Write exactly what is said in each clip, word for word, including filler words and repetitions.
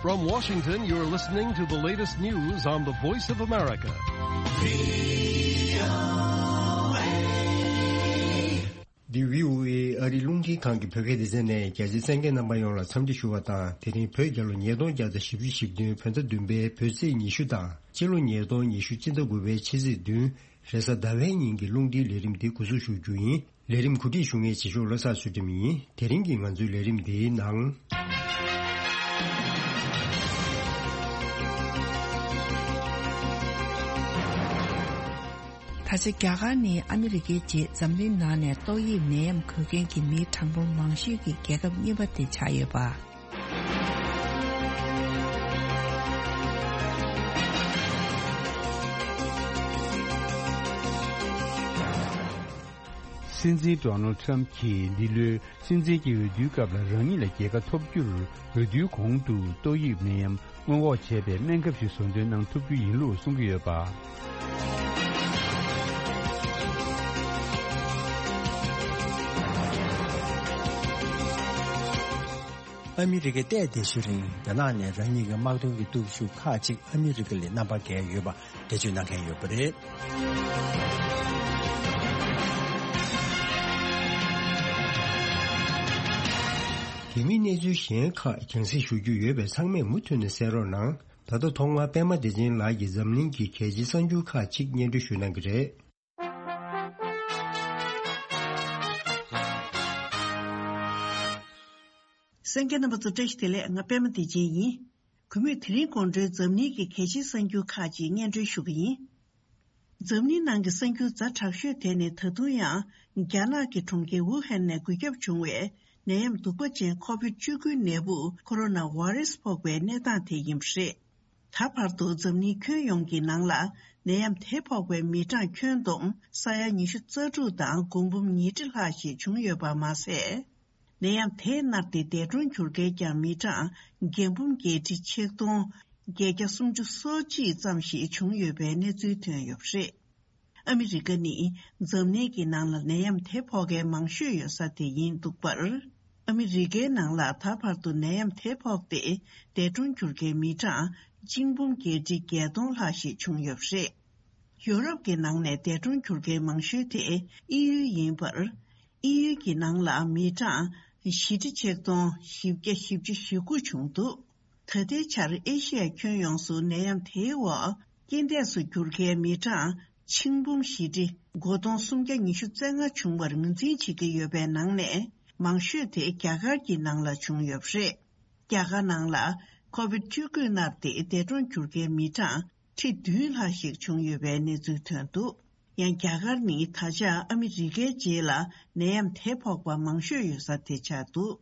From Washington, you're listening to the latest news on the Voice of America. འདི་བྷི་ཨོ་ཨེ་ཨ་རིའི་རླུང་འཕྲིན་ཁང་གི་བོད་སྐད་སྡེ་ཚན་ནས། རྒྱ་ཆེའི་གསན་མཁན་རྣམ་པ་ཡོངས་ལ་འཚམས་འདྲི་ཞུ་བ་དང་། དེ་རིང་བོད་རྒྱལ་ལོ་ཉིས་སྟོང་བརྒྱ་དང་བཞི་བཅུ་ཞེ་བདུན་བོད་ཟླ་བདུན་པའི་བོད་ཚེས་ཉི་ཤུ་དང་། སྤྱི་ལོ་ཉིས་སྟོང་ཉི་ཤུ་སྤྱི་ཟླ་དགུ་པའི་ཕྱི་ཚེས་བདུན། རེས་གཟའ་ཟླ་བའི་ཉིན་གྱི་རླུང་འཕྲིན་ལས་རིམ་འདི་འགོ་འཛུགས་ཞུ་རྒྱུ་ཡིན། ལས་རིམ་གོ་སྒྲིག་ཞུ་མཁན་རྗེས་ཕྱོགས་བློ་བཟང་ཚུལ་ཁྲིམས་ཡིན། དེ་རིང་གི་ང་ཚོའི་ལས་རིམ་འདིའི་ནང་། ད་ཆ་རྒྱ་གར་ནི་ཨ་མི་རི་ཀའི་རྗེས་འཛམ་གླིང་ནང་ནས་ཏོག་དབྱིབས་ནད་ཡམས་འགོས་མཁན་གྱི་མིའི་གྲངས་འབོར་མང་ཤོས་ཀྱི་རྒྱལ་ཁབ་གཉིས་པ་དེ་ཆགས་ཡོད་པ། སྲིད་འཛིན་ཌོ་ནལ་ཊམ་གྱིས་འདི་ལོའི་སྲིད་འཛིན་གྱི་འོས་བསྡུའི་སྐབས་ལ་རང་ཉིད་ལ་རྒྱལ་ཁ་ཐོབ་རྒྱུར། འོས་བསྡུའི་གོང་དུ་ཏོག་དབྱིབས་ནད་ཡམས་སྔོན་འགོག་བྱེད་པའི་སྨན་ཁབ་ཞིག་བཟོ་འདོན་གནང་ཐུབ་རྒྱུ་ཡིན་ལུགས་གསུང་གི་ཡོད་པ། ཨ་མི་རི་ཀའི་ཏོག་དབྱིབས་ནད་ཡམས་རིང་རྒྱ་ནག་ནས་རང་ཉིད་ཀྱི་དམག་དོན་གྱི་སྟོབས་ཤུགས་ཁག་ཅིག་ཨ་མི་རི་ཀ་ལས་རྣམ་པར་རྒྱལ་ཡོད་པ་འགྲེལ་བརྗོད་གནང་མཁན་ཡོད་པ་རེད། དེ་མིན་གནས་ཚུལ་གཞན་ཁག་རྒྱང་སྲིང་ཞུ་རྒྱུ་ཡོད་པས། ཚང་མས་མུ་མཐུད་ནས་གསན་རོགས་གནང་། ད་ལྟ་ཐོག་མར་པད་མ་བདེ་ཆེན་ལགས་ཀྱིས་འཛམ་གླིང་གི་གལ་ཆེའི་གསར་འགྱུར་ཁག་ཅིག་སྙན་སྒྲོན་ཞུ་གནང་གི་རེད། གསན་མཁན་རྣམ་པ་ཚོ་བཀྲ་ཤིས་བདེ་ལེགས། ང་པད་མ་བདེ་ཆེན་ཡིན། གུས་མོས་དེ་རིང་དགོང་དྲོའི་འཛམ་གླིང་གི་གལ་ཆེའི་གསར་འགྱུར་ཁག་ཅིག་སྙན་སྒྲོན་ཞུ་གི་ཡིན། འཛམ་གླིང་ནང་གི་གསར་འགྱུར་ཛ་དྲག་ཤོས་དེ་ནི། ད་དུང་ཡང་རྒྱ་ནག་གི་གྲོང་ཁྱེར་ཝུ་ཧན་ནས་འགོས་ཁྱབ་བྱུང་བའི་ནད་ཡམས་གདུག་པ་ཅན་ཁོ་བིད་བཅུ་དགུ་ནད་འབུ་ཁོ་རོ་ན་ཝེ་རེ་སི་ཕོག་པའི་གནས་སྟངས་དེ་ཡིན་པ་རེད། ད་བར་དུ་འཛམ་གླིང་ཁྱོན་ཡོངས་ཀྱི་ནང་ལ་ནད་ཡམས་དེ་ཕོག་པའི་མི་གྲངས་ཁྱོན་བསྡོམས་ས་ཡ་ཉི་ཤུ་རྩ་དྲུག་དང་སྒོང་འབུམ་ཉིས་ཁྲི་ལྷག་ཞིག་བྱུང་ཡོད་པ་མ་ཟད། ནད་ཡམས་དེས་མནར་ཏེ་འདས་གྲོངས་གྱུར་མཁན་ཀྱང་མི་གྲངས་བརྒྱད་འབུམ་བརྒྱད་ཁྲི་ཆིག་སྟོང་བརྒྱད་བརྒྱ་སུམ་ཅུ་སོ་གཅིག་ཙམ་ཞིག་བྱུང་ཡོད་པའི་གནས་ཚུལ་ཐོན་ཡོད་པ་རེད། ཨ་མི་རི་ཀ་ནི་འཛམ་གླིང་གི་ནང་ལ་ནད་ཡམས་དེ་ཕོག་མཁན་མང་ཤོས་ཡོད་ས་དེ་ཡིན་འདུག་པར། ཨ་མི་རི་ཀའི་ནང་ལ་ད་བར་དུ་ནད་ཡམས་དེ་ཕོག་སྟེ་འདས་གྲོངས་གྱུར་མཁན་མི་གྲངས་གཅིག་འབུམ་བརྒྱད་ཁྲི་བརྒྱད་སྟོང་ལྷག་ཞིག་བྱུང་ཡོད་པ་རེད། ཡོ་རོབ་ཀྱི་ནང་ནས་འདས་གྲོངས་གྱུར་མཁན་མང་ཤོས་དེ་དབྱིན་ཡུལ་ཡིན་པར། དབྱིན་ཡུལ་གྱི་ནང་ལ་མི་གྲངས་བཞི་ཁྲི་ཆིག་སྟོང་བཞི་བརྒྱ་བཞི་བཅུ་ཞེ་དགུ་བྱུང་འདུག་ད་ལྟའི་ཆར་ཨེ་ཤི་ཡ་ཁྱོན་ཡོངས་སུ་ནད་ཡམས་དེའི་འོག་རྐྱེན་འདས་སུ་གྱུར་མཁན་མི་གྲངས་ཆིག་འབུམ་བཞི་ཁྲི་དགུ་སྟོང་སུམ་བརྒྱ་ཉི་ཤུ་རྩ་ལྔ་བྱུང་བར་ངོས་འཛིན་བྱེད་ཀྱི་ཡོད་པའི་ནང་ནས། མང་ཤོས་དེ་རྒྱ་གར་གྱི་ནང་ལ་བྱུང་ཡོད་པ་རེད། རྒྱ་གར་ནང་ལ་ཁོ་བིད་བཅུ་དགུས་མནར་ཏེ་འདས་གྲོངས་གྱུར་མཁན་མི་གྲངས་ཁྲི་བདུན་ལྷག་ཞིག་བྱུང་ཡོད་པའི་གནས་ཚུལ་ཐོན་འདུག་ཡང་རྒྱ་གར་ནི་ད་ཆ་ཨ་མི་རི་ཀའི་རྗེས་ལ་ནད་ཡམས་དེ་ཕོག་པ་མང་ཤོས་ཡོད་ས་དེ་ཆགས་འདུག་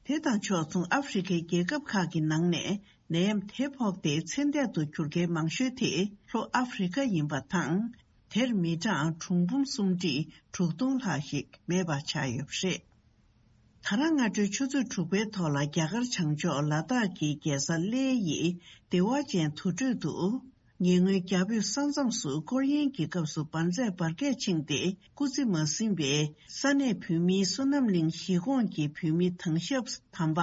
དེ་དང་ཕྱོགས་མཚུངས་ཨ་ཧྥེ་རི་ཁའི་རྒྱལ་ཁབ་ཁག་གི་ནང་ནས་ནད་ཡམས་དེ་ཕོག་སྟེ་ཚེ་འདས་དུ་གྱུར་མཁན་མང་ཤོས་དེ་ལྷོ་ཨ་ཧྥེ་རི་ཁ་ཡིན་པ་དང་། དེར་མི་གྲངས་གྲངས་འབུམ་སུམ་ཁྲི་དྲུག་སྟོང་ལྷག་ཞིག་མེད་པ་ཆགས་ཡོད་པ་རེད། ད་རང་སྔ་དྲོའི་ཆུ་ཚོད་དྲུག་པའི་ཐོག་ལ་རྒྱ་གར་བྱང་ཕྱོགས་ལ་དྭགས་ཀྱི་རྒྱལ་ས་ལེ་ཡི་བདེ་བ་ཅན་དུར་ཁྲོད་དུ། ཉེ་སྔོན་རྒྱ་བོད་ས་མཚམས་སུ་སྐོར་གཡེང་གི་སྐབས་སུ་འབར་རྫས་འབར་གས་ཕྱིན་ཏེ་སྐུ་ཚེ་མ་ཟིན་པའི་ས་གནས་བོད་མིའི་བསོད་ནམས་གླིང་གཞིས་ཁོངས་ཀྱི་བོད་མི་དྭང་ཞབས་དམ་པ་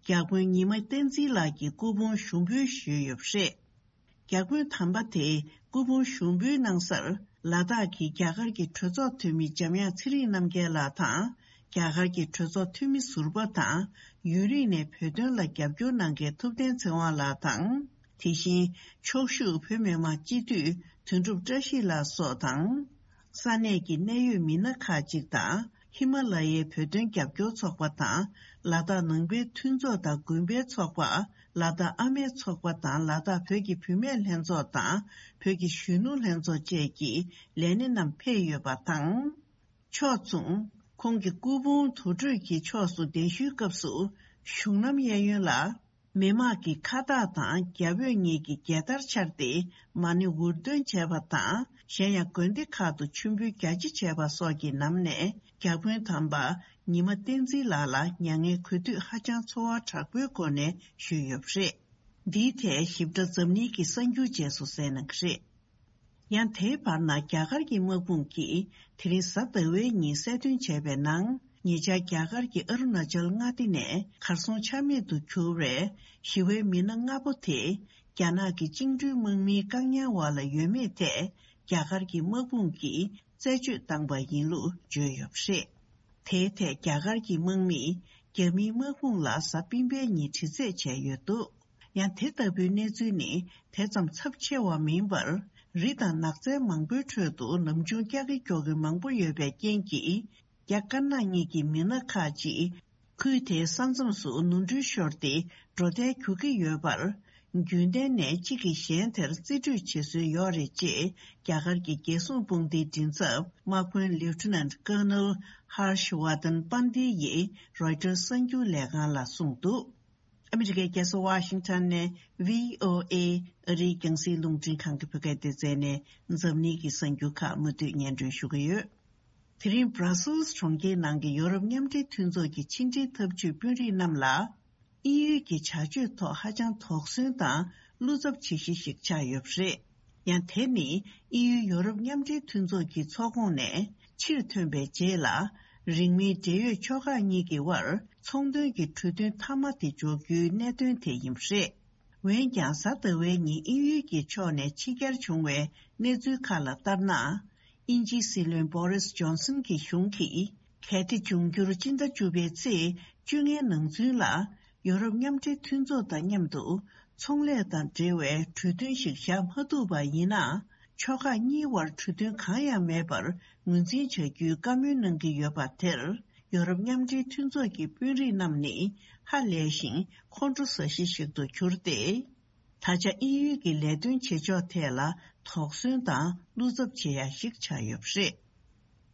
བརྒྱ་དཔོན་ཉི་མ་བསྟན་འཛིན་ལགས་ཀྱི་སྐུ་ཕུང་ཞུགས་འབུལ་ཞུས་ཡོད་པ་རེད། བརྒྱ་དཔོན་དམ་པ་དེས་སྐུ་ཕུང་ཞུགས་འབུལ་གནང་སར། ལ་དྭགས་ཀྱི་རྒྱ་གར་གྱི་གྲོས་ཚོགས་འཐུས་མི་འཇམ་དབྱངས་ཚེ་རིང་རྣམ་རྒྱལ་ལགས་དང་། རྒྱ་གར་གྱི་གྲོས་ཚོགས་འཐུས་མི་ཟུར་པ་དང་། ཡུན་རིང་ནས་བོད་དོན་ལ་རྒྱབ་སྐྱོར་གནང་མཁན་ཐུབ་བསྟན་ཚེ་དབང་ལགས་དང་། དེ་བཞིན་ཕྱོགས་བཞུགས་བོད་མི་མང་སྤྱི་འཐུས་དོན་གྲུབ་བཀྲ་ཤིས་ལགས་སོགས་དང་། ས་གནས་ཀྱི་གནད་ཡོད་མི་སྣ་ཁག་ཅིག་དང་། ཧི་མ་ལ་ཡའི་བོད་དོན་རྒྱབ་སྐྱོར་ཚོགས་པ་དང་། ལ་དྭགས་ནང་པའི་མཐུན་ཚོགས་དང་དགོན་པའི་ཚོགས་པ། ལ་དྭགས་ཨ་མའི་ཚོགས་པ་དང་། ལ་དྭགས་བོད་ཀྱི་བུད་མེད་ལྷན་ཚོགས་དང་། བོད་ཀྱི་གཞོན་ནུ་ལྷན་ཚོགས་བཅས་ཀྱི་ལས་སྣེ་རྣམས་ཕེབས་ཡོད་པ་དང་། ཕྱོགས་མཚུངས། ཁོང་གི་སྐུ་ཕུང་དུར་ཁྲོད་ཀྱི་ཕྱོགས་སུ་གདན་ཞུའི་སྐབས་སུ། གཞུང་ལམ་གཡས་གཡོན་ལ། མི་དམངས་ཀྱི་ཁ་བཏགས་དང་རྒྱ་བོད་གཉིས་ཀྱི་རྒྱལ་དར་འཕྱར་ཏེ་མ་ཎི་འུར་འདོན་བྱས་པ་དང་། གཞན་ཡང་དགོན་སྡེ་ཁག་ཏུ་མཆོད་འབུལ་རྒྱ་ཆེ་བྱས་པ་སོགས་ཀྱི་ནང་ནས་བརྒྱ་དཔོན་དམ་པ་ཉི་མ་བསྟན་འཛིན་ལགས་ལ་མྱ་ངན་གུས་འདུད་ཧ་ཅང་ཚོར་བ་དྲག་པོའི་སྒོ་ནས་ཞུས་ཡོད་པ་རེད། འདིའི་ཐད་ཞིབ་ཕྲ་འཛམ་གླིང་གི་གསར་འགྱུར་རྗེས་སུ་གསན་གནང་གི་རེད། ཡང་དེའི་བར་ན་རྒྱ་གར་གྱི་དམག་དཔུང་གིས་དེ་རིང་གཟའ་ཟླ་བའི་ཉིན་གསལ་སྟོན་བྱས་པའི་ནང་། ཉེ་ཆར་རྒྱ་གར་གྱི་ཨ་རུ་ན་ཅལ་མངའ་སྡེ་ནས་གར་སོང་ཆ་མེད་དུ་གྱུར་བའི་ཞི་བའི་མི་སྣ་ལྔ་པོ་དེ། རྒྱ་ནག་གི་བཅིངས་འགྲོལ་དམག་མིའི་བཀག་ཉར་འོག་ལ་ཡོད་མེད་ཐད་རྒྱ་གར་གྱི་དམག་དཔུང་གིས་རྩད་གཅོད་བཏང་པ་ཡིན་ལུགས་བརྗོད་ཡོད་པ་རེད། དེའི་ཐད་རྒྱ་གར་གྱི་དམག་མིས་རྒྱ་མིའི་དམག་དཔུང་ལ་གཟའ་སྤེན་པའི་ཉིན་དྲི་རྩད་བྱས་ཡོད་འདུག་ཡང་དེ་ལྟ་བུའི་གནས་ཚུལ་ནི་དེ་ཙམ་ཚབས་ཆེ་བ་མིན་པར། རི་དང་ནགས་ཚལ་མང་པོའི་ཁྲོད་དུ་ལམ་ཆུང་ཀྱག་ཀྱིག་ཀྱོག་གི་མང་པོ་ཡོད་པའི་རྐྱེན་གྱིས། རྒྱ་དཀར་ནག་གཉིས་ཀྱི་མི་སྣ་ཁག་ཅིག་ཁུལ་དེའི་ས་མཚམས་སུ་ནོར་འཁྲུལ་ཤོར་ཏེ་འགྲོ་ཐལ་གྱུར་གྱི་ཡོད་པར། རྒྱུན་ལྡན་ནས་གཅིག་གིས་གཞན་དེར་རྩིས་སྤྲོད་བྱེད་སྲོལ་ཡོད་རེད་ཅེས་རྒྱ་གར་གྱི་རྒྱལ་སྲུང་དཔུང་སྡེའི་མགྲིན་ཚབ་དམག་དཔོན་Lieutenant Colonel Harsh Vardhan Pandey ཡིས་Reuters གསར་འགྱུར་ལས་ཁང་ལ་གསུངས་འདུག་ཨ་མི་རི་ཀའི་རྒྱལ་ས་ཝ་ཤིང་ཊོན་ནས་བྷི་ཨོ་ཨེ་ཨ་རིའི་རྒྱང་སྲིང་རླུང་འཕྲིན་ཁང་གི་བོད་སྐད་སྡེ་ཚན་ནས་འཛམ་གླིང་གི་གསར་འགྱུར་ཁག་མུ་མཐུད་སྙན་སྒྲོན་ཞུ་གི་ཡོད། དེ་རིང་Brussels་གྲོང་ཁྱེར་ནང་གི་ཡོ་རོབ་མཉམ་འབྲེལ་མཐུན་ཚོགས་ཀྱི་ཕྱི་འབྲེལ་འཐབ་ཇུས་དཔོན་རིགས་རྣམས་ལ། དབྱིན་ཡུལ་གྱི་བྱ་སྤྱོད་ཐོག་ཧ་ཅང་དོགས་ཟོན་དང་བློ་འཚབ་བྱེད་གཞི་ཞིག་ཆགས་ཡོད་པ་རེད། ཡང་དེ་ནི་དབྱིན་ཡུལ་ཡོ་རོབ་མཉམ་འབྲེལ་མཐུན་ཚོགས་ཀྱི་ཚོགས་ཁོངས་ནས་ཕྱིར་ཐོན་པའི་རྗེས་ལ། རིང་མིན་འབྲེལ་ཡོད་ཕྱོགས་ཁག་གཉིས་ཀྱི་དབར་ཚོང་དོན་གྱི་གྲོས་མཐུན་མཐའ་མ་དེ་འཇོག་རྒྱུའི་གནད་དོན་དེ་ཡིན་པ་རེད། འོན་ཀྱང་གཟའ་ཟླ་བའི་ཉིན་དབྱིན་ཡུལ་གྱི་ཕྱོགས་ནས་ཕྱི་གྱར་བྱུང་བའི་གནས་ཚུལ་ཁག་ལ་ལྟར་ན། དབྱིན་ཇིའི་སྲིད་བློན་Boris Johnson་གྱི་གཞུང་གིས་གལ་ཏེ་འབྱུང་འགྱུར་སྤྱི་ཟླ་བཅུ་པའི་ཚེས་བཅོ་ལྔའི་ནང་ཚུན་ལ་ཡོ་རོབ་མཉམ་འབྲེལ་མཐུན་ཚོགས་དང་མཉམ་དུ་ཚོང་ལས་དང་འབྲེལ་བའི་གྲོས་མཐུན་ཞིག་བཞག་མ་ཐུབ་པ་ཡིན་ན། ཕྱོགས་ཁག་གཉིས་དབར་གྲོས་མཐུན་གང་ཡང་མེད་པར་ངོས་འཛིན་བྱ་རྒྱུའི་བཀའ་མོལ་གནང་གི་ཡོད་པ་དེར། ཡོ་རོབ་མཉམ་འབྲེལ་མཐུན་ཚོགས་ཀྱི་དཔོན་རིགས་རྣམས་ནི་ཧ་ལས་ཤིང་ཁོང་ཁྲོ་ཟ་གཞི་ཞིག་ཏུ་གྱུར་ཏེ། ད་ཆ་དབྱིན་ཡུལ་གྱི་ལས་དོན་བྱེད་ཕྱོགས་ཐད་ལ་དོགས་ཟོན་དང་བློ་འཚབ་བྱེད་ཡ་ཞིག་ཆགས་ཡོད་པ་རེད།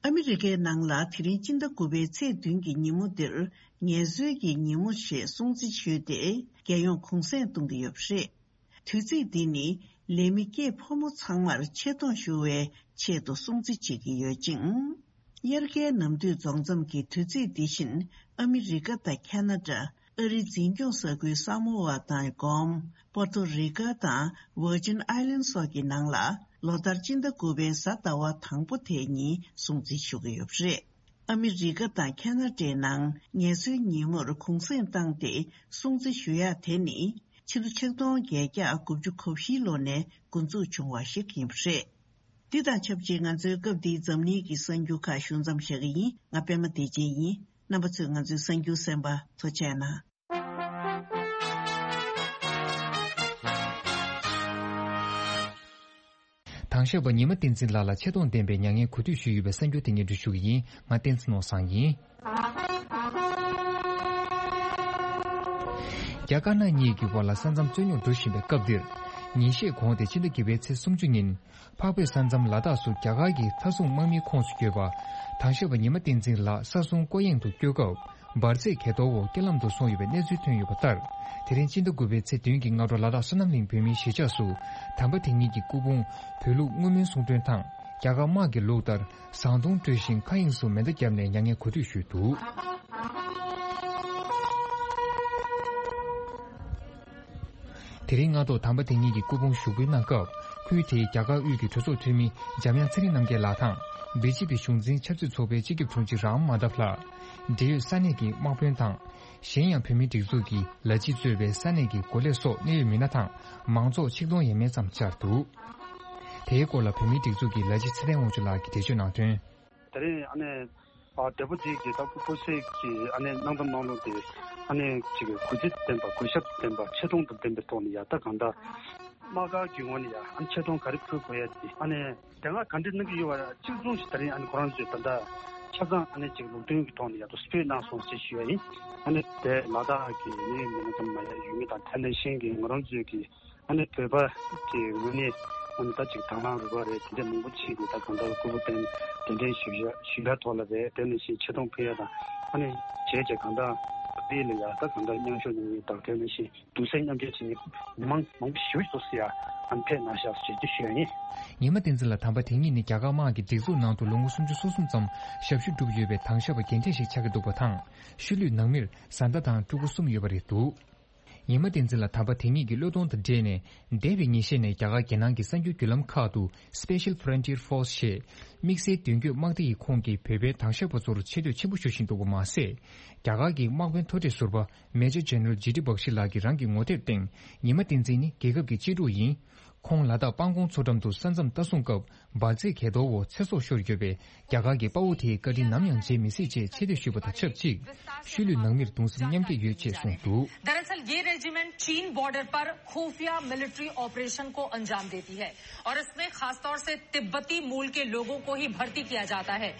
ཨ་མི་རི་ཀའི་ནང་ལ་དེ་རིང་སྤྱི་ཟླ་དགུ་པའི་ཚེས་བདུན་གྱི་ཉིན་མོ་འདིར་ངལ་གསོའི་གི་ཉིན་མོ་ཞེས་སྲུང་བརྩི་ཞུས་ཏེ་རྒྱལ་ཡོངས་གུང་སེང་གཏོང་གི་ཡོད་པ་རེད། དུས་ཚིགས་འདི་ནི་ལས་མི་སྐྱེས་ཕོ་མོ་ཚང་མར་ཆེ་མཐོང་ཞུ་བའི་ཆེད་དུ་སྲུང་བརྩི་བྱེད་ཀྱི་ཡོད་ཅིང་། དབྱར་ཁའི་ནམ་དུས་རྫོགས་མཚམས་ཀྱི་དུས་ཚིགས་འདི་བཞིན་ཨ་མི་རི་ཀ་དང་ཁ་ན་ཌ། ཨ་རིའི་འཛིན་སྐྱོང་ས་ཁུལ་ས་མོ་ཝ་དང་གོམ། པོར་ཏོ་རི་ཀ་དང་Virgin Islands་སོགས་ཀྱི་ནང་ལ་ལོ་ལྟར་སྤྱི་ཟླ་དགུ་པའི་གཟའ་ཟླ་བ་དང་པོ་དེ་ཉིན་སྲུང་བརྩི་ཞུ་གི་ཡོད་པ་རེད། ཨ་མི་རི་ཀ་དང་ཁ་ན་ཌའི་ནང་ངལ་གསོའི་ཉིན་མོར་གུང་སེང་བཏང་སྟེ་སྲུང་བརྩི་ཞུ་ཡག་དེ་ནི་ཕྱི་ལོ་ཆིག་སྟོང་བརྒྱད་བརྒྱ་དགུ་བཅུ་གོ་བཞིའི་ལོ་ནས་འགོ་འཛུགས་བྱུང་བ་ཞིག་ཡིན་པ་རེད། འདི་དང་ཆབས་ཅིག་ང་ཚོའི་སྐབས་འདིའི་འཛམ་གླིང་གི་གསར་འགྱུར་ཁག་ཞུ་མཚམས་བཞག་གི་ཡིན། ང་པད་མ་བདེ་ཆེན་ཡིན། རྣམ་པ་ཚོས་ང་ཚོའི་གསར་འགྱུར་གསན་པ་ཐུགས་རྗེ་གནང་། དང་ཞབས་པ་ཉི་མ་བསྟན་འཛིན་ལགས་ལ་ཆེ་མཐོང་ལྡན་པའི་མྱ་ངན་གུས་འདུད་ཞུས་ཡོད་པའི་གསར་འགྱུར་དེ་སྙན་སྒྲོན་ཞུ་གི་ཡིན། ང་བསྟན་འཛིན་ནོར་བཟང་ཡིན། རྒྱ་དཀར་ནག་གཉིས་ཀྱི་དབར་ལ་ས་མཚམས་རྩོད་རྙོག་འགྲོ་བཞིན་པའི་སྐབས་འདིར། ཉིན་ཤས་གོང་སྟེ་ཕྱི་ཟླ་བརྒྱད་པའི་ཚེས་སུམ་ཅུ་ཉིན། འཕགས་བོད་ས་མཚམས་ལ་དྭགས་སུ་རྒྱ་གར་གྱི་མཐའ་སྲུང་དམག་མིའི་ཁོངས་སུ་ཡོད་པ། དང་ཞབས་པ་ཉི་མ་བསྟན་འཛིན་ལགས་ས་སྲུང་སྐོར་གཡེང་དུ་བསྐྱོད་སྐབས། འབར་རྫས་གས་གཏོར་འོག་རྐྱེན་ལམ་དུ་སོང་ཡོད་པའི་གནས་ཚུལ་ཐོན་ཡོད་པ་ལྟར། དེ་རིང་སྤྱི་ཟླ་དགུ་པའི་ཚེས་བདུན་གྱི་སྔ་དྲོ་ལ་དྭགས་བསོད་ནམས་གླིང་བོད་མིའི་གཞིས་ཆགས་སུ། དམ་པ་དེ་ཉིད་ཀྱི་སྐུ་ཕུང་བོད་ལུགས་བསྔོ་སྨོན་གསུང་འདོན་དང་། རྒྱ་གར་དམག་གི་ལུགས་ལྟར་ཟངས་མདོང་དཀྲོལ་ཞིང་མཁའ་དབྱིངས་སུ་མེ་མདའ་བརྒྱབ་ནས་མྱ་ངན་གུས་འདུད་ཞུས་འདུག་དེ་རིང་སྔ་དྲོ་དམ་པ་དེ་ཉིད་ཀྱི་སྐུ་ཕུང་ཞུགས་འབུལ་གནང་སྐབས། ཁུལ་དེའི་རྒྱ་གར་དབུས་ཀྱི་གྲོས་ཚོགས་འཐུས་མི་འཇམ་དབྱངས་ཚེ་རིང་རྣམ་རྒྱལ་ལགས་དང་། བི་ཇེ་པི་གཞུང་འཛིན་ཆབ་སྲིད་ཚོགས་པའི་སྤྱི་ཁྱབ་དྲུང་ཆེ་རམ་མ་དྷབ་ལགས། འབྲེལ་ཡོད་ས་གནས་ཀྱི་དམག་དཔོན་དང་། གཞན་ཡང་བོད་མིའི་སྒྲིག་འཛུགས་ཀྱི་ལ་ཕྱི་གཙོས་པའི་ས་གནས་ཀྱི་འགོ་ལས་སོགས་གནད་ཡོད་མི་སྣ་དང་མང་ཚོགས་ཆིག་སྟོང་ཡས་མས་ཙམ་བཅར་འདུག་དེའི་སྐོར་ལ་བོད་མིའི་སྒྲིག་འཛུགས་ཀྱི་ལ་ཕྱི་ཚེ་བརྟན་དབང་ཕྱུག་ལགས་ཀྱིས་འགྲེལ་བརྗོད་གནང་དོན། དེ་རིང་ཨ་ནི་ཨ་བགྲེས་པོ་དེ་གི་ད་ཁོ་ཁོ་ཚོས་ཀྱི་ཨ་ནི་གནང་སྟངས་གནང་ལུགས་དེ་ཨ་ནི་ཅིག་གུས་བརྩི་ལྡན་པ་གུས་ཞབས་ལྡན་པ་ཆེ་མཐོང་དང་ལྡན་པའི་ཐོག་ནས་ཡ་ད་གང་ལྟར་དམག་སྒར་གྱི་ངོས་ནས་ཡ་ཨ་ནི་ཆེ་མཐོང་ག་རེ་ཕུལ་དགོས་ཡ་དེ་ཨ་ནི་དེ་སྔ་ག་འདྲ་གནང་གི་ཡོད་པ་གཅིག་མཚུངས་ཤིག་དེ་རིང་ཨ་ནི་ཁོ་རང་ཚོས་ད་ལྟ་ཆ་ཚང་ཨ་ནི་ཅིག་ལུགས་མཐུན་གྱི་ཐོག་ནས་ཡ་ད་སྤྲོད་གནང་སོང་ཞེས་ཞུ་ཡ་ཡིན། ཨ་ནི་དེ་ལ་དྭགས་ཀྱི་ནི་མི་སྣ་ཙམ་མ་ཡ་ཡུལ་མི་དང་དེ་ནང་བཞིན་གྱི་ང་རང་ཚོས་ཀྱི་ཨ་ནི་བོད་པ་གི་ངོས་ནས་ཨ་ནི་ད་ཅིག་དང་བླངས་རུ་ཁག་རེད་དེ་འདྲ་མང་པོ་བྱས་ནས་ད་གང་ལྟར་སྐུ་ཕུང་གདན་གདན་འདྲེན་ཞུ་ཡ་ཞུ་ཡ་ཐོག་ལ་རེད། དེ་ནང་བཞིན་ཆེ་མཐོང་ཕུལ་ཡ་དང་ཨ་ནི་བྱས་བྱས་གང་ལྟར་བོད་ལ་ཡ་ད་གང་ལྟར་མཉམ་ཞུགས་གནང་ཡ་དང་དེ་ནང་བཞིན་གདུང་སེམས་མཉམ་སྐྱེད་བྱེད་མཁན་མི་མང་མང་པོ་ཞེ་པོ་ཞིག་ཡ་ཨ་ནི་ཕེབས་གནང་ཤག་ཞེས་ཞུ་ཡ་ཡིན། ཉི་མ་བསྟན་འཛིན་ལགས་དམ་པ་དེ་ཉིད་ནི་རྒྱ་གར་དམག་གི་སྒྲིག་འཛུགས་ནང་དུ་ལོ་ངོ་སུམ་ཅུ་སོ་གསུམ་ཙམ་ཞབས་ཞུ་བསྒྲུབས་ཡོད་པའི་དང་ཞབས་པ་རྒན་གྲས་ཤིག་ཆགས་ཀྱི་འདུག་པ་དང་། ཤུལ་ལུས་ནང་མིར་བཟའ་ཟླ་དང་ཕྲུ་གུ་གསུམ་ཡོད་པ་རེད་འདུག་ཉི་མ་བསྟན་འཛིན་ལགས་དམ་པ་དེ་ཉིད་ཀྱི་བློས་གཏོང་དང་འབྲེལ་ནས། འདས་པའི་ཉིན་ཤས་ནས་རྒྱ་གར་རྒྱལ་ནང་གི་གསར་འགྱུར་བརྒྱུད་ལམ་ཁག་ཏུ་Special Frontier Force ཞེས་དམིགས་བསལ་མདུན་སྐྱོད་དམག་སྡེ་ཡི་ཁོངས་ཀྱི་བོད་པའི་དྭང་བཤེར་པ་ཚོར་ཆེ་བསྟོད་ཆེན་པོ་ཞུ་བཞིན་འདུག་པ་མ་ཟད། རྒྱ་གར་གྱི་དམག་དཔོན་མཐོ་གྲས་ཟུར་པ་Major General G D Bakshi ལགས་ཀྱི་རང་གི་ངོ་དེབ་སྟེང་ཉི་མ་བསྟན་འཛིན་ནི་རྒྱལ་ཁབ་ཀྱི་གཅེས་ཕྲུག་ཡིན། ཁོང་ལ་དྭགས་སྤང་གོང་མཚོ་འགྲམ་དུ་ས་མཚམས་ལྟ་སྲུང་སྐབས་འབར་རྫས་གས་རྡོ་འོག་ཚེ་སྲོག་ཤོར་ཡོད་པས། རྒྱ་གར་གྱི་དཔའ་བོ་དེའི་བཀའ་དྲིན་ནམ་ཡང་བརྗེད་མི་སྲིད་ཅེས་ཆེ་བསྟོད་ཞུས་པ་དང་ཆབས་ཅིག་ཤུལ་ལུས་ནང་མིར་གདུང་སེམས་མཉམ་སྐྱེད་ཡོད་ཅེས་གསུངས་འདུག། दरअसल ये रेजिमेंट चीन बॉर्डर पर खुफिया military operation को अंजाम देती है और इसमें खासतौर से तिब्बती मूल के लोगों को ही भर्ती किया जाता है।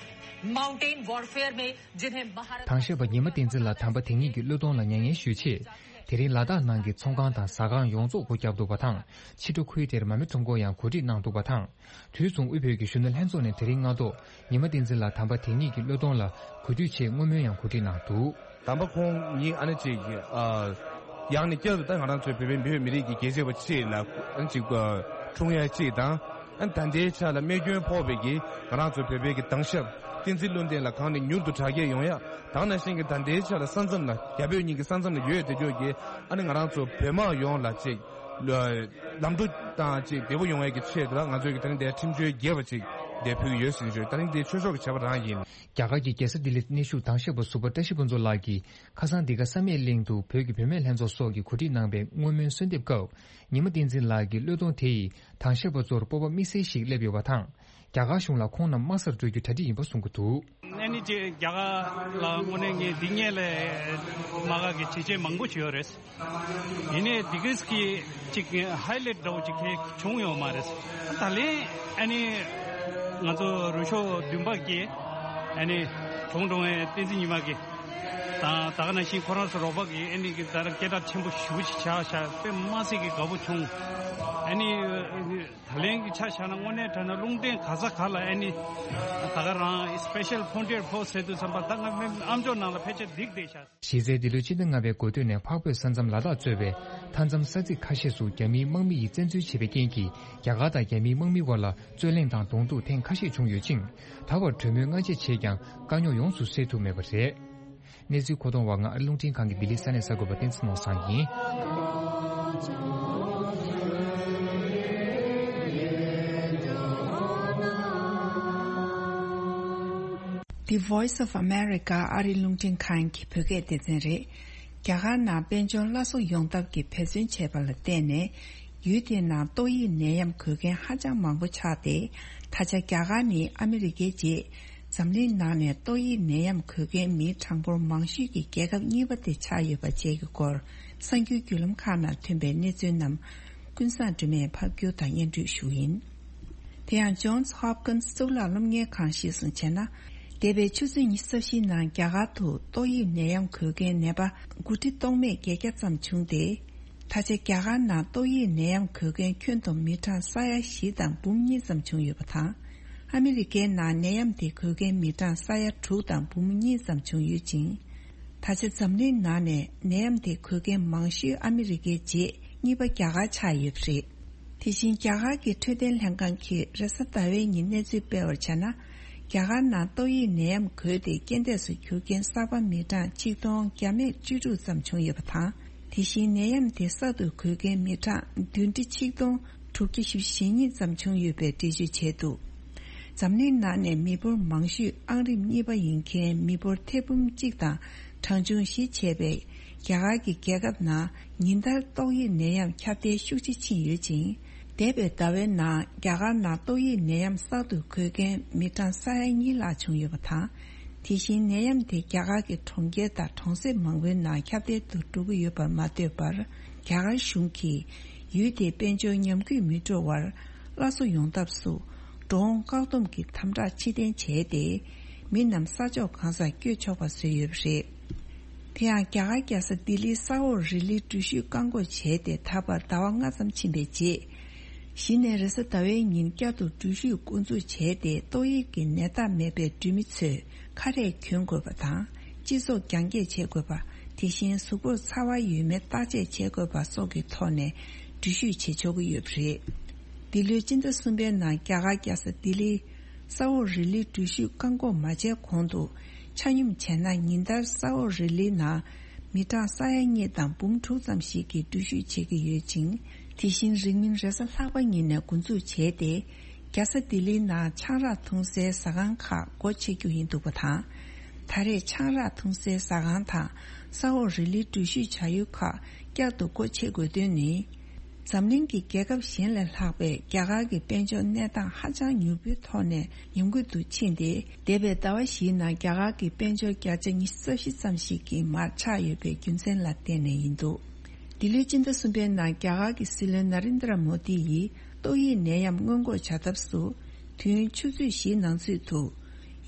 माउंटेन वॉरफेयर में जिन्हें महारत དྭང་བཤེར་པ་ཉི་མ་བསྟན་འཛིན་ལགས་དམ་པ་དེ་ཉིད་ཀྱི་བློས་གཏོང་ལ་མྱ་ངན་ཞུས་ཆེད། དེ་རིང་ལ་དྭགས་ནང་གི་ཚོང་ཁང་དང་ཟ་ཁང་ཡོངས་རྫོགས་སྒོ་བརྒྱབ་འདུག་པ་དང་། ཕྱི་དྲོ་ཁུལ་དེར་མ་རྨོས་ཁྲོམ་སྐོར་ཡང་གོ་སྒྲིག་གནང་འདུག་པ་དང་། དུས་མཚུངས་དབུས་བོད་ཀྱི་གཞོན་ནུ་ལྷན་ཚོགས་ནས་དེ་རིང་སྔ་དྲོ་ཉི་མ་བསྟན་འཛིན་ལགས་དམ་པ་དེ་ཉིད་ཀྱི་བློས་གཏོང་ལ་གུས་འདུད་ཆེད་བསྔོ་སྨོན་ཡང་གོ་སྒྲིག་གནང་འདུག། དམ་པ་ཁོང་ཉིད་ཨ་ནི་ཅིག་ཨ། ཡང་ནས་བསྐྱར་དུ་ད་ང་རང་ཚོའི་བོད་པའི་མི་བོད་མི་རིགས་ཀྱི་རྒྱལ་གཅེས་པ་ཅིག་ལ་ཨ་ནི་ཅིག་ཨ། འཁྲུངས་ཡ་ཅིག་དང་། ཨ་ནི་ད་ལྟའི་ཆ་ལ་རྨས་སྐྱོན་ཕོག་པའི་གི་ང་རང་ཚོ་བོད་པའི་གི་དྭང་ཞབས་བསྟན་འཛིན་བློ་ལྡན་ལགས་གང་ནས་མྱུར་དུ་དྲག་སྐྱེད་ཡོང་ཡ། དེ་ནང་བཞིན་གྱི་ད་ལྟའི་ཆ་ལ་ས་མཚམས་ལ་རྒྱ་བོད་གཉིས་ཀྱི་ས་མཚམས་ལ་ཡོད་བསྡད་རྒྱུ་གི་ཨ་ནི་ང་རང་ཚོ་བོད་དམག་ཡོངས་ལ་ཅིག་ལམ་འགྲོ་དང་ཅིག་བདེ་པོ་ཡོང་ཡ་གི་ཆེད་དུ་ལ་ང་ཚོའི་གི་དེ་རིང་འདིར་ཁྲིམས་གཅོད་རྒྱས་པ་ཅིག་འདིར་ཕུལ་གྱི་ཡོད་ཟེར་ཞུ། དེ་རིང་འདི་ཆོས་ཕྱོགས་ཀྱི་བྱ་བ་རང་ཡིན། རྒྱ་གར་གྱི་རྒྱལ་ས་ལྡི་ལིར་གནས་བཞུགས་དྭང་བཤེར་པ་ཟུར་པ་བཀྲ་ཤིས་ཕུན་ཚོགས་ལགས་ཀྱིས་ཁ་སང་འདི་ག་བསམ་ཡས་གླིང་དུ་བོད་ཀྱི་བུད་མེད་ལྷན་ཚོགས་སོགས་ཀྱིས་གོ་སྒྲིག་གནང་པའི་བསྔོ་སྨོན་གསོལ་འདེབས་སྐབས། ཉི་མ་བསྟན་འཛིན་ལགས་ཀྱི་བློས་གཏོང་དེ་ཡིས་དྭང་བཤེར་པ་ཚོར་སྤོབས་པ་དམིགས་བསལ་ཞིག་སླེབས་ཡོད་པ་དང་། རྒྱ་གར་གཞུང་ལ་ཁོང་རྣམས་དམག་སར་འགྲོ་རྒྱུ་གྲ་སྒྲིག་ཡིན་པ་གསུང་གི་འདུག། ཨ་ནི་ཅེ་རྒྱ་གར་ལ་དངོས་གནས་ངས་འདི་སྔོན་ལས་དམག་སྒར་གྱི་བྱས་རྗེས་མང་པོ་བྱས་ཡོད་རེད། ཡིན་ནའི་འདི་གས་ཀྱི་ཅིག་ཧའི་ལའིཊ་འདྲ་བོ་ཅིག་གས་བྱུང་ཡོད་མ་རེད། ད་ལན་ཨ་ནི་ང་ཚོ་རུ་ཤོག་བདུན་པ་གི་ཨ་ནི་གྲོང་གྲོང་ཨེ་བསྟན་འཛིན་ཉི་མ་གི་དང་ད་ག་ནང་བཞིན་ཁོ་རང་ཚོ་རོགས་པ་གི་ཨ་ནི་གི་ད་ར་སྐད་གྲགས་ཆེན་པོ་ཞེ་པོ་ཅིག་ཆགས་ཤག་དཔེ་མ་སྲིད་ཀྱི་དགའ་པོ་བྱུང་། ཨ་ནི། ད་ལན་གྱི་ཆ་བཞག་ན་དངོས་གནས་དྲང་གནས་རླུང་འཕྲིན་ག་ས་ག་ལ་ཨ་ནི་ད་ག་རང་Special Frontier Force ཟེར་དུས་ཙམ་པ་ད་ང་མི་ཨ་མཆོག་ནང་ལ་ཕལ་ཆེར་འགྲིག་བསྡད་ཤག། གཞི་རྩའི་འདི་ལོའི་ཕྱི་ཟླ་ལྔ་པའི་འགོ་སྟོད་ནས་འཕགས་བོད་ས་མཚམས་ལ་དྭགས་གཙོས་པའི་མཐའ་མཚམས་ས་ཚིགས་ཁ་ཤས་སུ་རྒྱ་མིའི་དམག་མི་ཡིས་བཙན་འཛུལ་བྱས་པའི་རྐྱེན་གྱིས་རྒྱ་གར་དང་རྒྱ་མིའི་དམག་མི་དབར་ལ་རྩོད་གླེང་དང་གདོང་ཐུག་ཐེངས་ཁ་ཤས་བྱུང་ཡོད་ཅིང་། ད་བར་གྲོས་མོལ་སྔ་རྗེས་བྱས་ཀྱང་དཀའ་རྙོག་ཡོངས་སུ་སེལ་ཐུབ་མེད་པ་རེད། གནས་ཚུལ་མཁོ་གཏོང་བ་ང་ཨ་རི་རླུང་འཕྲིན་ཁང་གི་ལྡི་ལི་ས་གནས་གསར་འགོད་པ་བསྟན་འཛིན་ནོར་བཟང་ཡིན། The Voice of America ཨ་རི་རླུང་འཕྲིན་ཁང་གི་བོད་སྐད་སྡེ་ཚན་རེད། རྒྱ་གར་ནང་དཔལ་འབྱོར་སླར་གསོ་ཡོང་ཐབས་ཀྱི་འབད་བརྩོན་བྱས་པ་ལ་བརྟེན་ནས། ཡུལ་དེའི་ནང་ཏོག་དབྱིབས་ནད་ཡམས་འགོས་མཁན་ཧ་ཅང་མང་པོ་ཆགས་ཏེ། ད་ཆ་རྒྱ་གར་ནི་ཨ་མི་རི་ཀའི་རྗེས། འཛམ་གླིང་ནང་ནས་ཏོག་དབྱིབས་ནད་ཡམས་འགོས་མཁན་མིའི་གྲངས་འབོར་མང་ཤོས་ཀྱི་རྒྱལ་ཁབ་གཉིས་པ་དེ་ཆགས་ཡོད་པ་བཅས་ཀྱི་སྐོར་གསར་འགྱུར་བརྒྱུད་ལམ་ཁག་ནང་ཐོན་པའི་གནས་ཚུལ་རྣམས་ཀུན་བཟང་སྒྲོལ་མས་ཕབ་སྒྱུར་དང་སྙན་སྒྲོན་ཞུ་ཡིན། དེ་ཡང་Johns Hopkins གཙུག་ལག་སློབ་གཉེར་ཁང་གཞིར་བཟུང་བྱས་ན། འདས་པའི་ཆུ་ཚོད་ཉི་ཤུ་རྩ་བཞིའི་ནང་རྒྱ་གར་དུ་ཏོག་དབྱིབས་ནད་ཡམས་འགོས་མཁན་ནད་པ་དགུ་ཁྲི་སྟོང་མེད་བརྒྱད་བརྒྱ་ཙམ་བྱུང་སྟེ། ད་ཆ་རྒྱ་གར་ནང་ཏོག་དབྱིབས་ནད་ཡམས་འགོས་མཁན་ཁྱོན་བསྡོམས་མི་གྲངས་ས་ཡ་བཞི་དང་འབུམ་གཉིས་ཙམ་བྱུང་ཡོད་པ་དང་། ཨ་མི་རི་ཀའི་ནང་ནད་ཡམས་དེ་འགོས་མཁན་མི་གྲངས་ས་ཡ་དྲུག་དང་འབུམ་གཉིས་ཙམ་བྱུང་ཡོད་ཅིང་། ད་ཆ་འཛམ་གླིང་ནང་ནས་ནད་ཡམས་དེ་འགོས་མཁན་མང་ཤོས་ཨ་མི་རི་ཀའི་རྗེས་གཉིས་པ་རྒྱ་གར་ཆགས་ཡོད་པ་རེད། དེ་བཞིན་རྒྱ་གར་གྱི་འཕྲོད་བསྟེན་ལྷན་ཁང་གིས་རེས་གཟའ་ཟླ་བའི་ཉིན་གནས་ཚུལ་སྤེལ་བར་བྱས་ན། རྒྱ་གར་ནང་ཏོག་དབྱིབས་ནད་ཡམས་འགོས་ཏེ་རྐྱེན་འདས་སུ་གྱུར་མཁན་གསར་པ་མི་གྲངས་ཆིག་སྟོང་བརྒྱ་མེད་བཅུ་དྲུག་ཙམ་བྱུང་ཡོད་པ་དང་། དེ་བཞིན་ནད་ཡམས་དེ་གསར་དུ་འགོས་མཁན་མི་གྲངས་བདུན་ཁྲི་ཆིག་སྟོང་དྲུག་བརྒྱ་བཞི་བཅུ་ཞེ་གཉིས་ཙམ་བྱུང་ཡོད་པའི་འགྲེལ་བརྗོད་བྱས་འདུག། འཛམ་གླིང་ནང་ནས་མི་འབོར་མང་ཤོས་ཨང་རིམ་གཉིས་པ་ཡིན་མཁན་མི་འབོར་ཐེར་འབུམ་གཅིག་དང་གྲངས་ཆུང་བཞི་བྱས་པའི་རྒྱ་གར་གྱི་རྒྱལ་ཁབ་ནང་ཉིན་ལྟར་ཏོག་དབྱིབས་ནད་ཡམས་ཁྱབ་གདལ་ཤུགས་ཆེ་ཕྱིན་ཡོད་ཅིང་། འདས་པའི་ཟླ་བའི་ནང་རྒྱ་གར་ནང་ཏོག་དབྱིབས་ནད་ཡམས་གསར་དུ་འགོས་མཁན་མི་གྲངས་ས་ཡ་གཉིས་ལྷག་བྱུང་ཡོད་པ་དང་། དེ་བཞིན་ནད་ཡམས་དེ་རྒྱ་གར་གྱི་གྲོང་ཁྱེར་དང་གྲོང་གསེབ་མང་པོའི་ནང་ཁྱབ་གདལ་དུ་འགྲོ་གི་ཡོད་པར་མ་ལྟོས་པར། རྒྱ་གར་གཞུང་གིས་ཡུལ་དེའི་དཔལ་འབྱོར་ཉམས་རྒུད་མི་འགྲོ་བར་སླར་གསོ་ཡོང་ཐབས་སུ་འགྲོ་འོང་བཀག་སྡོམ་གྱི་དམ་དྲག་ཕྱིར་འཐེན་བྱས་ཏེ། མི་རྣམས་ས་ཕྱོགས་གང་སར་བསྐྱོད་ཆོག་པ་བཟོས་ཡོད་པ་རེད། དེ་ཡང་རྒྱ་གར་རྒྱལ་ས་ལྡི་ལིའི་ས་འོག་རི་ལིའི་འགྲུལ་བཞུད་བཀག་འགོག་བྱས་ཏེ་ད་བར་ཟླ་བ་ལྔ་ཙམ་ཕྱིན་པའི་རྗེས། གཞི་ནས་རེས་གཟའ་ཟླ་བའི་ཉིན་བསྐྱར་དུ་འགྲུལ་བཞུད་འགོ་འཛུགས་བྱས་ཏེ། ཏོག་དབྱིབས་ཀྱི་ནད་རྟགས་མེད་པའི་འགྲུལ་མི་ཚོས་ཁ་རས་གྱོན་དགོས་པ་དང་། སྤྱི་ཚོགས་རྒྱང་བཀྱེད་བྱེད་དགོས་པ། དེ་བཞིན་གཟུགས་པོར་ཚ་བ་ཡོད་མེད་བརྟག་དཔྱད་བྱེད་དགོས་པ་སོགས་ཀྱི་ཐོག་ནས་འགྲུལ་བཞུད་བྱེད་ཆོག་གི་ཡོད་པ་རེད། འདི་ལོའི་སྤྱི་ཟླ་གསུམ་པའི་ནང་རྒྱ་གར་རྒྱལ་ས་ལྡི་ལིའི་ས་འོག་རི་ལིའི་འགྲུལ་བཞུད་བཀག་འགོག་མ་བྱས་གོང་དུ། ཆ་སྙོམས་བྱས་ན་ཉིན་ལྟར་ས་འོག་རི་ལིའི་ནང་ མི་གྲངས་ས་ཡ་གཉིས་དང་འབུམ་དྲུག་ཙམ་ཞིག་གིས་འགྲུལ་བཞུད་བྱེད་ཀྱི་ཡོད་ཅིང་། དེ་བཞིན་རིང་མིན་རེས་གཟའ་ལྷག་པ་ཉིན་ནས་འགོ་འཛུགས་བྱས་ཏེ། རྒྱལ་ས་ལྡི་ལིའི་ནང་ཆང་རག་འཐུང་སའི་ཟ་ཁང་ཁག་སྒོ་ཕྱེ་རྒྱུ་ཡིན་འདུག་པ་དང་། ད་རེས་ཆང་རག་འཐུང་སའི་ཟ་ཁང་དང་ས་འོག་རི་ལིའི་འགྲུལ་བཞུད་བྱ་ཡུལ་ཁག་བསྐྱར་དུ་སྒོ་ཕྱེ་དགོས་དོན་ནི། འཛམ་གླིང་གི་རྒྱལ་ཁབ་གཞན་ལས་ལྷག་པའི་རྒྱ་གར་གྱི་དཔལ་འབྱོར་གནས་སྟངས་ཧ་ཅང་མྱུར་པོའི་ཐོག་ནས་ཉམས་རྒུད་དུ་ཕྱིན་ཏེ། འདས་པའི་ཟླ་བ་བཞིའི་ནང་རྒྱ་གར་གྱི་དཔལ་འབྱོར་བརྒྱ་ཆ་ཉི་ཤུ་རྩ་བཞི་ཙམ་ཞིག་གིས་མར་ཆག་ཡོད་པའི་རྒྱུ་མཚན་ལ་བརྟེན་ནས་ཡིན་འདུག་འདི་ལོའི་སྤྱི་ཟླ་གསུམ་པའི་ནང་རྒྱ་གར་གྱི་སྲིད་བློན་ན་རིན་དྲ་མོ་དི་ཡིས་ཏོག་དབྱིབས་ནད་ཡམས་སྔོན་འགོག་བྱ་ཐབས་སུ། དུས་ཡུན་ཆུ་ཚོད་བཞིའི་ནང་ཚུད་དུ།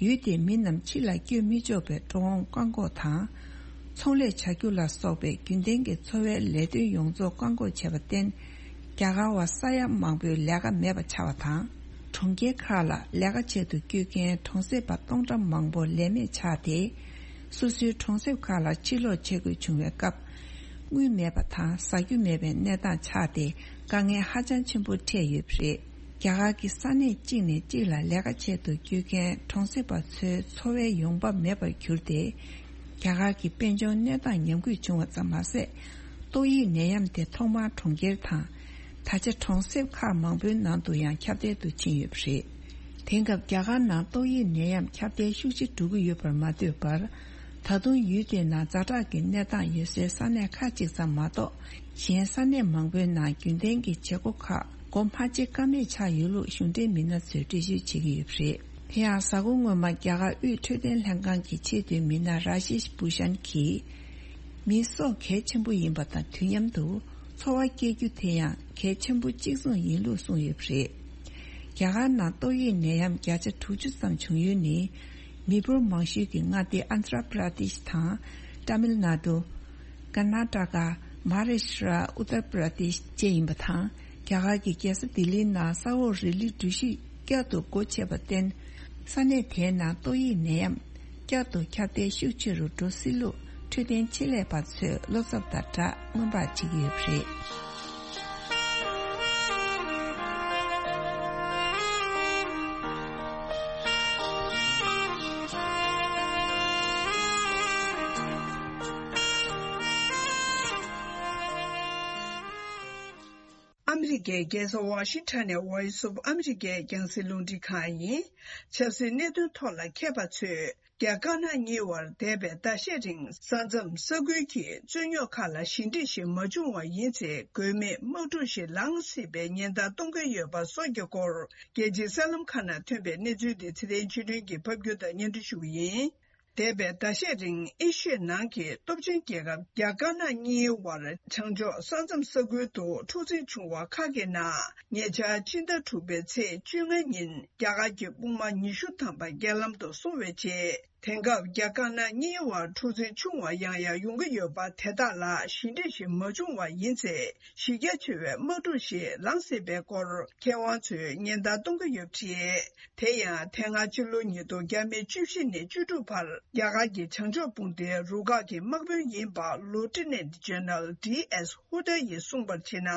ཡུལ་དེའི་མི་རྣམས་ཕྱི་ལ་བསྐྱོད་མི་ཆོག་པའི་འགྲོ་འོང་བཀག་འགོག་དང་། ཚོང་ལས་བྱ་རྒྱུ་ལ་སོགས་པའི་རྒྱུན་ལྡན་གྱི་འཚོ་བའི་ལས་དོན་ཡོངས་རྫོགས་བཀག་འགོག་བྱས་པར་བརྟེན། རྒྱ་གར་བ་ས་ཡ་མང་པོའི་ལས་ཀ་མེད་པ་ཆགས་པ་དང་། གྲོང་ཁྱེར་ཁག་ལ་ལས་ཀ་བྱེད་དུ་བསྐྱོད་མཁན་གྲོང་གསེབ་པ་སྟོང་ཕྲག་མང་པོ་ལས་མེད་ཆགས་ཏེ། སོ་སོའི་གྲོང་གསེབ་ཁག་ལ་ཕྱིར་ལོག་བྱེད་དགོས་བྱུང་བའི་སྐབས། དངུལ་མེད་པ་དང་ཟ་རྒྱུ་མེད་པའི་གནས་སྟངས་ཆགས་ཏེ། དཀའ་ངལ་ཧ་ཅང་ཆེན་པོ་འཕྲད་ཡོད་པ་རེད། རྒྱ་གར་གྱི་ས་གནས་གཅིག་ནས་གཅིག་ལ་ལས་ཀ་བྱེད་དུ་བསྐྱོད་མཁན་གྲོང་གསེབ་པ་ཚོའི་འཚོ་བའི་ཡོང་འབབ་མེད་པར་གྱུར་ཏེ། རྒྱ་གར་གྱི་དཔལ་འབྱོར་གནས་སྟངས་ཉམས་རྒུད་བྱུང་བ་ཙམ་མ་ཟད། ཏོག་དབྱིབས་ནད་ཡམས་དེ་ཐོག་མར་གྲོང་ཁྱེར་དང་། ད་ཆ་གྲོང་གསེབ་ཁག་མང་པོའི་ནང་དུ་ཡང་ཁྱབ་གདལ་དུ་ཕྱིན་ཡོད་པ་རེད། དེང་སྐབས་རྒྱ་གར་ནང་ཏོག་དབྱིབས་ནད་ཡམས་ཁྱབ་གདལ་ཤུགས་ཆེ་འགྲོ་གི་ཡོད་པར་མ་ལྟོས་པར། ད་དུང་ཡུལ་དེའི་ནང་ཛ་དྲག་གི་གནས་སྟངས་ཡོད་སའི་ས་གནས་ཁག་ཅིག་ཙམ་མ་གཏོགས། གཞན་ས་གནས་མང་པོའི་ནང་རྒྱུན་ལྡན་གྱི་བྱེད་སྒོ་ཁག་སྒོ་མ་ཕྱེ་ཀ་མེད་ཆགས་ཡོད་ལུགས་གཞུང་འབྲེལ་མི་སྣ་ཚོས་འགྲེལ་བརྗོད་བྱེད་ཀྱི་ཡོད་པ་རེད། དེ་ཡང་གཟའ་འཁོར་སྔོན་མ་རྒྱ་གར་དབུས་འཕྲོད་བསྟེན་ལྷན་ཁང་གི་ཆེས་མཐོའི་མི་སྣ་ར་ཤེཤ་བྷུ་ཤན་གྱིས། མིའི་སྲོག་གལ་ཆེན་པོ་ཡིན་པ་དང་དུས་མཉམ་དུ་འཚོ་བ་སྐྱེལ་རྒྱུ་དེ་ཡང་གལ་ཆེན་པོ་གཅིག་མཚུངས་ཡིན་ལུགས་གསུངས་ཡོད་པ་རེད། རྒྱ་གར་ནང་ཏོག་དབྱིབས་ནད་ཡམས་བརྒྱ་ཆ་དྲུག་ཅུ་ཙམ་བྱུང་ཡུལ་ནི། མི་འབོར་མང་ཤོས་ཀྱི་མངའ་སྡེ་ཨན་དྷ་ར་པྲ་དེཤ་དང་། ཏཱ་མིལ་ནཱ་ཌུ། ཀར་ན་ཊ་ཀ། མ་ཧཱ་རཱ་ཤི་ཏྲ། ཨུ་ཏར་པྲ་དེཤ་བཅས་ཡིན་པ་དང་། རྒྱ་གར་གྱི་རྒྱལ་ས་ལྡི་ལིའི་ནང་ས་འོག་རི་ལི་འགྲུལ་བཞུད་བསྐྱར་དུ་སྒོ་ཕྱེ་བར་བརྟེན། ས་གནས་དེའི་ནང་ཏོག་དབྱིབས་ནད་ཡམས་བསྐྱར་དུ་ཁྱབ་གདལ་ཤུགས་ཆེ་རུ་འགྲོ་སྲིད་ལུགས་འཕྲོད་བསྟེན་ཆེད་ལས་པ་ཚོས་བློ་འཚབ་དང་སྦྲགས་སྔོན་དཔག་བྱེད་ཀྱི་ཡོད་པ་རེད། ཨ་མི་རི་ཀའི་རྒྱལ་ས་ཝ་ཤིང་ཊོན་ནས་Voice of America རྒྱང་སྲིང་རླུང་འཕྲིན་ཁང་ཡིན། ཆབ་སྲིད་གནད་དོན་ཐོག་ལ་མཁས་པ་ཚོས། རྒྱ་དཀར་ནག་གཉིས་བར་འདས་པའི་ཟླ་ཤས་རིང་ས་མཚམས་ས་ཁུལ་གྱི་རྩོད་རྙོག་ཁག་ལ་ཞི་འགྲིག་ཞིག་མ་བྱུང་བ་ཡིན་ཚེ། དགོས་མེད་དམག་འཁྲུག་ཞིག་ལངས་སྲིད་པའི་ཉེན་བརྡ་གཏོང་གི་ཡོད་པ་སོགས་ཀྱི་སྐོར། རྒྱལ་སྤྱིའི་གསར་ལམ་ཁག་ནང་ཐོན་པའི་གནས་ཚུལ་དེ་ཚེ་བརྟན་ཆོས་སྒྲོན་གྱིས་ཕབ་སྒྱུར་དང་སྙན་སྒྲོན་ཞུ་གི་ཡིན། འདས་པའི་ཟླ་ཤས་རིང་ཨེ་ཤི་ཡའི་ནང་གི་སྟོབས་ཆེན་རྒྱལ་ཁབ་རྒྱ་དཀར་ནག་གཉིས་བར་བྱང་ཕྱོགས་ས་མཚམས་ས་ཁུལ་དུ་འཁྲུག་འཛིང་བྱུང་བ་ཁག་གི་ནང་། ཉེ་ཆར་ཕྱི་ཟླ་དྲུག་པའི་ཚེས་བཅོ་ལྔ་ཉིན་རྒྱ་གར་གྱི་དཔུང་དམག་ཉི་ཤུ་ཐམ་པ་རྒྱལ་ལམ་དུ་སོང་བའི་རྗེས། དེང་སྐབས་རྒྱ་དཀར་ནག་གཉིས་བར་འཁྲུག་འཛིང་ཆུང་བ་ཡང་ཡང་ཡོང་གི་ཡོད་པ་དེ་དག་ལ་ཞི་འགྲིག་ཞིག་མ་བྱུང་བ་ཡིན་ཚེ། གཞི་རྒྱ་ཆེ་བའི་དམག་འཁྲུག་ཞིག་ལངས་སྲིད་པའི་སྐོར་མཁས་དབང་ཚོས་ཉེན་བརྡ་གཏོང་གི་ཡོད་པ་རེད། དེ་ཡང་དེ་སྔ་ཕྱི་ལོ་ཉིས་སྟོང་བརྒྱ་མེད་བཅུ་བཞི་ནས་བཅུ་དྲུག་བར་རྒྱ་གར་གྱི་བྱང་ཕྱོགས་དཔུང་སྡེའི་རུ་ཁག་གི་དམག་དཔོན་ཡིན་པ་Lieutenant General D S Hooda ཡིས་གསུངས་པར་བྱས་ན།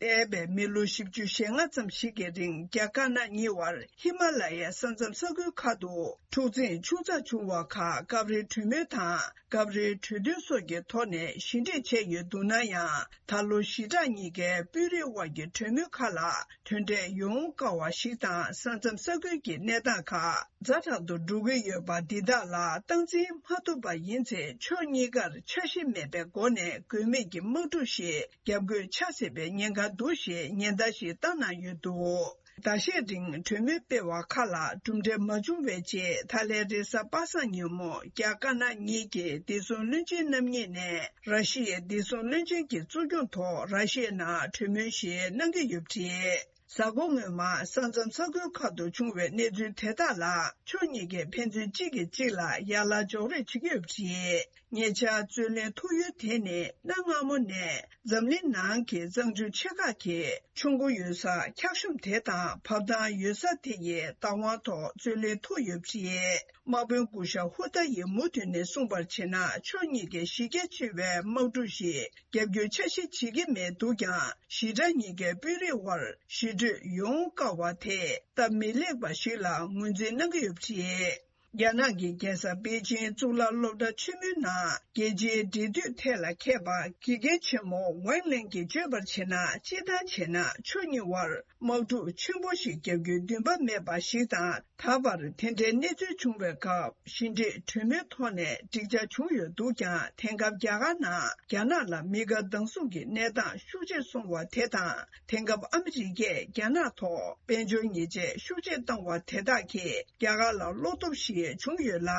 འདས་པའི་མི་ལོ་བཞི་བཅུ་ཞེ་ལྔ་ཙམ་ཞིག་གི་རིང་རྒྱ་དཀར་ནག་གཉིས་བར་ཧི་མ་ལ་ཡའི་ས་མཚམས་ས་ཁུལ་ཁག་ཏུ་འཁྲུག་འཛིང་ཆུང་ཙག་བྱུང་བ་ཁག་སྐབས་རེ་གྲོས་མོལ་དང་། སྐབས་རེའི་གྲོས་མཐུན་སོགས་ཀྱི་ཐོག་ནས་ཞི་འགྲིག་བྱས་ཡོད་འདུག་ན་ཡང་། ད་ལོ་ཞི་དྲག་གཉིས་ཀའི་དཔོན་རིགས་དབར་གྱི་གྲོས་མོལ་ཁག་ལ་དོན་འབྲས་ཡོང་དཀའ་བ་ཞིག་དང་། ས་མཚམས་ས་ཁུལ་གྱི་གནས་སྟངས་ཁག་ཛ་དྲག་ཏུ་འགྲོ་གི་ཡོད་པ་འདི་དག་ལ་སྟངས་འཛིན་མ་ཐུབ་པ་ཡིན་ཚེ། ཕྱོགས་གཉིས་ཀར་འཆར་གཞི་མེད་པའི་སྒོ་ནས་དགོས་མེད་ཀྱི་དམག་འཁྲུག་ཞིག་རྒྱབ་འགོས་ཆགས་སྲིད་པའི་ཉེན་ཁ་འདུག་ཞེས་ཉེན་བརྡ་ཞིག་བཏང་གནང་ཡོད་འདུག་ཟླ་ཤས་རིང་གྲོས་མོལ་སྤེལ་བ་ཁག་ལ་གྲུབ་འབྲས་མ་བྱུང་བའི་རྗེས། ད་ལན་རེས་གཟའ་པ་སངས་ཉིན་མོ་རྒྱ་དཀར་ནག་གཉིས་ཀྱི་བདེ་སྲུང་བློན་ཆེན་རྣམ་གཉིས་ནས་ར་ཤི་ཡའི་བདེ་སྲུང་བློན་ཆེན་གྱི་གཙོ་སྐྱོང་ཐོག་ར་ཤི་ཡའི་ནང་གྲོས་མོལ་ཞིག་གནང་གི་ཡོད་པ་རེད། གཟའ་འཁོར་སྔོན་མ་ས་མཚམས་ས་ཁུལ་ཁག་ཏུ་བྱུང་བའི་གནས་ཚུལ་དེ་དག་ལ་ཕྱོགས་གཉིས་ཀས་ཕན་ཚུན་གཅིག་གིས་གཅིག་ལ་ཡ་ལ་འཇོག་རེས་བྱེད་ཀྱི་ཡོད་པ་རེད། ཉེ་ཆར་རྩོད་གླེང་ཐུག་ཡུལ་དེ་ནི་གནའ་སྔ་མོ་ནས་འཛམ་གླིང་ནང་གི་གཙང་ཆུ་ཆེ་ཁག་གི་ཆུ་མགོ་ཡོད་ས་འཁྱགས་ཤོམ་དེ་དང་བབས་ཐང་ཡོད་ས་དེ་ཡི་བདག་དབང་ཐོག་རྩོད་གླེང་ཐུག་ཡོད་པ་རེད། དམག་དཔོན་སྐུ་ཞབས་ཧུ་ཏཱ་ཡིས་མུ་མཐུད་ནས་གསུངས་པར་བྱས་ན། ཕྱོགས་གཉིས་ཀས་གཞི་རྒྱ་ཆེ་བའི་དམག་འཁྲུག་ཞིག་རྒྱབ་སྐྱོར་འཆར་གཞི་བྱེད་ཀྱི་མེད་འདུག་ཀྱང་། ཞི་དྲག་གཉིས་ཀའི་དཔོན་རིགས་དབར་ཞི་གྲོས་ཡོང་དཀའ་བ་དེ་སྟབས་མི་ལེགས་པ་ཞིག་ལ་ངོས་འཛིན་གནང་གི་ཡོད་པ་རེད། རྒྱ་ནག་གི་རྒྱལ་ས་པེ་ཅིང་གཙུག་ལག་སློབ་གྲྭ་ཆེན་མོའི་ནང་རྒྱལ་སྤྱིའི་འབྲེལ་མཐུད་ཐད་ལ་མཁས་པ་དགེ་རྒན་ཆེན་མོ་ཝང་ལེན་གྱིས་བརྗོད་པར་བྱས་ན། སྤྱིར་བཏང་བྱས་ན་ཕྱོགས་གཉིས་དབར་དམག་འཁྲུག་ཆེན་པོ་ཞིག་བརྒྱབ་རྒྱུའི་འདུན་པ་མེད་པ་ཞིག་དང་། ད་བར་དེ་འདྲའི་གནས་ཚུལ་བྱུང་བའི་སྐབས་ཞི་འགྲིག་གྲོས་མོལ་ཐོག་ནས་འགྲིག་ཆགས་བྱུང་ཡོད་འདུག་ཀྱང་། དེང་སྐབས་རྒྱ་གར་ནང་རྒྱ་ནག་ལ་མི་དགའ་སྡང་ཟུང་གི་གནས་སྟངས་ཤུགས་ཆེ་སོང་བ་དེ་དང་། དེང་སྐབས་ཨ་མི་རི་ཀས་རྒྱ་ནག་ཐོག་དཔལ་འབྱོར་ཉེས་ཆད་ཤུགས་ཆེ་བཏང་བ་དེ་དག་གིས་རྒྱ་གར་ལ་བློ་སྟོབས་ཤིག་བྱུང་ཡོད་ལ།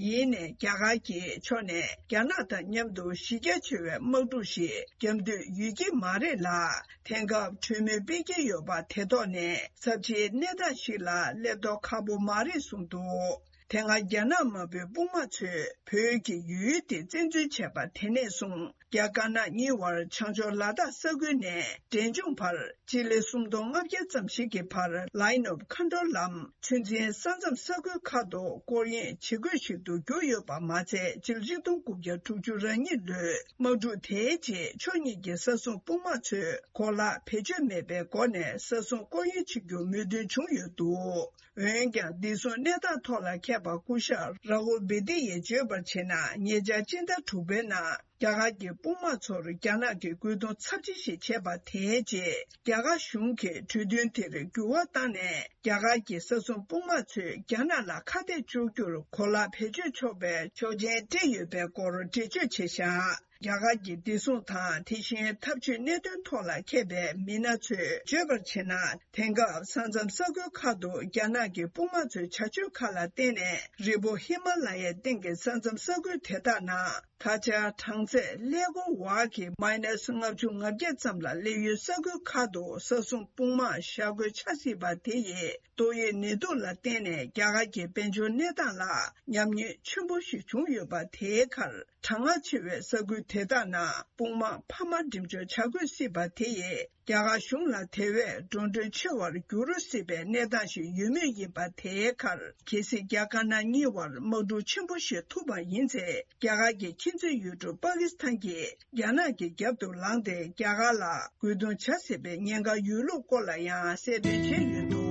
ཡིན་ནའི་རྒྱ་གར་གྱི་ཕྱོགས་ནས་རྒྱ་ནག་དང་མཉམ་དུ་གཞི་རྒྱ་ཆེ་བའི་དམག་འཁྲུག་ཞིག་བརྒྱབ་འདོད་ཡོད་ཀྱི་མ་རེད་ལ། དེང་སྐབས་གྲོས་མོལ་སྤེལ་གྱི་ཡོད་པ་དེ་ཐོག་ནས་ཚབས་ཆེའི་གནས་སྟངས་ཤིག་ལ་སླེབས་མདོག་ཁ་པོ་མ་རེད་གསུངས་འདུག་དེ་སྔ་རྒྱ་ནག་དམར་པོའི་དཔུང་དམག་ཚོས་བོད་ཀྱི་ཡུལ་དེ་བཙན་འཛུལ་བྱས་པ་དེ་ནས་བཟུང་། རྒྱ་དཀར་ནག་གཉིས་དབར་བྱང་ཕྱོགས་ལ་དྭགས་ས་ཁུལ་ནས་འབྲས་ལྗོངས་བར་སྤྱི་ལེ་སུམ་སྟོང་ལྔ་བརྒྱ་ཙམ་ཞིག་གི་བར་Line of Control ལམ་ཚོད་འཛིན་ས་མཚམས་ས་ཁུལ་ཁག་ཏུ་སྐོར་གཡེང་བྱེད་དགོས་ཤིག་ཏུ་གྱུར་ཡོད་པ་མ་ཚད། སྤྱི་ལོ་ཆིག་སྟོང་དགུ་བརྒྱ་དྲུག་ཅུ་རེ་གཉིས་ལོའི་དམག་འཁྲུག་དེའི་རྗེས་ཕྱོགས་གཉིས་ཀྱི་ས་སྲུང་དཔུང་དམག་ཚོས་གོ་ལག་བེད་སྤྱོད་མེད་པའི་སྒོ་ནས་ས་སྲུང་སྐོར་གཡེང་བྱེད་རྒྱུ་མོས་མཐུན་བྱུང་ཡོད་འདུག་འོན་ཀྱང་། བདེ་སྲུང་གནས་སྟངས་ཐོག་ལ་མཁས་པ་སྐུ་ཞབས་ར་ཧུལ་བི་དི་ཡས་བརྗོད་པར་བྱས་ན། ཉེ་ཆར་སྤྱི་ཟླ་དྲུག་པའི་ནང་རྒྱ་གར་གྱི་དཔུང་དམག་ཚོར་རྒྱ་ནག་གིས་རྒོལ་རྡུང་ཚབས་ཆེ་ཞིག་བྱས་པ་དེའི་རྗེས། རྒྱ་གར་གཞུང་གིས་གྲོས་མཐུན་དེར་འགྱུར་བ་བཏང་ནས། རྒྱ་གར་གྱི་ས་སྲུང་དཔུང་དམག་ཚོས་རྒྱ་ནག་ལ་ཁ་གཏད་གཅོག་རྒྱུར་གོ་ལག་བེད་སྤྱོད་ཆོག་པའི་ཆོག་མཆན་སྤྲད་ཡོད་པའི་སྐོར་འགྲེལ་བརྗོད་བྱས་བཞག་རྒྱ་གར་གྱི་བདེ་སྲུང་དང་། དེ་བཞིན་འཐབ་ཇུས་གནད་དོན་ཐོག་ལ་མཁས་པའི་མི་སྣ་ཚོས་བརྗོད་པར་བྱས་ན། དེང་སྐབས་ས་མཚམས་ས་ཁུལ་ཁག་ཏུ་རྒྱ་ནག་གི་དཔུང་དམག་ཚོའི་བྱ་སྤྱོད་ཁག་ལ་བརྟེན་ནས། རི་བོ་ཧི་མ་ལ་ཡའི་སྟེང་གི་ས་མཚམས་ས་ཁུལ་དེ་དག་ནང་ད་ཆ་གྲངས་ཚད་ཀླད་ཀོར་བར་གྱི་minus ལྔ་བཅུ་ང་བརྒྱད་ཙམ་ལ་སླེབས་ཡུལ་ས་ཁུལ་ཁག་ཏུ་ས་སྲུང་དཔུང་དམག་ཤ་འགོས་ཆགས་སྲིད་པ་དེ་ཡི་ཏོག་དབྱིབས་ནད་དུག་ལ་བརྟེན་ནས། རྒྱ་གར་གྱི་དཔལ་འབྱོར་གནས་སྟངས་ལ་ཉམས་ཉེས་ཆེན་པོ་ཞིག་བྱུང་ཡོད་པ་དེའི་ཁར། གྲང་ངར་ཆེ་བའི་ས་ཁུལ་དེ་དག་ནང་དཔུང་དམག་འཕར་མ་འགྲེམས་འཇོག་བྱ་དགོས་སྲིད་པ་དེ་ཡིས། རྒྱ་གར་གཞུང་ལ་དེ་བས་འགྲོ་གྲོན་ཆེ་བར་འགྱུར་སྲིད་པའི་གནས་སྟངས་ཤིག་ཡོད་མུས་ཡིན་པ་དེའི་ཁར། གལ་སྲིད་རྒྱ་དཀར་ནག་གཉིས་བར་དམག་འཁྲུག་ཆེན་པོ་ཞིག་ཐུག་པ་ཡིན་ཚེ། རྒྱ་གར་གྱི་ཁྱིམ་མཚེས་ཡུལ་གྲུ་པ་ཀི་སི་ཐན་གྱིས་རྒྱ་ནག་གི་རྒྱབ་ཏུ་ལངས་ཏེ། རྒྱ་གར་ལ་རྒོལ་རྡུང་བྱ་སྲིད་པའི་ཉེན་ཁ་ཡོད་ལུགས་སྐོར་ལ་ཡང་གསལ་སྟོན་བྱས་ཡོད་འདུག་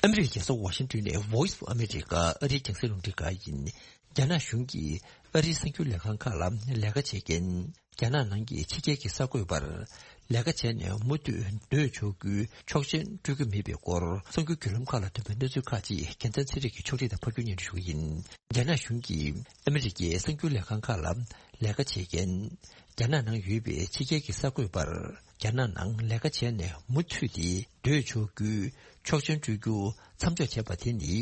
ཨ་མི་རི་ཀའི་རྒྱལ་ས་ཝ་ཤིང་ཏོན་ནས་Voice of America ཨ་རིའི་རྒྱང་སྲིང་རླུང་འཕྲིན་ཁང་ཡིན། རྒྱ་ནག་གཞུང་གིས་ཨ་རིའི་གསར་འགྱུར་ལས་ཁང་ཁག་ལ་ལས་ཀ་བྱེད་མཁན། རྒྱ་ནག་ནང་གི་ཕྱི་རྒྱལ་གྱི་གསར་འགོད་པར་ལས་ཀ་བྱས་ནས་མུ་མཐུད་སྡོད་ཆོག་རྒྱུའི་ཆོག་མཆན་སྤྲོད་ཀྱི་མེད་པའི་སྐོར། གསར་འགྱུར་བརྒྱུད་ལམ་ཁག་ལ་ཐོན་པའི་གནས་ཚུལ་ཁག་ཅིག་རྒྱལ་མཚན་ཚེ་རིང་གིས་ཕྱོགས་སྒྲིག་དང་ཕབ་སྒྱུར་སྙན་སྒྲོན་ཞུ་གི་ཡིན། རྒྱ་ནག་གཞུང་གིས་ཨ་མི་རི་ཀའི་གསར་འགྱུར་ལས་ཁང་ཁག་ལ་ལས་ཀ་བྱེད་མཁན། རྒྱ་ནག་ནང་ཡོད་པའི་ཕྱི་རྒྱལ་གྱི་གསར་འགོད་པར། རྒྱ་ནག་ནང་ལས་ཀ་བྱས་ནས་མུ་མཐུད་དེ་སྡོད་ཆོག་རྒྱུའི་ཆོག་མཆན་སྤྲོད་རྒྱུ་མཚམས་འཇོག་བྱས་པ་དེ་ནི།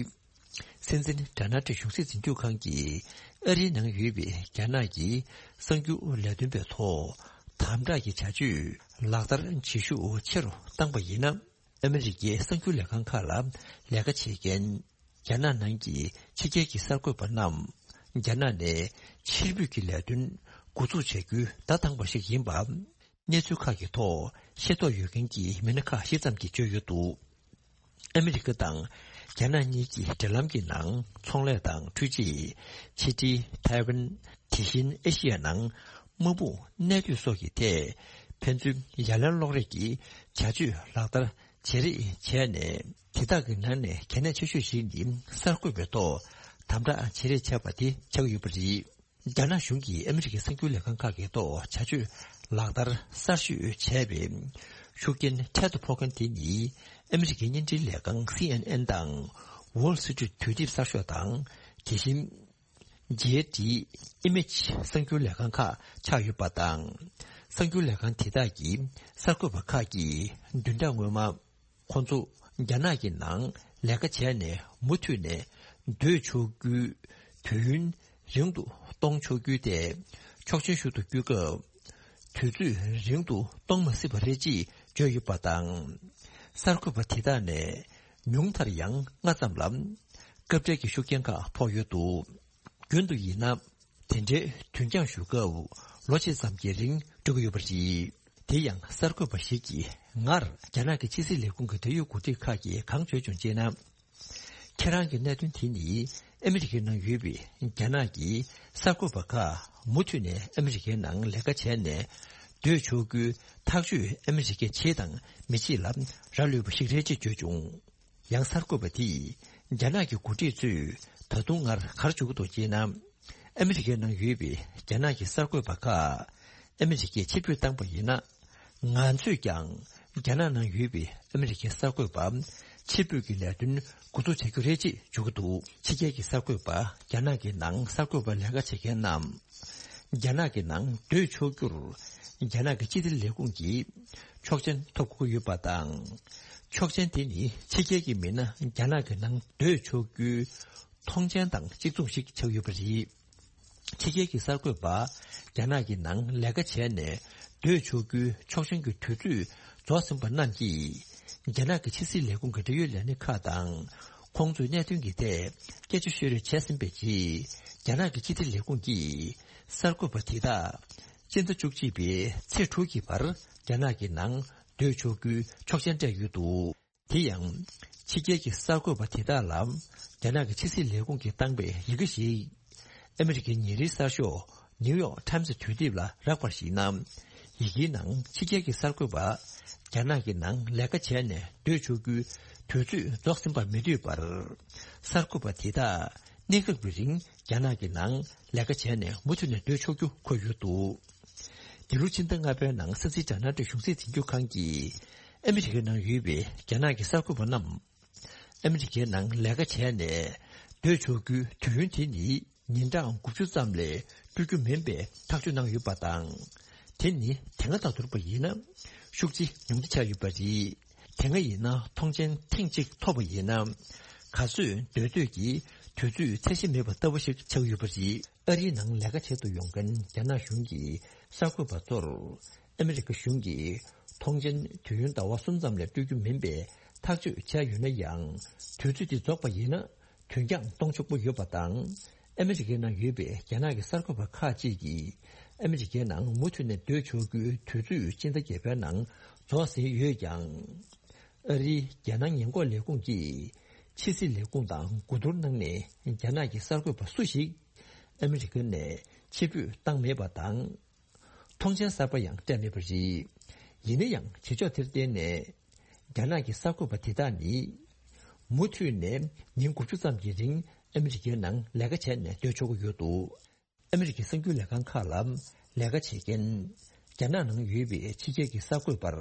སྲིད་འཛིན་ཌོ་ནལ་ཊམ་གཞུང་སྲིད་འཛིན་སྐྱོང་ཁང་གིས་ཨ་རིའི་ནང་ཡོད་པའི་རྒྱ་ནག་གི་གསར་འགྱུར་ལས་དོན་པའི་ཐོག་དམ་དྲག་གི་བྱ་སྤྱོད་ལག་བསྟར་བྱེད་ཤུགས་ཆེ་རུ་བཏང་པ་ཡིན་ན། ཨ་མི་རི་ཀའི་གསར་འགྱུར་ལས་ཁང་ཁག་ལ་ལས་ཀ་བྱེད་མཁན་རྒྱ་ནག་ནང་གི་ཕྱི་རྒྱལ་གྱི་གསར་འགོད་པ་རྣམས་རྒྱ་ནག་ནས་ཕྱིར་འབུད་ཀྱི་ལས་དོན་འགོ་འཛུགས་བྱ་རྒྱུའི་བརྡ་བཏང་པ་ཞིག་ཡིན་པ། གནས་ཚུལ་ཁག་གི་ཐོག་ཤེས་རྟོགས་ཡོད་མཁན་གྱི་མི་སྣ་ཁག་བཞི་ཙམ་གྱིས་བརྗོད་ཡོད་འདུག་ཨ་མི་རི་ཀ་དང་རྒྱ་ནག་གཉིས་ཀྱི་འབྲེལ་ལམ་གྱི་ནང་ཚོང་ལས་དང་འཕྲུལ་ཆས། ཕྱི་འབྲེལ། ཐའེ་ཝན། དེ་བཞིན་ཨེ་ཤི་ཡ་ནང་དམག་དཔུང་གནས་སྡོད་སོགས་ཀྱི་ཐད་ཕན་ཚུན་ཡ་ལན་སློག་རེས་ཀྱི་བྱ་སྤྱོད་ལག་བསྟར་བྱེད་རེས་བྱས་ནས། དེ་དག་གི་ནང་ནས་གལ་གནད་ཆེ་ཤོས་ཤིག་ནི་གསར་འགོད་པའི་ཐོག་དམ་དྲག་བྱེད་རེས་བྱས་པ་དེ་ཆགས་ཡོད་པ་རེད། རྒྱ་ནག་གཞུང་གིས་ཨ་མི་རི་ཀའི་གསར་འགྱུར་ལས་ཁང་ཁག་གི་ཐོག་བྱ་སྤྱོད་ལག་བསྟར་གསར་ཤོས་བྱས་པའི་ཤུགས་རྐྱེན་འཕྲལ་དུ་ཕོག་མཁན་དེ་ནི། ཨ་མི་རི་ཀའི་བརྙན་འཕྲིན་ལས་ཁང་སི་ཨེན་ཨེན་དང་། Wall Street དུས་དེབ་གསར་ཤོག་དང་། དེ་བཞིན་ཇེ་ཨེ་ཊི་ཨི་མེཇ་གསར་འགྱུར་ལས་ཁང་ཁག་ཆགས་ཡོད་པ་དང་། གསར་འགྱུར་ལས་ཁང་དེ་དག་གི་གསར་འགོད་པ་ཁག་གིས་བདུན་ཕྲག་སྔོན་མ། ཁོང་ཚོ་རྒྱ་ནག་གི་ནང་ལས་ཀ་བྱས་ནས་མུ་མཐུད་ནས་སྡོད་ཆོག་རྒྱུའི་དུས་ཡུན་རིང་དུ་གཏོང་ཆོག་རྒྱུའི་ཐད་ཆོག་མཆན་ཞུ་དུ་བསྐྱོད་སྐབས། དུས་ཚོད་རིང་དུ་གཏོང་མ་སྲིད་པ་རེད་ཅེས་བརྗོད་ཡོད་པ་དང་། གསར་འགོད་པ་དེ་དག་ནས་ཉུང་མཐར་ཡང་ལྔ་ཙམ་ལ་སྐབས་འཕྲལ་གྱི་ཤུགས་རྐྱེན་ཁག་ཕོག་ཡོད་འདུག་རྒྱུན་དུ་ཡིན་ན། དེ་འདྲའི་དུས་འགྱངས་ཞུ་སྐབས་ལོ་གཅིག་ཙམ་གྱི་རིང་འགྲོ་གི་ཡོད་པ་རེད། དེ་ཡང་གསར་འགོད་པ་ཞིག་གིས་སྔར་རྒྱ་ནག་གི་ཕྱི་སྲིད་ལས་ཁུངས་ཀྱི་འབྲེལ་ཡོད་འགོ་ཁྲིད་ཁག་གིས་གང་བརྗོད་བྱུང་ཅེ་ན། ཁྱེད་རང་གི་གནད་དོན་དེ་ནི་ ཨ་མི་རི་ཀའི་ནང་ཡོད་པའི་རྒྱ་ནག་གི་གསར་འགོད་པ་ཁག་མུ་མཐུད་ནས་ཨ་མི་རི་ཀའི་ནང་ལས་ཀ་བྱས་ནས་སྡོད་ཆོག་རྒྱུའི་ཐག་གཅོད་ཨ་མི་རི་ཀས་བྱེད་དང་མི་བྱེད་ལ་རག་ལུས་པ་ཞིག་རེད་ཅེས་བརྗོད་བྱུང་། ཡང་གསར་འགོད་པ་དེས་རྒྱ་ནག་གི་འགོ་ཁྲིད་ཚོས་ད་དུང་སྔར་ག་རེ་བརྗོད་ཀྱི་འདུག་ཅེ་ན། ཨ་མི་རི་ཀའི་ནང་ཡོད་པའི་རྒྱ་ནག་གི་གསར་འགོད་པ་ཁག་ཨ་མི་རི་ཀས་ཕྱིར་འབུད་བཏང་པ་ཡིན་ན། ང་ཚོས་ཀྱང་རྒྱ་ནག་ནང་ཡོད་པའི་ཨ་མི་རི་ཀའི་གསར་འགོད་པ་ཕྱིར་འབུད་ཀྱི་ལས་དོན་འགོ་འཛུགས་བྱ་རྒྱུ་རེད་ཅེས་བརྗོད་ཀྱི་འདུག་ཕྱི་རྒྱལ་གྱི་གསར་འགོད་པ་རྒྱ་ནག་གི་ནང་གསར་འགོད་པ་ལས་ཀ་བྱེད་མཁན་རྣམས་རྒྱ་ནག་གི་ནང་སྡོད་ཆོག་རྒྱུར་རྒྱ་ནག་གི་ཕྱི་དྲིལ་ལས་ཁུངས་ཀྱི་ཆོག་མཆན་ཐོབ་དགོས་ཀྱི་ཡོད་པ་དང་། ཆོག་མཆན་དེ་ནི་ཕྱི་རྒྱལ་གྱི་མི་སྣ་རྒྱ་ནག་གི་ནང་སྡོད་ཆོག་རྒྱུའི་མཐོང་མཆན་དང་གཅིག་མཚུངས་ཤིག་ཆགས་ཡོད་པ་རེད། ཕྱི་རྒྱལ་གྱི་གསར་འགོད་པ་རྒྱ་ནག་གི་ནང་ལས་ཀ་བྱས་ནས་སྡོད་ཆོག་རྒྱུའི་ཆོག་མཆན་གྱི་དུས་ཚོད་རྫོགས་ཟིན་པ་རྣམས་ཀྱིས། རྒྱ་ནག་གི་ཕྱི་སྲིད་ལས་ཁུངས་ཀྱི་འབྲེལ་ཡོད་ལས་སྣེ་ཁག་དང་། ཁོང་ཚོའི་གནད་དོན་གྱི་ཐད་སྐད་ཆ་ཤོད་རེས་བྱས་ཟིན་པའི་རྗེས། རྒྱ་ནག་གི་ཕྱི་དྲིལ་ལས་ཁུངས་ཀྱིས་གསར་འགོད་པ་དེ་དག་སྤྱི་ཟླ་བཅུ་གཅིག་པའི་ཚེས་དྲུག་གི་བར་རྒྱ་ནག་གི་ནང་སྡོད་ཆོག་རྒྱུའི་ཆོག་མཆན་སྤྲད་ཡོད་འདུག་དེ་ཡང་། ཕྱི་རྒྱལ་གྱི་གསར་འགོད་པ་དེ་དག་ལ་རྒྱ་ནག་གི་ཕྱི་སྲིད་ལས་ཁུངས་ཀྱིས་བཏང་པའི་ཡི་གེ་ཞིག་ཨ་མི་རི་ཀའི་ཉིན་རེའི་གསར་ཤོག་ནིའུ་ཡོག་ཊའིམ་སི་དུས་དེབ་ལ་རག་པར་གཞིགས་ན། ཡི་གེའི་ནང་ཕྱི་རྒྱལ་གྱི་གསར་འགོད་པ་རྒྱ་ནག་གི་ནང་ལས་ཀ་བྱས་ནས་སྡོད་ཆོག་རྒྱུའི་དུས་ཚོད་རྫོགས་ཟིན་པ་མི་འདོད་པར། གསར་འགོད་པ་དེ་དག་གནས་སྐབས་ཀྱི་རིང་རྒྱ་ནག་གི་ནང་ལས་ཀ་བྱས་ནས་མུ་མཐུད་ནས་སྡོད་ཆོག་རྒྱུ་འཁོད་ཡོད་འདུག་འདི་ལོའི་ཕྱི་ཟླ་ལྔ་པའི་ནང་སྲིད་འཛིན་ཌོ་ནལ་ཊམ་གཞུང་སྲིད་འཛིན་སྐྱོང་ཁང་གིས་ཨ་མི་རི་ཀའི་ནང་ཡོད་པའི་རྒྱ་ནག་གི་གསར་འགོད་པ་རྣམས། ཨ་མི་རི་ཀའི་ནང་ལས་ཀ་བྱས་ནས་སྡོད་ཆོག་རྒྱུའི་དུས་ཡུན་དེ་ནི་ཉིན་གྲངས་དགུ་བཅུ་ཙམ་ལས་སྤྲོད་རྒྱུ་མིན་པའི་ཐག་གཅོད་གནང་ཡོད་པ་དང་། དེ་ནི་དེ་སྔ་དང་བསྡུར་བ་ཡིན་ན་ཤུགས་ཆེ་ཉུང་ཆེ་ཆགས་ཡོད་པ་རེད། དེ་སྔ་ཡིན་ན་མཐོང་མཆན་ཐེངས་གཅིག་ཐོབ་པ་ཡིན་ན། ག་ཚོད་སྡོད་འདོད་ཀྱི་དུས་ཚོད་ཚད་གཞི་མེད་པ་ལྟ་བུ་ཞིག་ཆགས་ཡོད་པ་རེད། ཨ་རིའི་ནང་ལས་ཀ་བྱེད་དུ་ཡོང་མཁན་རྒྱ་ནག་གཞུང་གི་གསར་འགོད་པ་ཚོར། ཨ་མི་རི་ཀ་གཞུང་གིས་མཐོང་མཆན་དུས་ཡུན་ཟླ་བ་གསུམ་ཙམ་ལས་སྤྲོད་རྒྱུ་མིན་པའི་ཐག་གཅོད་བྱས་ཡོད་ན་ཡང་། དུས་ཚོད་དེ་རྫོགས་པ་ཡིན་ན་དོན་རྐྱང་གཏོང་ཆོག་པོ་ཡོད་པ་དང་། ཨ་མི་རི་ཀའི་ནང་ཡོད་པའི་རྒྱ་ནག་གི་གསར་འགོད་པ་ཁག་ཅིག་གིས་ཨ་མི་རི་ཀའི་ནང་མུ་མཐུད་ནས་སྡོད་ཆོག་རྒྱུའི་དུས་ཚོད་སྤྱི་ཟླ་བརྒྱད་པའི་ནང་རྫོགས་ཟིན་ཡོད་ཀྱང་། ཨ་རིའི་རྒྱལ་ནང་ཉེན་འགོག་ལས་ཁུངས་ཀྱིས་ཕྱི་སྲིད་ལས་ཁུངས་དང་གོ་བསྡུར་གནང་ནས་རྒྱ་ནག་གི་གསར་འགོད་པ་སུ་ཞིག་ཨ་མི་རི་ཀ་ནས་ཕྱིར་འབུད་བཏང་མེད་པ་དང་། མཐོང་མཆན་གསར་པ་ཡང་སྤྲད་མེད་པ་རེད། ཡིན་ན་ཡང་བྱེད་ཕྱོགས་དེར་བརྟེན་ནས་རྒྱ་ནག་གི་གསར་འགོད་པ་དེ་དག་ནི་མུ་མཐུད་ནས་ཉིན་དགུ་བཅུ་ཙམ་གྱི་རིང་ཨ་མི་རི་ཀའི་ནང་ལས་ཀ་བྱས་ནས་སྡོད་ཆོག་གི་ཡོད་འདུག་ཨ་མི་རི་ཀའི་གསར་འགྱུར་ལས་ཁང་ཁག་ལ་ལས་ཀ་བྱེད་མཁན་རྒྱ་ནག་ནང་ཡོད་པའི་ཕྱི་རྒྱལ་གྱི་གསར་འགོད་པར་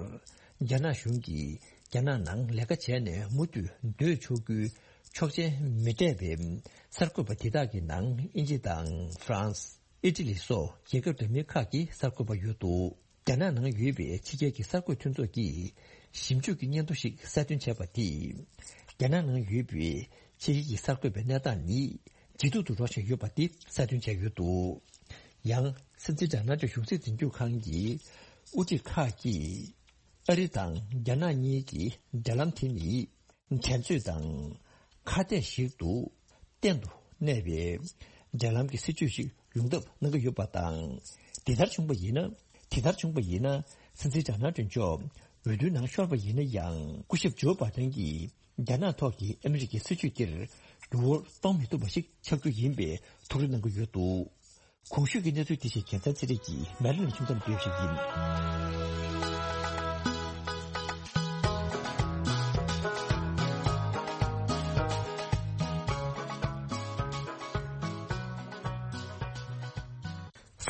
རྒྱ་ནག་གཞུང་གིས་རྒྱ་ནག་ནང་ལས་ཀ་བྱས་ནས་མུ་མཐུད་སྡོད་ཆོག་རྒྱུའི་ཆོག་མཆན་མི་སྤྲད་པའི་གསར་འགོད་པ་དེ་དག་གི་ནང་དབྱིན་ཇི་དང་ཧྥ་རན་སི། ཨི་ཊ་ལི་སོགས་རྒྱལ་ཁབ་འདྲ་མིན་ཁག་གི་གསར་འགོད་པ་ཡོད་འདུག་རྒྱ་ནག་ནང་ཡོད་པའི་ཕྱི་རྒྱལ་གྱི་གསར་འགོད་མཐུན་ཚོགས་ཀྱིས་ཞིབ་འཇུག་གི་སྙན་ཐོ་ཞིག་གསལ་སྟོན་བྱས་པ་དེས། རྒྱ་ནག་ནང་ཡོད་པའི་ཕྱི་རྒྱལ་གྱི་གསར་འགོད་པའི་གནས་སྟངས་ནི་ཇེ་སྡུག་ཏུ་འགྲོ་བཞིན་ཡོད་པ་དེ་གསལ་སྟོན་བྱས་ཡོད་འདུག་ཡང་སྲིད་འཛིན་ཌོ་ནལ་ཊམ་གཞུང་སྲིད་འཛིན་སྐྱོང་ཁང་གི་དབུ་ཁྲིད་ཁག་གིས་ཨ་རི་དང་རྒྱ་ནག་གཉིས་ཀྱི་འབྲེལ་ལམ་དེ་ནི། འགྲན་རྩོད་དང་ཁ་གཏད་ཞིག་ཏུ་གཏན་དུ་གནས་པའི་འབྲེལ་ལམ་གྱི་སྲིད་ཇུས་ཤིག་ཡོང་ཐབས་གནང་གི་ཡོད་པ་དང་། དེ་ལྟར་བྱུང་བ་ཡིན་ན། དེ་ལྟར་བྱུང་བ་ཡིན་ན། སྲིད་འཛིན་ཌོ་ནལ་ཊམ་མཆོག་འོས་བསྡུའི་ནང་ཤོར་བ་ཡིན་ན་ཡང་། སྐུ་ཞབས་ཇོ་བྷའི་ཌེན་གྱིས་རྒྱ་ནག་ཐོག་གི་ཨ་མི་རི་ཀའི་སྲིད་ཇུས་དེར་འགྱུར་བ་གཏོང་མི་ཐུབ་པ་ཞིག་ཆགས་རྒྱུ་ཡིན་པའི་ཐུགས་རེ་གནང་གི་ཡོད་འདུག་གོང་ཞུས་ཀྱི་གནས་ཚུལ་དེ་བཞིན་རྒྱལ་མཚན་ཚེ་རིང་གིས་མེ་ལ་ནས་ཁྱིམ་ཚང་བསྡུས་ཤིག་ཡིན།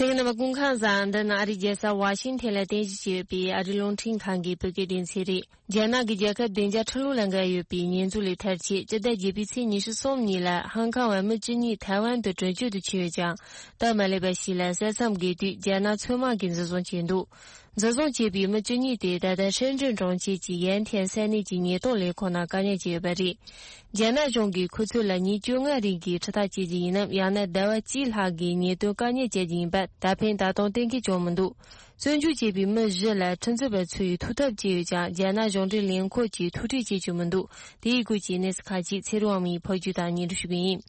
གསན་མཁན་རྣམ་པ་སྐུ་ཁམས་བཟང་། འདི་ནི་ཨ་རིའི་རྒྱལ་ས་ཝ་ཤིང་ཐན་ལ་རྟེན་གཞི་བྱས་ཡོད་པའི་ཨ་རིའི་རླུང་འཕྲིན་ཁང་གི་བོད་སྐད་སྡེ་ཚན་རེད། རྒྱ་ནག་གི་རྒྱལ་ཁབ་བདེ་འཇགས་ཁྲི་ལོ་ལ་འགལ་ཡོད་པའི་ཉེས་འཛུགས་ལས་ཐར་ཆེད་སྤྱི་ཟླ་བརྒྱད་པའི་ཚེས་ཉི་ཤུ་གསུམ་ཉིན་ལ་ཧང་ཀང་བ་མི་བཅུ་གཉིས་ཐའེ་ཝན་དུ་བྲོས་བྱོལ་དུ་ཕྱིན་ཡོད་ཀྱང་། སྟབས་མ་ལེགས་པ་ཞིག་ལ་ས་མཚམས་བརྒལ་དུས་རྒྱ་ནག་མཚོ་དམག་གིས་འཛིན་བཟུང་བྱས་འདུག་འཛིན་བཟུང་བྱས་པའི་མི་བཅུ་གཉིས་དེ་ད་ལྟ་ཧྲེན་ཀྲེན་གྲོང་ཁྱེར་གྱི་ཡན་ཐན་ས་གནས་ཀྱི་ཉེན་རྟོག་ལས་ཁུངས་ནང་བཀག་ཉར་བྱས་ཡོད་པ་རེད། རྒྱ་ནག་གཞུང་གིས་ཁོ་ཚོ་ལ་ཉིན་བཅོ་ལྔ་རིང་གི་ཁྲིམས་ཐག་བཅད་རྒྱུ་ཡིན་ནམ། ཡང་ན་ཟླ་བ་གཅིག་ལྷག་གི་ཉེན་རྟོག་བཀག་ཉར་བྱ་རྒྱུ་ཡིན་པ་ད་ཕན་ད་དུང་གཏན་འཁེལ་བྱུང་མི་འདུག་བཙོན་འཇུག་བྱས་པའི་མི་བཞི་ལ་ཁྲིམས་རྩོད་པ་ཚོས་ཐུག་ཐབས་བྱས་ཡོད་ཀྱང་། རྒྱ་ནག་གཞུང་འབྲེལ་ལས་ཁུངས་ཀྱིས་ཐུགས་ཁྲལ་བྱེད་བཅུག་མི་འདུག་དེའི་སྐོར་གྱི་གནས་ཚུལ་ཁག་ཅིག་ཚེ་རིང་དབང་མོས་ཕབ་སྒྱུར་དང་སྙན་སྒྲོན་ཞུ་གི་ཡིན།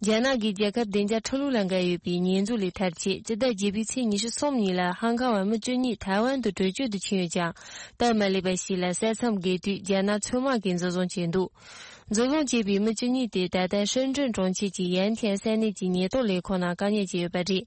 རྒྱ་ནག་གི་རྒྱལ་ཁབ་བདེ་འཇགས་ཁྲི་ལོ་ལ་འགལ་ཡོད་པའི་ཉེས་འཛུགས་ལས་ཐར་ཆེད་སྤྱི་ཟླ་བརྒྱད་པའི་ཚེས་ཉི་ཤུ་གསུམ་ཉིན་ལ་ཧང་ཀང་བ་མི་བཅུ་གཉིས་ཐའེ་ཝན་དུ་བྲོས་བྱོལ་དུ་ཕྱིན་ཡོད་ཀྱང་། སྟབས་མ་ལེགས་པ་ཞིག་ལ་ས་མཚམས་བརྒལ་དུས་རྒྱ་ནག་མཚོ་དམག་གིས་འཛིན་བཟུང་བྱས་འདུག་འཛིན་བཟུང་བྱས་པའི་མི་བཅུ་གཉིས་དེ་ད་ལྟ་ཧྲིན་ཀྲིན་གྲོང་ཁྱེར་གྱི་ཡན་ཐན་ས་གནས་ཀྱི་ཉེན་རྟོག་ལས་ཁུངས་ནང་བཀག་ཉར་བྱས་ཡོད་པ་རེད།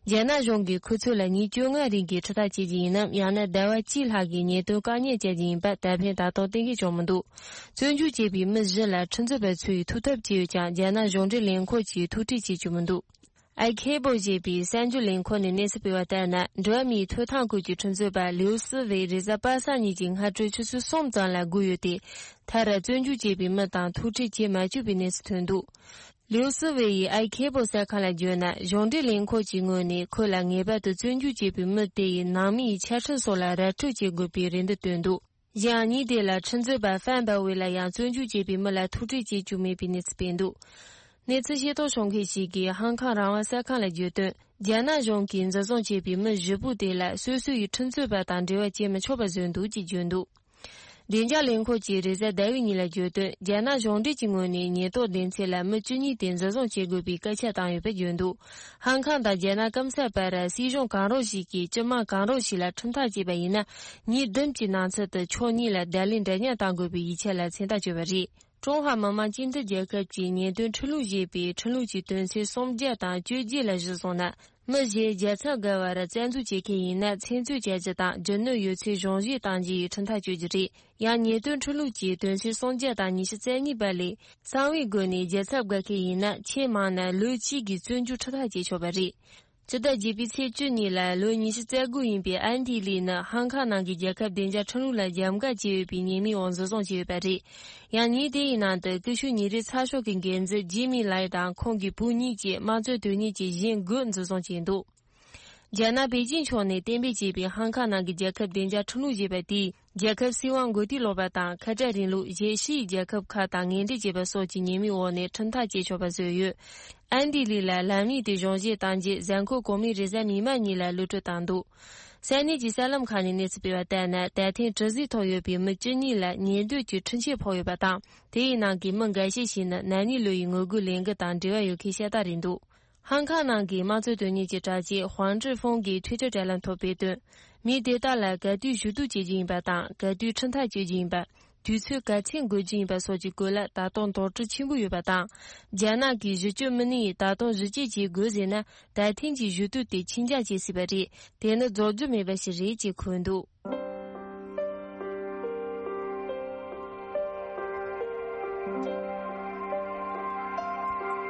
རྒྱ་ནག་གཞུང་གིས་ཁོ་ཚོ་ལ་ཉིན་བཅོ་ལྔ་རིང་གི་ཁྲིམས་ཐག་བཅད་རྒྱུ་ཡིན་ནམ། ཡང་ན་ཟླ་བ་གཅིག་ལྷག་གི་ཉེན་རྟོག་བཀག་ཉར་བྱ་རྒྱུ་ཡིན་པ་ད་ཕན་ད་ཐོག་གཏན་འཁེལ་བྱུང་མི་འདུག། བཙོན་འཇུག་བྱས་པའི་མི་བཞི་ལ་ཁྲིམས་རྩོད་པ་ཚོས་ཐུག་ཐབས་བྱས་ཡོད་ཀྱང་། རྒྱ་ནག་གཞུང་འབྲེལ་ལས་ཁུངས་ཀྱིས་ཐུག་འཕྲད་བྱེད་བཅུག་མི་འདུག། ཨའི་ཁེ་པོ་ཞེས་པའི་གསར་འགྱུར་ལས་ཁུངས་ནས་གནས་ཚུལ་སྤེལ་བ་ལྟར་ན། འགྲོ་བ་མིའི་ཐོབ་ཐང་སྐོར་གྱི་ཁྲིམས་རྩོད་པ་ལིའུ་སི་ཝེ་རེས་གཟའ་པ་སངས་ཉིན་གྱི་སྔ་དྲོ་ཆུ་ཚོད་གསུམ་ཙམ་ལ་སྒུག་ཡོད་དེ། མཐར་བཙོན་འཇུག་བྱས་པའི་མི་དང་ཐུག་འཕྲད་བྱེད་མ་བཅུག་པའི་གནས་ཚུལ་ཐོན་འདུག། ལིའུ་སི་ཝེ་ཡིས་ཨའི་ཁེ་པོ་གསར་ཁང་ལ་བརྗོད་ན། གཞུང་འབྲེལ་ལས་ཁུངས་ཀྱི་ངོས་ནས་ཁོ་ལ་ངེས་པར་དུ་བཙོན་འཇུག་བྱས་པའི་མི་དེ་ཡི་ནང་མི་ཡི་ཆ་ཁྲིམས་སོགས་ལ་ར་སྤྲོད་བྱེད་དགོས་པའི་རེ་འདུན་བཏོན་འདུག། གཞན་ཉིན་དེ་ལ་ཁྲིམས་རྩོད་པ་ཧྥན་པའོ་ཝེ་ལ་ཡང་བཙོན་འཇུག་བྱས་པའི་མི་ལ་ཐུག་འཕྲད་བྱེད་བཅུག་མེད་པའི་གནས་ཚུལ་སྤེལ་འདུག། གནས་ཚུལ་ཤེས་རྟོགས་བྱུང་མཁན་ཞིག་གིས་ཧང་ཁང་རང་དབང་གསར་ཁང་ལ་བརྗོད་དོན། རྒྱ་ནག་གཞུང་གིས་འཛིན་བཟུང་བྱས་པའི་མི་བཞི་པོ་དེ་ལ་སོ་སོ་ཡི་ཁྲིམས་རྩོད་པ་དང་འབྲེལ་བ་བྱེད་མི་ཆོག་པ་བཟོས་འདུག་ཅེས་བརྗོད་འདུག། བདེ་འཇགས་ལས་ཁུངས་ཀྱིས་རེས་གཟའ་ཟླ་བའི་ཉིན་ལ་བརྗོད་དོན། རྒྱ་ནག་གཞུང་འབྲེལ་གྱི་ངོས་ནས་ཉེན་རྟོག་སྡེ་ཚན་ལ་མི་བཅུ་གཉིས་དེ་འཛིན་བཟུང་བྱེད་དགོས་པའི་སྐད་ཆ་བཏང་ཡོད་པ་བརྗོད་འདུག། ཧང་ཁང་དང་རྒྱ་ནག་སྐམ་ས་བར་སྲིད་གཞུང་གང་རུང་ཞིག་གིས་སྤྱི་དམངས་གང་རུང་ཞིག་ལ་ཁྲིམས་ཐག་བཅད་པ་ཡིན་ན། ཉིན་བདུན་གྱི་ནང་ཚུད་དུ་ཕྱོགས་གཉིས་ལ་བརྡ་ལན་འདྲ་མཉམ་གཏང་དགོས་པའི་ཡིག་ཆ་ལ་མཚན་རྟགས་བཅོལ་བ་རེད། ཀྲུང་ཧྭ་མི་དམངས་སྤྱི་མཐུན་རྒྱལ་ཁབ་ཀྱི་ཉེས་དོན་ཁྲིམས་ལུགས་ཞེས་པའི་ཁྲིམས་ལུགས་ཀྱི་དོན་ཚན་སུམ་བརྒྱ་དང་བཅོ་བརྒྱད་ལ་གཞི་བཟུང་ན། མི་གཞན་རྒྱལ་ཚབ་འགལ་བར་བཙན་འཛུལ་བྱེད་མཁན་ཡིན་ན། ཚིག་མཛོད་བཅད་རྒྱུ་དང་རྒྱུ་ནོར་ཡོད་ཚད་གཞུང་བཞེས་གཏང་རྒྱུ་ཡི་ཁྲིམས་ཐག་གཅོད་རྒྱུ་རེད། ཡང་ཉེས་དོན་ཁྲིམས་ལུགས་ཀྱི་དོན་ཚན་སུམ་བརྒྱ་དང་ཉི་ཤུ་རྩ་གཉིས་པ་ལས། གསང་བའི་སྒོ་ནས་རྒྱལ་ཚབ་དགའ་མཁན་ཡིན་ན། ཆེས་མང་ན་ལོ་གཅིག་གི་བཙོན་འཇུག་ཁྲིམས་ཐག་བཅད་ཆོག་པ་རེད། སྤྱི་ཟླ་བརྒྱད་པའི་ཚེས་བཅུ་ཉིན་ལ་ལོ་ཉི་ཤུ་རྩ་དགུ་ཡིན་པའི་ཨན་ཐི་ལི་ནི་ཧང་ཁང་ནང་གི་རྒྱལ་ཁབ་བདེ་འཇགས་ཁྲིམས་ལུགས་ལ་རྒྱབ་འགལ་བྱས་ཡོད་པའི་ཉེས་མིང་འོག་འཛིན་བཟུང་བྱས་ཡོད་པ་རེད། ཡང་ཉིན་དེ་ཡི་ནང་དུ་ཀི་ཤུ་ཉིན་རེའི་ཚགས་ཤོག་གི་འགན་འཛིན་ཇི་མི་ལའི་དང་ཁོང་གི་བུ་གཉིས་བཅས་དམངས་གཙོའི་དོན་གཉེར་གྱི་གཞན་དགུ་འཛིན་བཟུང་བྱས་འདུག། རྒྱ་ནག་པེ་ཅིང་ཕྱོགས་ནས་གཏན་འབེབས་བྱས་པའི་ཧང་ཁང་ནང་གི་རྒྱལ་ཁབ་བདེ་འཇགས་ཁྲིམས་ལུགས་ཞེས་པ་དེས། རྒྱལ་ཁབ་སྲིད་དབང་མགོ་རྟིང་སློག་པ་དང་། ཁ་བྲལ་རིང་ལུགས། གཞན་ཕྱིའི་རྒྱལ་ཁབ་ཁག་དང་ངན་འབྲེལ་བྱེད་པ་སོགས་ཀྱི་ཉེས་མིང་འོག་ནས་ཁྲིམས་ཐག་བཅད་ཆོག་པ་བཟོས་ཡོད། ཨན་ཏི་ལི་ལ་ལམ་ཡིག་དེ་གཞུང་བཞེས་གཏང་རྗེས། གཟའ་འཁོར་གོང་མའི་རེས་གཟའ་མིག་དམར་ཉིན་ལ་གློད་གྲོལ་བཏང་འདུག། ས་གནས་ཀྱི་གསར་ལམ་ཁག་ནས་གནས་ཚུལ་སྤེལ་བ་ལྟར་ན། ད་ཐེངས་དྲི་ཟའི་ཐོག་ཡོད་པའི་མི་བཅུ་གཉིས་ལ་ཉེས་འདོད་ཀྱི་འཕྲུལ་ཆས་ཕོག་ཡོད་པ་དང་། དེ་ཡི་ནང་གི་མི་འགའ་ཤས་ཤིག་ནི་ན་ནིང་ལོ་ཡི་ངོ་རྒོལ་ལས་འགུལ་དང་འབྲེལ་བ་ཡོད་མཁན་ཤ་སྟག་རེད་འདུག། ཧང་ཁང་ནང་གི་དམངས་གཙོ་དོན་གཉེར་གྱི་དྲ་རྒྱའི་ཧུང་ཀྲི་ཧྥུང་གིས་ཊུའི་ཊར་དྲ་ལམ་ཐོག་སྤེལ་དོན། མི་དེ་དག་ལ་ག་དུས་ཞུ་གཏུག་བྱེད་རྒྱུ་ཡིན་པ་དང་། ག་དུས་ཁྲིམས་ཐག་གཅོད་རྒྱུ་ཡིན་པ། དུས་ཚོད་ག་ཚད་འགོར་རྒྱུ་ཡིན་པ་སོགས་ཀྱི་སྐོར་ལ་ད་དུང་དོགས་གྲོས་ཆེན་པོ་ཡོད་པ་དང་། རྒྱ་ནག་གིས་གཞི་གཅོད་མི་སྣས་ད་དུང་ཞིབ་དཔྱད་བྱེད་དགོས་ཟེར་ན། ད་ཐེངས་ཀྱི་ཞུ་གཏུག་དེ་ཕྱིས་འགྱངས་བྱེད་སྲིད་པ་རེད། དེ་ནི་རྫོགས་རྒྱུ་མེད་པ་ཞིག་རེད་ཅེས་འཁོད་འདུག།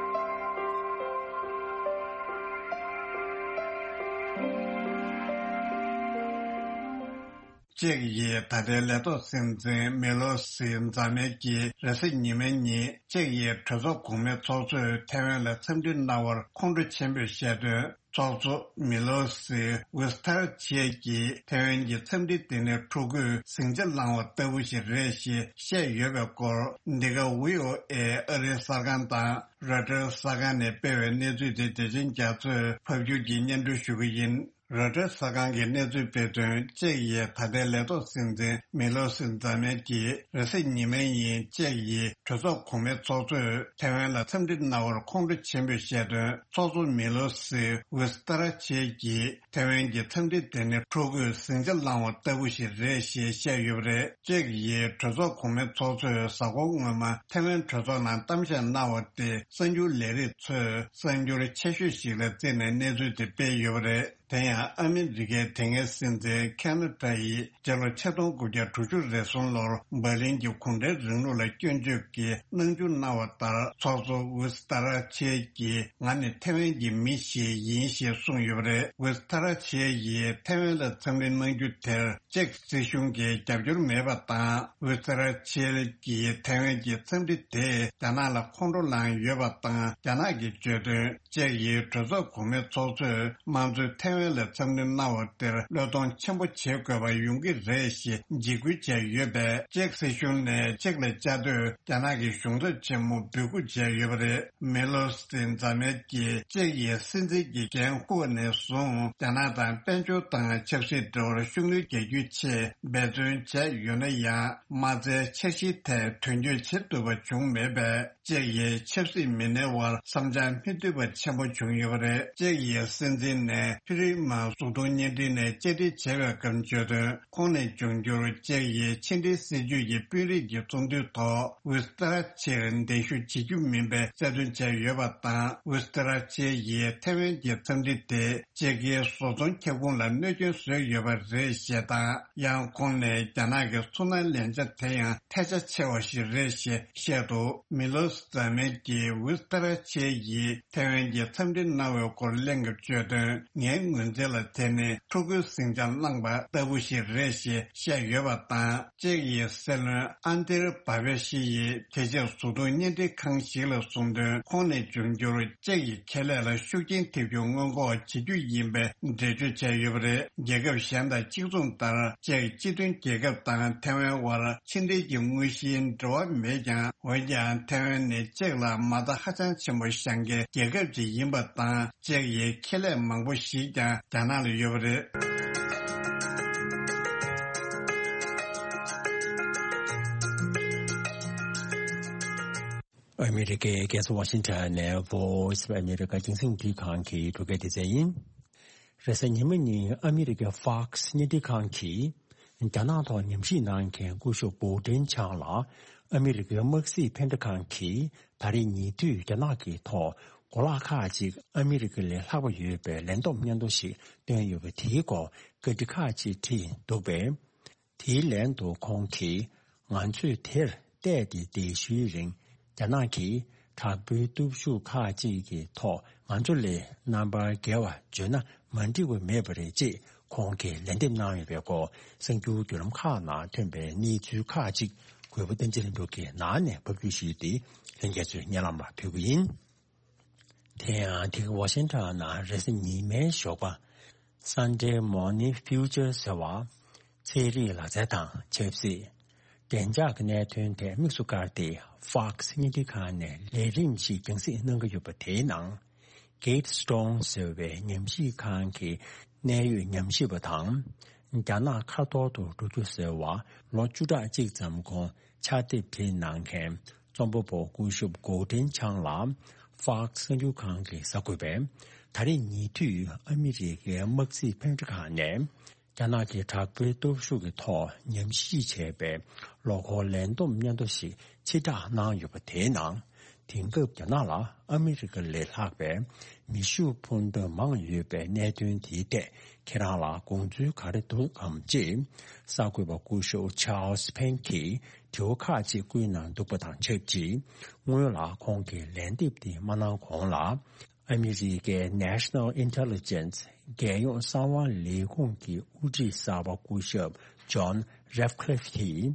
ཅེག་ཡིས་ད་ལྟའི་ལས་ཐོག་སྲིད་འཛིན་མེ་ལོ་སི་རྫ་མའི་གིས་རེས་གཟའ་ཉི་མའི་ཉིན་ཅེག་ཡི་གྲོས་ཚོགས་གོང་མའི་ཚོགས་གཙོས་ཐའེ་ཝན་ལ་འཚམས་འདྲི་གནང་བར་ཁོང་ཁྲོ་ཆེན་པོས་བཤད་དོན། ཚོགས་གཙོ་མི་ལོ་སི་ཝིས་ཐར་ཆེ་གིས་ཐའེ་ཝན་གྱི་འཚམས་འདྲི་དེ་ནི་ཕྲུ་གུས་ཟིང་ཆ་བསླངས་པ་ལྟ་བུ་ཞིག་རེད་ཞེས་བཤད་ཡོད་པའི་སྐོར། འདི་ག་ཝི་ཨོ་ཨེ་ཨ་རིའི་གསར་ཁང་དང་རོའི་ཊར་གསར་ཁང་ནས་སྤེལ་བའི་གནས་ཚུལ་དེ་བདེ་ཆེན་རྒྱ་མཚོས་ཕབ་སྒྱུར་གྱིས་སྙན་སྒྲོན་ཞུ་གི་ཡིན། རོའི་ཊར་གསར་ཁང་གིས་གནས་ཚུལ་སྤེལ་དོན། ཅེག་ཡིས་ད་ལྟའི་ལས་ཐོག་སྲིད་འཛིན་མི་ལོ་སི་རྫ་མའི་གིས་རེས་གཟའ་ཉི་མའི་ཉིན་ཅེག་ཡི་གྲོས་ཚོགས་གོང་མའི་ཚོགས་གཙོས་ཐའེ་ཝན་ལ་འཚམས་འདྲི་གནང་བར་ཁོང་ཁྲོ་ཆེན་པོས་བཤད་དོན། ཚོགས་གཙོ་མི་ལོ་སི་ཝིས་ཏར་ཆེ་གིས་ཐའེ་ཝན་གྱི་འཚམས་འདྲི་དེ་ནི་ཕྲུ་གུས་ཟིང་ཆ་བསླངས་པ་ལྟ་བུ་ཞིག་རེད་ཞེས་བཤད་ཡོད་པ་རེད། ཅེག་ཡིས་གྲོས་ཚོགས་གོང་མའི་ཚོགས་གཙོས་གཟའ་འཁོར་སྔོན་མ་ཐའེ་ཝན་གྲོས་ཚོགས་ནང་གཏམ་བཤད་གནང་བ་དེ་གསར་འགྱུར་ལས་རིགས་ཚོས་གསར་འགྱུར་ཆེ་ཤོས་ཤིག་ལ་བརྩིས་ནས་གནས་ཚུལ་དེ་སྤེལ་ཡོད་པ་རེད། དེ་ཡང་ཨ་མི་རི་ཀའི་དེ་སྔའི་སྲིད་འཛིན་ཁེ་ན་ཐ་ཡིས་སྤྱི་ལོ་ཆིག་སྟོང་དགུ་བརྒྱ་དྲུག་ཅུ་རེ་གསུམ་ལོར་འབར་ལིན་གྱི་གུང་ཁྲན་རིང་ལུགས་ལ་སྐྱོན་བརྗོད་ཀྱི་གནང་བརྒྱུད་གནང་བ་ལྟར། ཚོགས་གཙོ་ཝིས་ཏར་ཆེ་གིས་ང་ནི་ཐའེ་ཝན་གྱི་མི་ཞིག་ཡིན་ཞེས་གསུངས་ཡོད་པ་རེད། ཝིས་ཏར་ཆེ་ཡིས་ཐའེ་ཝན་ལ་འཚམས་འདྲི་གནང་རྒྱུ་དེར་ཅེག་སྲིད་གཞུང་གིས་རྒྱབ་སྐྱོར་མེད་པ་དང་། ཝིས་ཏར་ཆེ་གིས་ཐའེ་ཝན་གྱི་འཚམས་འདྲི་དེས་རྒྱ་ནག་ལ་ཁོང་ཁྲོ་ལངས་ཡོད་པ་དང་། རྒྱ་ནག་གིས་བརྗོད་དོན། ཅེག་ཡིས་གྲོས་ཚོགས་གོང་མའི་ཚོགས་གཙོས་དམངས་གཙོའི་ཐའེ་ཝན་ལ་འཚམས་འདྲི་གནང་བ་དེར་བློས་གཏོང་ཆེན་པོ་བྱེད་དགོས་པ་ཡོང་གི་རེད་ཞེས་འཇིགས་སྐུལ་བྱས་ཡོད་པས། ཅེག་སྲིད་གཞུང་ནས་ཅེག་ལ་བཅའ་སྡོད་རྒྱ་ནག་གི་གཞུང་ཚབ་ཆེན་མོ་འབོད་སྐུལ་བྱས་ཡོད་པ་རེད། མེ་ལོ་སི་རྫ་མའི་གིས་ཅེག་ཡི་སྲིད་འཛིན་གྱི་འགན་འཁུར་བ་ནས་བཟུང་རྒྱ་ནག་དང་དཔལ་འབྱོར་དང་ཆབ་སྲིད་འབྲེལ་བར་ཤུགས་སྣོན་རྒྱག་རྒྱུའི་ཆེད་འབད་བརྩོན་བྱས་ཡོད་ན་ཡང་། མ་རྩའི་འཆར་གཞིའི་ཐད་དོན་འཁྱོལ་བྱེད་ཐུབ་པ་བྱུང་མེད་པས། ཅེག་ཡི་ཆབ་སྲིད་མི་སྣའི་དབར་བསམ་འཆར་མི་མཐུན་པ་ཆེན་པོ་བྱུང་ཡོད་པ་རེད། ཅེག་ཡི་སྲིད་འཛིན་ནས་ཕི་ མ་གཟུགས་མཐོང་བརྙན་འཕྲིན་ནས་བཅར་འདྲི་བྱས་པའི་སྐབས་བརྗོད་དོན། ཁོང་ནས་འབྱུང་འགྱུར་ཅེག་ཡིས་ཕྱི་འབྲེལ་སྲིད་ཇུས་ཀྱི་དཔོན་རིགས་ཀྱི་ཚོགས་འདུའི་ཐོག་ཝི་སི་ཏ་ར་ཆེར་གདན་ཞུ་བྱེད་རྒྱུ་མིན་པའི་གསལ་སྟོན་བྱས་ཡོད་པ་དང་། ཝི་སི་ཏ་ར་ཆེ་ཡིས་ཐེ་ཝན་གྱི་འཚམས་འདྲི་དེ་ཅེག་གིས་བཟོ་ཚོང་ཁྱབ་ཁོངས་ལ་གནོད་སྐྱོན་བཟོས་ཡོད་པ་རེད་ཞེས་དང་། ཡང་ཁོང་ནས་རྒྱ་ནག་གི་ཚོར་སྣང་ལེན་ཆ་དེ་ཡང་ཐལ་ཆ་ཆེ་བ་ཞིག་རེད་ཞེས་བཤད་འདུག་མི་ལོ་ཟ་མེད་ཀྱིས་ཝི་སི་ཏ་ར་ཆེ་ཡིས་ཐེ་ཝན་གྱི་འཚམས་འདྲི་གནང་བའི་སྐོར་གླེང་སྐབས་བརྗོད་དོན། ངའི་ངོས་འཛིན་ལ་དེ་ནི་ཕྲུ་གུའི་ཟིང་ཆ་བསླངས་པ་ལྟ་བུ་ཞིག་རེད་ཞེས་བཤད་ཡོད་པ་དང་། ཅེག་ཡི་སྲིད་བློན་ཨན་ཏེར་བྷ་བེ་ཤི་ཡིས་དེ་ཕྱིར་གཟུགས་མཐོང་བརྙན་འཕྲིན་ཁང་ཞིག་ལ་གསུངས་དོན། ཁོང་ནས་འབྱུང་འགྱུར་ཅེག་ཡི་ཁེ་ལས་ལ་ཤུགས་རྐྱེན་ཐེབས་རྒྱུ་སྔོན་འགོག་བྱེད་རྒྱུ་ཡིན་པའི་འགྲེལ་བརྗོད་བྱས་ཡོད་པ་རེད། རྒྱལ་ཁབ་གཞན་དང་གཅིག་མཚུངས་ལྟར་ཅེག་སྤྱི་མཐུན་རྒྱལ་ཁབ་དང་ཐེ་ཝན་དབར་ཕྱི་འབྲེལ་གྱི་དངོས་གཞིའི་འབྲེལ་བ་མེད་ཀྱང་། འོན་ཀྱང་ཐེ་ཝན་ནི་ཅེག་ལ་མ་རྩ་ཧ་ཅང་ཆེན་པོ་བཞེངས་མཁན་རྒྱལ་ཁབ་ཅིག་ཡིན་པ་དང་། ཅེག་ཡི་ཁེ་ལས་མང་པོ་ཞིག་ཀྱང་རྒྱ་ནག་ལ་ཡོད་པ་རེད། ཨ་མི་རི་ཀའི་རྒྱལ་ས་ཝ་ཤིང་ཊོན་ནས་Voice of America་རྒྱང་སྲིང་རླུང་འཕྲིན་ཁང་གི་འབྲུག་སྐད་སྡེ་ཚན་ཡིན། རེས་གཟའ་ཉི་མ་ཉིན་ཨ་མི་རི་ཀའི་Fox་བརྙན་འཕྲིན་ཁང་གིས། རྒྱ་ནག་ཐོག་ཉམས་ཞིབ་གནང་མཁན་སྐུ་ཞབས་གོ་ཀྲིན་ཆང་ལ། ཨ་མི་རི་ཀའི་དམག་སྲིད་ཕན་བདེ་ཁང་གིས་ད་རེས་ཉེ་དུས་རྒྱ་ནག་གི་ཐོག་གོ་ལག་ཁག་ཅིག་ཨ་མི་རི་ཀ་ལས་ལྷག་པ་ཡོད་པའི་ལན་བསྡོམས་སྙན་ཐོ་ཞིག་བཏོན་ཡོད་པ་དེའི་སྐོར་བཀའ་འདྲི་ཁག་ཅིག་བྲིས་འདུག་པས། དེའི་ལན་དུ་ཁོང་གིས། ང་ཚོས་དེར་བལྟས་ཏེ་ལྡེ་ཤུལ་རིང་རྒྱ་ནག་གིས་དྲག་པོའི་སྟོབས་ཤུགས་ཁག་ཅིག་གི་ཐོག་ང་ཚོ་ལས་རྣམ་པར་རྒྱལ་བ་བརྗོད་ན་མ་འགྲིག་པ་མེད་པ་རེད་ཅེས་ཁོང་གིས་ལན་འདེབས་གནང་ཡོད་པའི་སྐོར་གསར་འགྱུར་བརྒྱུད་ལམ་ཁག་ནང་ཐོན་པའི་གནས་ཚུལ་ཁག་ཅིག་གུས་པ་བསྟན་འཛིན་ལྷུན་གྲུབ་ཀྱིས་ནང་ནས་ཕབ་སྒྱུར་ཞུས་ཏེ་ལྷན་རྒྱས་ཚོའི་སྙན་ལམ་ལ་ཕུལ་གྱི་ཡིན། དེ་ཡང་དེ་ག་ཝ་ཤིང་ཊོན་ནང་རེས་གཟའ་ཉི་མའི་ཞོགས་པ། Sunday Morning Future ཟེར་བ། ཚན་རིག་ལག་རྩལ་དང་ཆབ་སྲིད། བདེ་འཇགས་ཀྱི་གནད་དོན་ཐད་དམིགས་སུ་བཀར་ཏེ་Fox་བརྙན་འཕྲིན་ཁང་ནས་ལས་རིམ་ཞིག་རྒྱང་སྲིང་གནང་གི་ཡོད་པ་དེའི་ནང་། Gatestone ཟེར་བའི་ཉམས་ཞིབ་ཁང་གི་གནད་ཡོད་ཉམས་ཞིབ་པ་དང་། རྒྱ་ནག་ཁ་ཐོར་དུ་འགྲོ་རྒྱུ་ཟེར་བ་ལོ་བཅུ་ཕྲག་གཅིག་ཙམ་གོང་ཕྱག་དེབ་བྲིས་གནང་མཁན། རྩོམ་པ་པོ་སྐུ་ཞབས་གོ་ཀྲིན་ཆང་ལ་Fox་གསར་འགྱུར་ཁང་གིས་གསར་འགོད་པས། ད་རེས་ཉེ་དུས་ཨ་མི་རི་ཀའི་དམག་སྲིད་ཕན་བདེ་ཁང་ནས་རྒྱ་ནག་གི་དྲག་པོའི་སྟོབས་ཤུགས་ཀྱི་ཐོག་ཉམས་ཞིབ་བྱས་པའི་ལོ་འཁོར་ལན་བསྡོམས་སྙན་ཐོ་ཞིག་ཕྱིར་བསྒྲགས་གནང་ཡོད་པ་དེའི་ནང་། དེང་སྐབས་རྒྱ་ནག་ལ་ཨ་མི་རི་ཀ་ལས་ལྷག་པའི་མེ་ཤུགས་འཕུར་མདའ་མང་ཡོད་པའི་གནད་དོན་དེའི་ཐད་ཁྱེད་རང་ལ་དགོངས་ཚུལ་ག་རེ་འདུག་གམ་ཅེས་གསར་འགོད་པ་སྐུ་ཞབས་Charles Payne་གྱིས། དྲི་བ་ཁག་ཅིག་བསྐུལ་གནང་འདུག་པ་དང་ཆབས་ཅིག་སྔོན་ལ་ཁོང་གིས་ལན་འདེབས་དེ་མ་གནང་གོང་ལ། ཨ་མི་རི་ཀའི་National Intelligence་རྒྱལ་ཡོངས་གསང་བ་ལས་ཁུངས་ཀྱི་དབུ་ཁྲིད་གསར་པ་སྐུ་ཞབས་John Ratcliffe་གྱིས།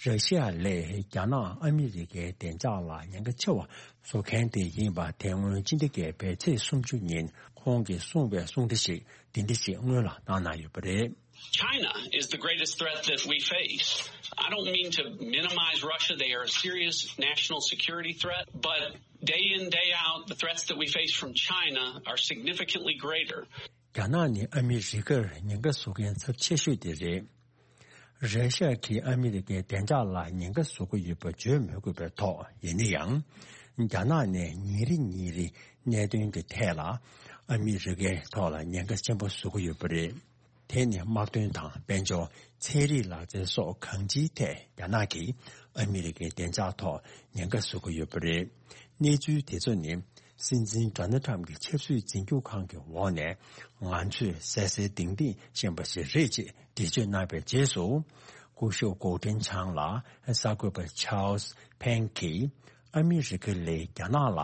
ར་ཤི་ཡ་ལས་རྒྱ་ནག་ཨ་མི་རི་ཀའི་བདེ་འཇགས་ལ་ཉེན་ཁ་ཆེ་བ་བཟོ་མཁན་དེ་ཡིན་པ་དེ་སྔོན་ཕྱི་ཟླ་བརྒྱད་པའི་ཚེས་སུམ་ཅུ་ཉིན་ཁོང་གིས་གསུངས་པའི་གསུང་བཤད་ཞིག་འདི་འདྲ་ཞིག་སྔོན་ལ་གནང་གནང་ཡོད་པ་རེད། China is the greatest threat that we face. I don't mean to minimize Russia. They are a serious national security threat, but day in, day out, the threats that we face from China are significantly greater. རྒྱ་ནག་ནི་ཨ་མི་རི་ཀར་ཉེན་ཁ་བཟོ་མཁན་ཚབས་ཆེ་ཤོས་དེ་རེད། ར་ཤ་གིས་ཨ་མི་རི་ཀའི་བདེ་འཇགས་ལ་ཉེན་ཁ་བཟོ་གི་ཡོད་པ་བརྗོད་མི་དགོས་པའི་ཐོག་ཡིན་ན་ཡང་། རྒྱ་ནག་ནས་ཉིན་རེ་ཉིན་རེ་གནད་དོན་གྱི་ཐད་ལ་ཨ་མི་རི་ཀའི་ཐོག་ལ་ཉེན་ཁ་ཆེན་པོ་བཟོ་གི་ཡོད་པ་རེད། དེ་ནི་དམག་དོན་དང་དཔལ་འབྱོར། ཚན་རིག་ལག་རྩལ་སོགས་གང་ཅིའི་ཐད་རྒྱ་ནག་གིས་ཨ་མི་རི་ཀའི་བདེ་འཇགས་ཐོག་ཉེན་ཁ་བཟོ་གི་ཡོད་པ་རེད། གནས་ཚུལ་དེ་ཚོ་ནི་སྲིད་འཛིན་Donald Trump་གྱི་ཆབ་སྲིད་འཛིན་སྐྱོང་ཁང་གི་འོག་ནས་ང་ཚོས་གསལ་གསལ་ཏིང་ཏིང་ཤེས་པ་ཞིག་རེད་ཅེས་འགྲེལ་བརྗོད་གནང་བའི་རྗེས་སུ། སྐུ་ཞབས་གོ་ཀྲིན་ཆང་ལ་གསར་འགོད་པ་Charles Payne་གྱིས། ཨ་མི་རི་ཀ་ལས་རྒྱ་ནག་ལ་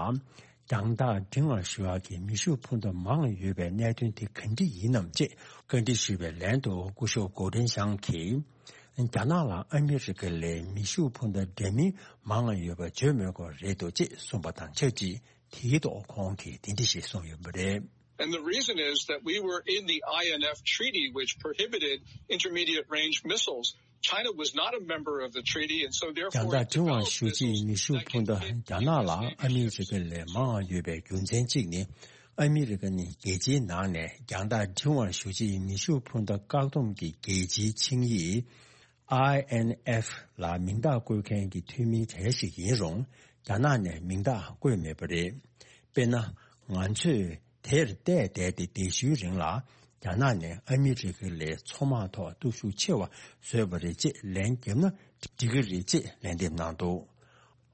རྒྱང་ཐག་འབྲིང་བར་ཞུ་ཡག་གི་མེ་ཤུགས་འཕུར་མདའ་མང་ཡོད་པའི་གནད་དོན་དེ་ག་འདྲ་ཡིན་ནམ་ཅེས་བཀའ་འདྲི་ཞུས་པའི་ལན་དུ་སྐུ་ཞབས་གོ་ཀྲིན་ཆང་གིས། རྒྱ་ནག་ལ་ཨ་མི་རི་ཀ་ལས་མེ་ཤུགས་འཕུར་མདའ་འདྲ་མིན་མང་ཡོད་པ་བརྗོད་མི་དགོས་རེད་འདུག་ཅེས་གསུངས་པ་དང་ཆབས་ཅིག་དེའི་ཐོག་ཁོང་གིས་འདི་འདྲ་ཞིག་གསུངས་ཡོད་པ་རེད། And the reason is that we were in the I N F treaty, which prohibited intermediate range missiles. China was not a member of the treaty, and so therefore རྒྱང་ཐག་འབྲིང་བར་ཞུ་ཆེད་མེ་ཤུགས་འཕུར་མདའ་རྒྱ་ནག་ལ་ཨ་མི་རི་ཀ་ལས་མང་བ་ཡོད་པའི་རྒྱུ་མཚན་གཅིག་ནི། ཨ་མི་རི་ཀ་ནི་རྒྱལ་སྤྱིའི་ནང་ནས་རྒྱང་ཐག་འབྲིང་བར་ཞུ་ཆེད་མེ་ཤུགས་འཕུར་མདའ་བཀག་སྡོམ་གྱི་རྒྱལ་སྤྱིའི་ཆིངས་ཡིག I N F ལ་མིང་རྟགས་བཀོད་མཁན་གྱི་འཐུས་མི་གྲས་ཤིག་ཡིན་རུང་། རྒྱ་ནག་ནས་མིང་རྟགས་བཀོད་མེད་པ་རེད། དཔེར་ན། ང་ཚོས་ དེར་བལྟས་བསྡད་དེ། དེ་བཞིན་རིང་ལ་རྒྱ་ནག་ནས་ཨ་མི་རི་ཀ་ལས་མཚོ་དམག་ཐོག་སྟོབས་ཤུགས་ཆེ་བ་བཟོས་པ་རེད་ཅེས་ལན་བརྒྱབ་ན་འགྲིག་གི་རེད་ཅེས་ལན་འདེབས་གནང་འདུག།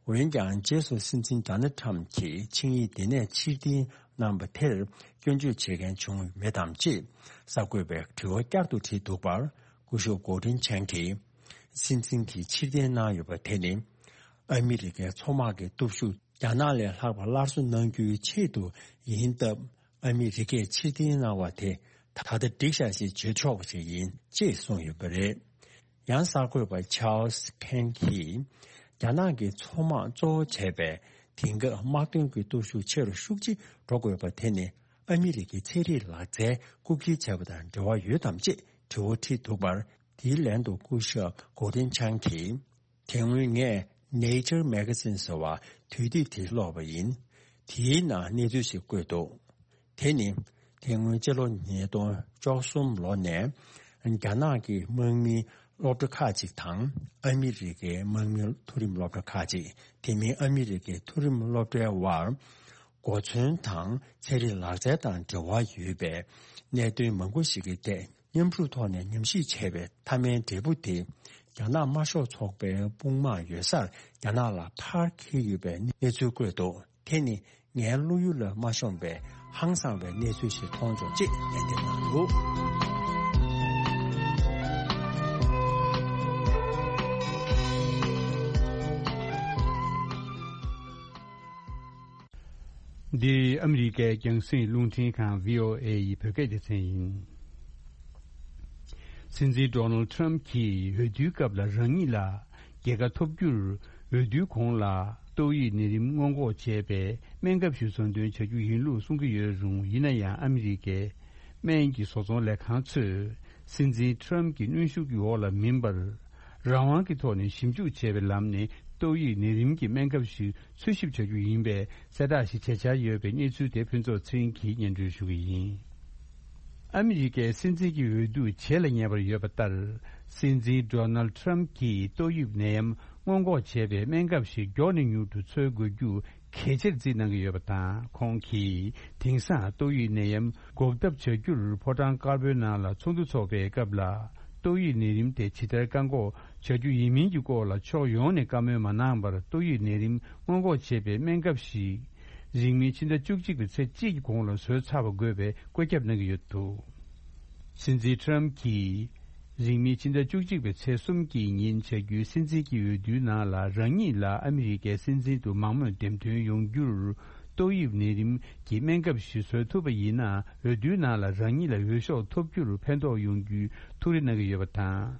འོན་ཀྱང་རྗེས་སུ་སྲིད་འཛིན་ཌོ་ནལ་ཊམ་གྱིས་ཆིངས་ཡིག་འདི་ནས་ཕྱིར་འཐེན་གནང་བ་དེར་སྐྱོན་བརྗོད་བྱེད་མཁན་བྱུང་མེད་དམ་ཅེས་གསར་འགོད་པས་དྲི་བ་བསྐྱར་དུ་དྲིས་འདུག་པར། སྐུ་ཞབས་གོ་ཏིན་ཆན་གྱིས། སྲིད་འཛིན་གྱིས་ཕྱིར་འཐེན་གནང་ཡོད་པ་དེ་ནི། ཨ་མི་རི་ཀའི་མཚོ་དམག་གི་སྟོབས་ཤུགས་རྒྱ་ནག་ལས་ལྷག་པ་སླར་གསོ་གནང་རྒྱུའི་ཆེད་དུ་ཡིན་སྟབས། ཨ་མི་རི་ཀས་ཕྱིར་འཐེན་གནང་བ་དེ་ད་ལྟ་འགྲིག་ཤག་ཅེས་བརྗོད་ཆོག་པ་ཞིག་ཡིན་ཅེས་གསུངས་ཡོད་པ་རེད། ཡང་གསར་འགོད་པ་ཆཱལ་སི་ཁེན་གྱིས། རྒྱ་ནག་གི་མཚོ་དམག་གཙོ་བོ་བྱས་པའི་དེང་སྐབས་དམག་དོན་གྱི་སྟོབས་ཤུགས་ཆེ་རུ་ཤུགས་ཆེ་འགྲོ་དགོས་པ་དེ་ནི། ཨ་མི་རི་ཀའི་ཚན་རིག་ལག་རྩལ་རྐུ་འཁྱེར་བྱས་པ་དང་འབྲེལ་བ་ཡོད་དམ་ཅེས་དྲི་བ་དྲིས་འདུག་པར། དེའི་ལན་དུ་སྐུ་ཞབས་གོ་ཏིན་ཆན་གྱིས། དེ་སྔོན་ངས་Nature Magazine ཟེར་བ་དུས་དེབ་དེ་ཀློག་པ་ཡིན། དེའི་ནང་གནས་ཚུལ་ཞིག་བཀོད་འདུག། དེ་ནི། དེ་སྔོན་སྤྱི་ལོ་ཉིས་སྟོང་བཅུ་གསུམ་ལོ་ནས་རྒྱ་ནག་གི་དམག་མིའི་སློབ་གྲྭ་ཁག་ཅིག་དང་ཨ་མི་རི་ཀའི་དམག་མིའི་མཐོ་རིམ་སློབ་གྲྭ་ཁག་ཅིག། དེ་མིན་ཨ་མི་རི་ཀའི་མཐོ་རིམ་སློབ་གྲྭའི་དབར། གོ་མཚོན་དང་ཚན་རིག་ལག་རྩལ་དང་འབྲེལ་བ་ཡོད་པའི་གནད་དོན་མང་པོ་ཞིག་གི་ཐད་མཉམ་ཞུགས་ཐོག་ནས་ཉམས་ཞིབ་བྱས་པའི་མཐའ་མའི་འབྲས་བུ་དེ། རྒྱ་ནག་དམར་ཤོག་ཚོགས་པའི་དཔུང་དམག་ཡོད་སར་རྒྱ་ནག་ལ་ཕར་འཁྱེར་ཡོད་པའི་གནས་ཚུལ་བཀོད་འདུག། དེ་ནི་ངའི་བློ་ཡུལ་ལ་མ་ཤོང་པའི་ཧང་སངས་པའི་གནས་ཚུལ་ཞིག་མཐོང་བྱུང་ཅེས་ལན་འདེབས་གནང་འདུག། འདི་ཨ་མི་རི་ཀའི་རྒྱང་སྲིང་རླུང་འཕྲིན་ཁང་བྷི་ཨོ་ཨེ་ཡི་བོད་སྐད་སྡེ་ཚན་ཡིན། སྲིད་འཛིན་ཌོ་ནལ་ཁྲམ་གྱིས་འོས་བསྡུའི་སྐབས་ལ་རང་ཉིད་ལ་རྒྱལ་ཁ་ཐོབ་རྒྱུར་འོས་བསྡུའི་གོང་ལ་ཏོག་དབྱིབས་ནད་རིམས་སྔོན་འགོག་བྱས་པའི་སྨན་ཁབ་ཞིག་ཟོ་འདོན་བྱ་རྒྱུ་ཡིན་ལུགས་གསུང་གི་ཡོད་རུང་། ཡིན་ན་ཡང་ཨ་མི་རི་ཀའི་སྨན་གྱི་བཟོ་ཚོང་ལས་ཁང་ཚོས་སྲིད་འཛིན་ཁྲམ་གྱི་གནོན་ཤུགས་ཀྱི་འོག་ལ་མིན་པར། རང་དབང་གི་ཐོག་ནས་ཞིབ་འཇུག་བྱས་པའི་ལམ་ནས་ཏོག་དབྱིབས་ནད་རིམས་ཀྱི་སྨན་ཁབ་ཞིག་འཚོལ་ཞིབ་བྱ་རྒྱུ་ཡིན་པའི་གསལ་བསྒྲགས་ཤིག་བྱེད་འཆར་ཡོད་པའི་གནས་ཚུལ་དེ་ཕུན་ཚོགས་ཚེ་རིང་གིས་སྙན་སྒྲོན་ཞུ་གི་ཡིན། ཨ་མི་རི་ཀའི་སྲིད་འཛིན་གྱི་འོས་བསྡུ་རྗེས་ལ་ཉེ་བར་ཡོད་པ་ལྟར། སྲིད་འཛིན་ཌོ་ནལ་ཁྲམ་གྱིས་ཏོག་དབྱིབས་ནད་ཡམས་སྔོན་འགོག་བྱས་པའི་སྨན་ཁབ་ཞིག་མགྱོགས་ནས་མྱུར་དུ་འཚོལ་དགོས་རྒྱུ་གལ་ཆེར་བརྩིས་གནང་གི་ཡོད་པ་དང་། ཁོང་གིས་དེང་སང་ཏོག་དབྱིབས་ནད་ཡམས་འགོག་ཐབས་བྱ་རྒྱུར་ཕོ་བྲང་དཀར་པོའི་ནང་ལ་ཚོགས་འདུ་འཚོགས་པའི་སྐབས་ལ། ཏོག་དབྱིབས་ནད་རིམས་དེ་ཇི་ལྟར་བཀག་འགོག་བྱ་རྒྱུ་ཡིན་མིན་གྱི་སྐོར་ལ་ཕྱོགས་ཡོངས་ནས་བཀའ་མོལ་མ་གནང་བར། ཏོག་དབྱིབས་ནད་རིམས་སྔོན་འགོག་བྱེད་པའི་སྨན་ཁབ་ཞིག་རིང་མིན་ཕྱི་ཟླ་བཅུ་གཅིག་པའི་ཚེས་གཅིག་གི་གོང་ལ་བཟོས་ཚར་བ་དགོས་པའི་བཀོད་ཁྱབ་གནང་གི་ཡོད་འདུག། སྲིད་འཛིན་ཁྲམ་གྱིས་རིང་མིན་ཕྱི་ཟླ་བཅུ་གཅིག་པའི་ཚེས་གསུམ་གྱི་ཉིན་བྱ་རྒྱུའི་སྲིད་འཛིན་གྱི་འོས་བསྡུའི་ནང་ལ་རང་ཉིད་ལ་ཨ་མི་རི་ཀའི་སྲིད་འཛིན་དུ་མང་མོས་འདེམས་ཐོན་ཡོང་རྒྱུར། ཏོག་དབྱིབས་ནད་རིམས་ཀྱི་སྨན་ཁབ་ཞིག་བཟོ་ཐུབ་པ་ཡིན་ན། འོས་བསྡུའི་ནང་ལ་རང་ཉིད་ལ་འོས་ཤོག་ཐོབ་རྒྱུར་ཕན་ཐོགས་ཡོང་རྒྱུའི་ཐུགས་རེ་གནང་གི་ཡོད་པ་དང་།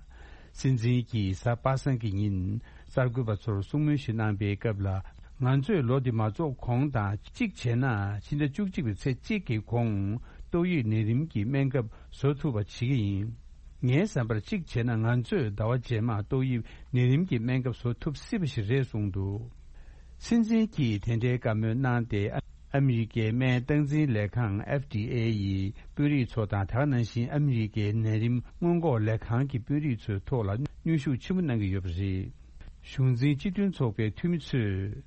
སྲིད་འཛིན་གྱིས་གཟའ་པ་སངས་ཀྱི་ཉིན་གསར་འགོད་པ་ཚོར་གསུང་མོལ་ཞིག་གནང་པའི་སྐབས་ལ། ང་ཚོས་ལོ་འདི་མ་རྫོགས་གོང་དང་། གཅིག་བྱས་ན་ཕྱི་ཟླ་བཅུ་གཅིག་པའི་ཚེས་གཅིག་གི་གོང་ཏོག་དབྱིབས་ནད་རིམས་ཀྱི་སྨན་ཁབ་བཟོ་ཐུབ་པ་བྱེད་ཀྱི་ཡིན། ངའི་བསམ་པར་གཅིག་བྱས་ན་ང་ཚོས་ཟླ་བ་རྗེས་མར་ཏོག་དབྱིབས་ནད་རིམས་ཀྱི་སྨན་ཁབ་བཟོ་ཐུབ་སྲིད་པ་ཞིག་རེད་གསུངས་འདུག། སྲིད་འཛིན་གྱིས་དེ་འདྲའི་བཀའ་མོལ་གནང་སྟེ། ཨ་མི་རི་ཀའི་སྨན་སྟངས་འཛིན་ལས་ཁང་ཨེཕ་ཌི་ཨེ་ཡི་དཔོན་རིགས་ཚོ་དང་། དེ་ག་ནང་བཞིན་ཨ་མི་རི་ཀའི་ནད་རིམས་སྔོན་འགོག་ལས་ཁང་གི་དཔོན་རིགས་ཚོའི་ཐོག་ལ་གནོན་ཤུགས་ཆེན་པོ་གནང་གི་ཡོད་པ་རེད། གཞུང་འཛིན་སྤྱི་མཐུན་ཚོགས་པའི་འཐུས་མི་ཚོས།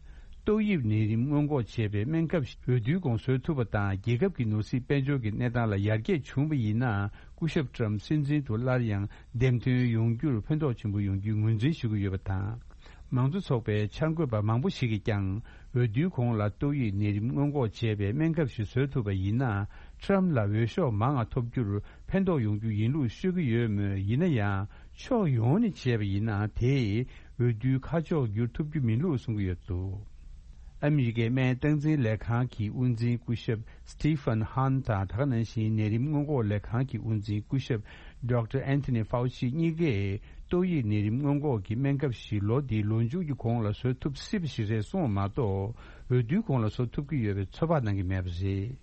ཏོག་དབྱིབས་ནད་རིམས་སྔོན་འགོག་བྱེད་པའི་སྨན་ཁབ་ཞིག་འོས་བསྡུའི་གོང་བཟོས་ཐུབ་པ་དང་། རྒྱལ་ཁབ་ཀྱི་ནོར་སྲིད་དཔལ་འབྱོར་གྱི་གནས་སྟངས་ལ་ཡར་རྒྱས་བྱུང་བ་ཡིན་ན། སྐུ་ཞབས་ཊམ་སྲིད་འཛིན་དུ་སླར་ཡང་འདེམས་ཐོན་ཡོང་རྒྱུར་ཕན་ཐོགས་ཆེན་པོ་ཡོང་རྒྱུའི་ངོས་འཛིན་ཞུ་གི་ཡོད་པ་དང་། མང་གཙོ་ཚོགས་པའི་འཆར་འགོད་པ་མང་པོ་ཞིག་གིས་ཀྱང་། འོས་བསྡུའི་གོང་ལ་ཏོག་དབྱིབས་ནད་རིམས་སྔོན་འགོག་བྱེད་པའི་སྨན་ཁབ་ཞིག་བཟོ་ཐུབ་པ་ཡིན་ན། ཊམ་ལ་འོས་ཤོག་མང་ང་ཐོབ་རྒྱུར་ཕན་ཐོགས་ཡོང་རྒྱུ་ཡིན་ལུགས་ཤོད་ཀྱི་ཡོད་མོད། ཡིན་ན་ཡང་། ཕྱོགས་ཡོངས་ནས་བྱས་པ་ཡིན་ན། དེས་འོས་བསྡུའི་ཁ་ཕྱོགས་བསྒྱུར་ཐུབ་རྒྱུ་མིན་ལུགས་གསུང་གི་ཡོད་འདུག། ཨ་མི་རི་ཀའི་སྨན་སྟངས་འཛིན་ལས་ཁང་གི་དབུ་འཛིན་སྐུ་ཞབས་Stephen Hahn དང་། དེ་ག་ནང་བཞིན་ནད་རིམས་སྔོན་འགོག་ལས་ཁང་གི་དབུ་འཛིན་སྐུ་ཞབས་Doctor Anthony Fauci གཉིས་ཀས། ཏོག་དབྱིབས་ནད་རིམས་སྔོན་འགོག་གི་སྨན་ཁབ་ཞིག་ལོ་འདིའི་ལོ་མཇུག་གི་གོང་ལ་བཟོ་ཐུབ་སྲིད་པ་ཞིག་རེད་གསུངས་པ་མ་གཏོགས། འོས་བསྡུའི་གོང་ལ་བཟོ་ཐུབ་ཀྱི་ཡོད་པའི་ཚོད་དཔག་གནང་གི་མེད་པ་རེད།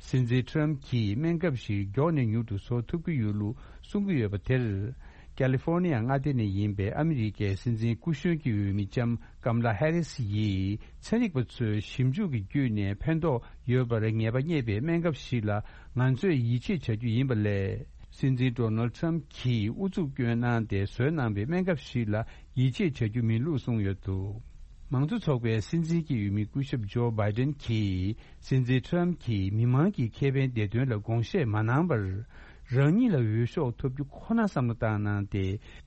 སྲིད་འཛིན་ཊམ་གྱིས་སྨན་ཁབ་ཞིག་མགྱོགས་ནས་མྱུར་དུ་བཟོ་ཐུབ་ཀྱི་ཡོད་ལུགས་གསུང་གི་ཡོད་པ་དེར། ཀ་ལི་ཧྥོར་ནི་ཡ་མངའ་སྡེ་ནས་ཡིན་པའི་ཨ་མི་རི་ཀའི་སྲིད་འཛིན་སྐུ་གཞོན་གྱི་འོས་མི་ལྕམ་ཀམ་ལ་ཧེ་རི་སི་ཡིས། ཚན་རིག་པ་ཚོས་ཞིབ་འཇུག་གི་བརྒྱུད་ནས་ཕན་ཐོགས་ཡོད་པར་ངེས་པ་རྙེད་པའི་སྨན་ཁབ་ཞིག་ལ་ང་ཚོས་ཡིད་ཆེས་བྱ་རྒྱུ་ཡིན་པ་ལས། སྲིད་འཛིན་ཌོ་ནལ་ཊམ་གྱིས་ཨུ་ཚུགས་བསྐྱོན་གནང་སྟེ་བཟོས་གནང་པའི་སྨན་ཁབ་ཞིག་ལ་ཡིད་ཆེས་བྱ་རྒྱུ་མིན་ལུགས་གསུངས་ཡོད་འདུག། མང་གཙོ་ཚོགས་པའི་སྲིད་འཛིན་གྱི་འོས་མི་སྐུ་ཞབས་ཇོ་བྷའི་ཏན་གྱིས། སྲིད་འཛིན་ཁྲམ་གྱིས་མི་མང་གི་ཁེ་ཕན་བདེ་དོན་ལ་དགོངས་བཞེས་མ་གནང་བར། རང་ཉིད་ལ་འོས་ཤོག་ཐོབ་རྒྱུ་ཁོ་ན་བསམ་བློ་བཏང་གནང་སྟེ།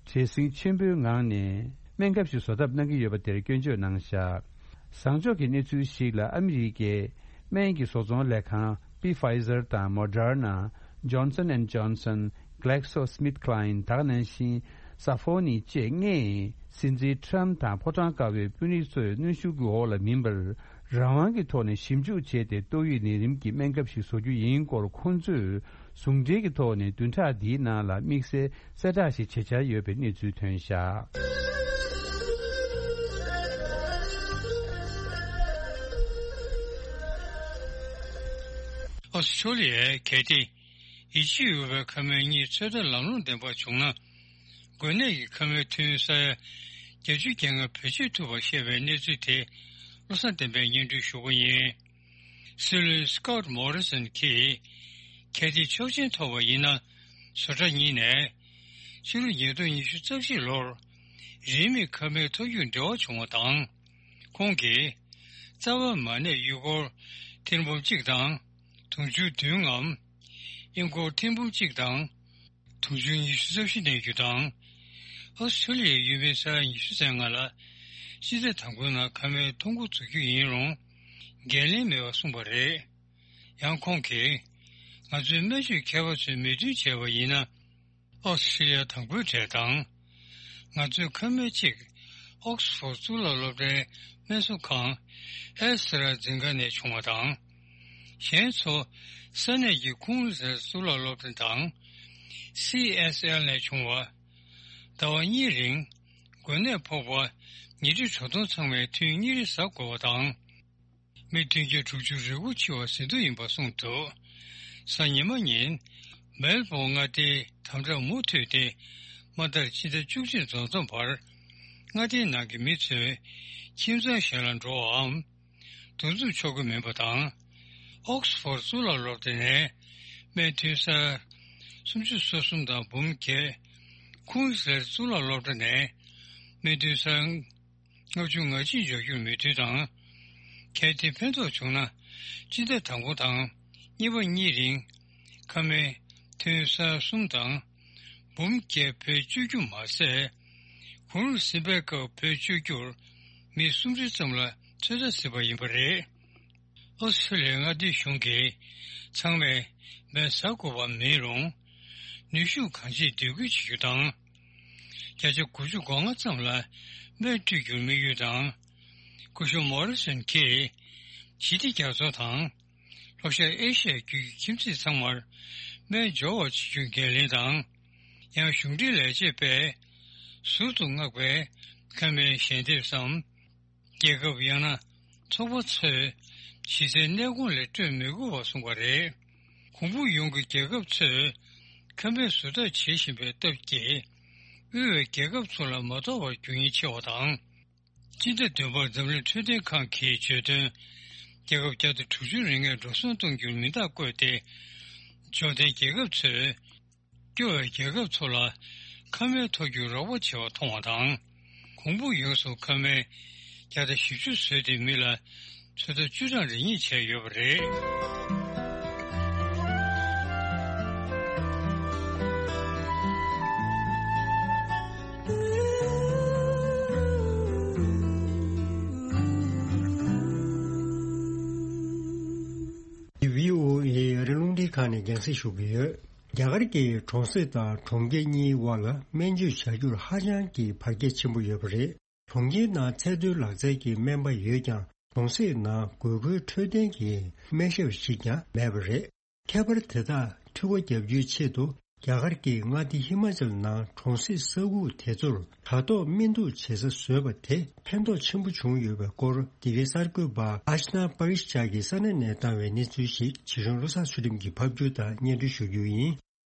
བྲེལ་ཟིང་ཆེན་པོའི་ངང་ནས་སྨན་ཁབ་ཞིག་བཟོ་ཐབས་གནང་གི་ཡོད་པ་དེར་སྐྱོན་བརྗོད་གནང་བཞག་བཟང་ཕྱོགས་ཀྱི་གནས་ཚུལ་ཞིག་ལ། ཨ་མི་རི་ཀའི་སྨན་གྱི་བཟོ་ཚོང་ལས་ཁང་། པི་ཕའི་ཛར་དང་མོ་ཌར་ན། ཇོན་སན་ཨེན་ཇོན་སན། གྷ་ལེག་སོ་སྨིཐ་ཁ་ལའིན། ད་ག་ནང་བཞིན་སཱ་ཧྥོ་ནི་བཅས་ལྔས་སྲིད་འཛིན་ཁྲམ་དང་ཕོ་བྲང་དཀར་པོའི་དཔོན་རིགས་ཚོའི་གནོན་ཤུགས་ཀྱི་འོག་ལ་མིན་པར། རང་དབང་གི་ཐོག་ནས་ཞིབ་འཇུག་བྱས་ཏེ། ཏོག་དབྱིབས་ནད་རིམས་ཀྱི་སྨན་ཁབ་ཞིག་བཟོ་རྒྱུ་ཡིན་སྐོར། ཁོང་ཚོས་ཟུང་འབྲེལ་གྱི་ཐོག་ནས་བདུན་ཕྲག་འདིའི་ནང་ལ་དམིགས་བསལ་གསལ་བསྒྲགས་ཤིག་བྱེད་འཆར་ཡོད་པའི་གནས་ཚུལ་ཐོན་བཞག་ཨོ་སི་ཁྲུ་ལི་ཡའི་གལ་ཏེ། ཡིད་ཆེས་འོས་པའི་ཁ་སྨན་གཉིས་ཚོད་ལྟ་ལམ་ལྷོང་ལྡན་པ་བྱུང་ན། འགོས་ནད་ཀྱི་ཁ་སྨན་ཐོན་ས་ཡ་བརྒྱད་ཅུ་གྱ་ལྔ་བེད་སྤྱོད་ཐུབ་པ་བཤད་པའི་གནས་ཚུལ་དེ་བློ་བཟང་བསྟན་འཕེལ་སྙན་སྒྲོན་ཞུ་གི་ཡིན། སྲིད་བློན་སི་ཀོཊ་མོ་རི་སོན་གྱིས། གལ་ཏེ་ཆོག་མཆན་ཐོབ་པ་ཡིན་ན། བཟོ་གྲྭ་གཉིས་ནས་ཕྱི་ལོ་ཉིས་སྟོང་ཉི་ཤུ་རྩ་གཅིག་ལོར་རིན་མེད་ཁ་སྨན་ཐོབ་རྒྱུར་འབྲེལ་བ་བྱུང་བ་དང་། ཁོང་གིས་རྩ་བ་མ་ནས་ཡུལ་སྐོར་ཐེར་འབུམ་གཅིག་དང་། དུང་ཕྱུར་བདུན་ངམ། ཨིན་སྐོར་ཐེར་འབུམ་གཅིག་དང་། དུང་ཕྱུར་ཉི་ཤུ་རྩ་བཞི་གནས་རྒྱུ་དང་། ཨོ་སི་ཁྲུ་ལི་ཡའི་ཡུལ་མིའི་ས་ཡ་ཉི་ཤུ་རྩ་ལྔ་ལ་སྤྱི་ཟླ་དང་པོའི་ནང་ཁ་སྨན་ཐོན་འགོ་འཛུགས་རྒྱུ་ཡིན་རུང་འགན་ལེན་མེད་པ་གསུངས་པ་རེད། ཡང་ཁོང་གིས། ང་ཚོའི་སྨན་བཅོས་མཁས་པ་ཚོས་མོས་མཐུན་བྱས་པ་ཡིན་ན། ཨོ་སི་ཁྲུ་ལི་ཡ་དང་པོའི་གྲས་དང་། ང་ཚོའི་ཁ་སྨན་གཅིག་ཨོག་སི་ཕོར་གཙུག་ལག་སློབ་གྲྭའི་སྨན་གསོ་ཁང་ཨེ་སི་ཊ་ར་ཛེ་ནེ་ཀ་ནས་བྱུང་བ་དང་། གཞན་ཚོ་ས་གནས་ཀྱི་ཁུང་ལི་སེལ་གཙུག་ལག་སློབ་གྲྭ་དང་། སི་ཨེས་ཨེལ་ནས་བྱུང་བ། ཟླ་བ་གཉིས་རིང་འགོས་ནད་ཕོག་པ་ཉིན་རེའི་དྲོ་ཐུང་ཚང་མའི་ཐུན་གཉིས་རེ་ཟ་དགོས་པ་དང་། མི་བདུན་བརྒྱ་དྲུག་ཅུ་རེ་དགུ་འཆི་བ་གཟིགས་འདོད་ཡིན་པ་གསུངས་འདུག་གཟའ་ཉི་མ་ཉིན། མེལ་བོན་མངའ་སྡེའི་དམ་དྲག་མུ་མཐུད་དེ། མ་མཐར་སྤྱི་ཟླ་བཅུ་གཅིག་འཛོམས་འཛོམས་བར། མངའ་སྡེའི་ནང་གི་མི་ཚོས་ཁྱིམ་ཚང་གཞན་ལ་འགྲོ་བའམ། འདུ་འཛོམས་ཆོག་གི་མིན་པ་དང་། ཨོག་སི་ཕོར་གཙུག་ལག་སློབ་གྲྭ་ནས་སྨན་ཐོན་ས་སུམ་ཅུ་སོ་གསུམ་དང་འབུམ་བརྒྱད། ཁུང་སི་ལེར་གཙུག་ལག་སློབ་གྲྭ་ནས་སྨན་ཐོན་ས། ལྔ་བཅུ་ང་གཅིག་འཇོག་རྒྱུར་མོས་མཐུན་དང་། གལ་ཏེ་ཕན་ཐོགས་བྱུང་ན། སྤྱི་ཟླ་དང་པོ་དང་གཉིས་པ་གཉིས་རིང་ཁ་སྨན་ཐོན་ས་གསུམ་དང་འབུམ་བརྒྱད་བེད་སྤྱོད་རྒྱུ་མ་ཟད། གུང་རུ་སེམས་པའི་སྐབས་བེད་སྤྱོད་རྒྱུར་མི་སུམ་ཁྲི་ཙམ་ལ་ཚོད་ལྟ་གཟིགས་པ་ཡིན་པ་རེད། ཨོ་སི་ཁྲུ་ལི་ཡའི་མངའ་སྡེའི་གཞུང་གིས་ཚང་མས་སྨན་ཟ་དགོས་པ་མིན་རུང་། ནུས་ཤུགས་གང་ཆེ་སྡེབ་སྐྱོར་བྱེད་རྒྱུ་དང་། བརྒྱ་ཆ་དགུ་བཅུ་གོ་ལྔ་ཙམ་ལ་སྨན་སྤྲོད་རྒྱུར་དམིགས་ཡུལ་དང་། སྐུ་ཞབས་མོ་རི་སོན་གྱིས་ཞི་བདེ་རྒྱ་མཚོ་དང་ལྷོ་ཤར་ཨེ་ཤི་ཡའི་རྒྱུད་ཀྱི་ཁྱིམ་མཚེས་ཚང་མར་སྨན་འབྱོར་བ་བྱེད་རྒྱུའི་འགན་ལེན་དང་། ཡང་གཞུང་འབྲེལ་ལས་བྱེད་པས་ཟུར་དུ་མངགས་པའི་ཁ་སྨན་ཞལ་འདེབས་སམ། རྒྱལ་ཁབ་ཡང་ན་ཚོགས་པ་ཚོས་གཞི་རྩའི་གནས་ཁང་ལས་སྤྲོད་མི་དགོས་པ་གསུངས་པ་རེད། གོང་བུ་ཡོངས་ཀྱི་རྒྱལ་ཁབ་ཚོས་ཁ་སྨན་ཟུར་ལྟ་བྱེད་བཞིན་པའི་སྟབས་ཀྱིས། དབུལ་བའི་རྒྱལ་ཁབ་ཚོ་ལ་མ་ཐོབ་པར་རྒྱུ་ཡིན་ཆེ་བ་དང་། སྤྱི་ཟླ་བདུན་པར་འཛམ་གླིང་འཕྲོད་བསྟེན་ཁང་གིས་བརྗོད་དོན། རྒྱལ་ཁབ་བརྒྱ་དང་དྲུག་ཅུ་རེ་ལྔས་འགྲོ་སོང་གཏོང་རྒྱུར་མི་རྟག་བཀོད་དེ། འབྱོར་ལྡན་རྒྱལ་ཁབ་ཚོས། སྐྱོ་བའི་རྒྱལ་ཁབ་ཚོ་ལ་ཁ་སྨན་ཐོབ་རྒྱུར་རོགས་པ་བྱེད་པ་མཐོང་བ་དང་། གོང་བུ་ཡོངས་སུ་ཁ་སྨན་བརྒྱ་དང་བཞི་བཅུ་བཟོས་ཏེ་མི་ལ་ཚོད་ལྟ་བཅུ་གྲངས་རེ་གཉིས་བྱས་ཡོད་པ་རེད། བྷི་ཨོ་ཨེ་ཨ་རི་རླུང་འཕྲིན་ཁང་ནས་རྒྱང་སྲིང་ཞུ་གི་ཡོད། རྒྱ་གར་གྱི་གྲོང་གསེབ་དང་གྲོང་ཁྱེར་གཉིས་དབར་ལ་སྨན་བཅོས་བྱ་རྒྱུར་ཧ་ཅང་གི་བར་ཁྱད་ཆེན་པོ་ཡོད་པ་རེད། གྲོང་ཁྱེར་ནང་ཚད་མཐོའི་ལག་རྩལ་གྱི་སྨན་པ་ཡོད་ཀྱང་། གྲོང་གསེབ་ནང་དགོས་མཁོའི་འཕྲོད་བསྟེན་གྱི་སྨན་ཞབས་ཤིག་ཀྱང་མེད་པ་རེད། ཁྱད་པར་དེ་དག་འཕྲི་སྒོ་བརྒྱབ་རྒྱུའི་ཆེད་དུ། རྒྱ་གར་གྱི་མངའ་སྡེ་ཧི་མ་ཅལ་ནང་གྲོང་གསེབ་ས་ཁུག་དེ་ཚོར་དྲ་ཐོག་སྨན་འདུག་བྱེད་ས་བཟོས་པ་དེ་ཕན་ཐོགས་ཆེན་པོ་བྱུང་ཡོད་པའི་སྐོར། འདི་གའི་གསར་འགོད་པ་ཨཤ་ན་པ་རིཤ་ཅག་གིས་ས་གནས་ནས་བཏང་བའི་གནས་ཚུལ་ཞིག་ཇི་གཞུང་བློ་བཟང་ཚུལ་ཁྲིམས་ཀྱིས་ཕབ་སྒྱུར་དང་སྙན་སྒྲོན་ཞུ་རྒྱུ་ཡིན།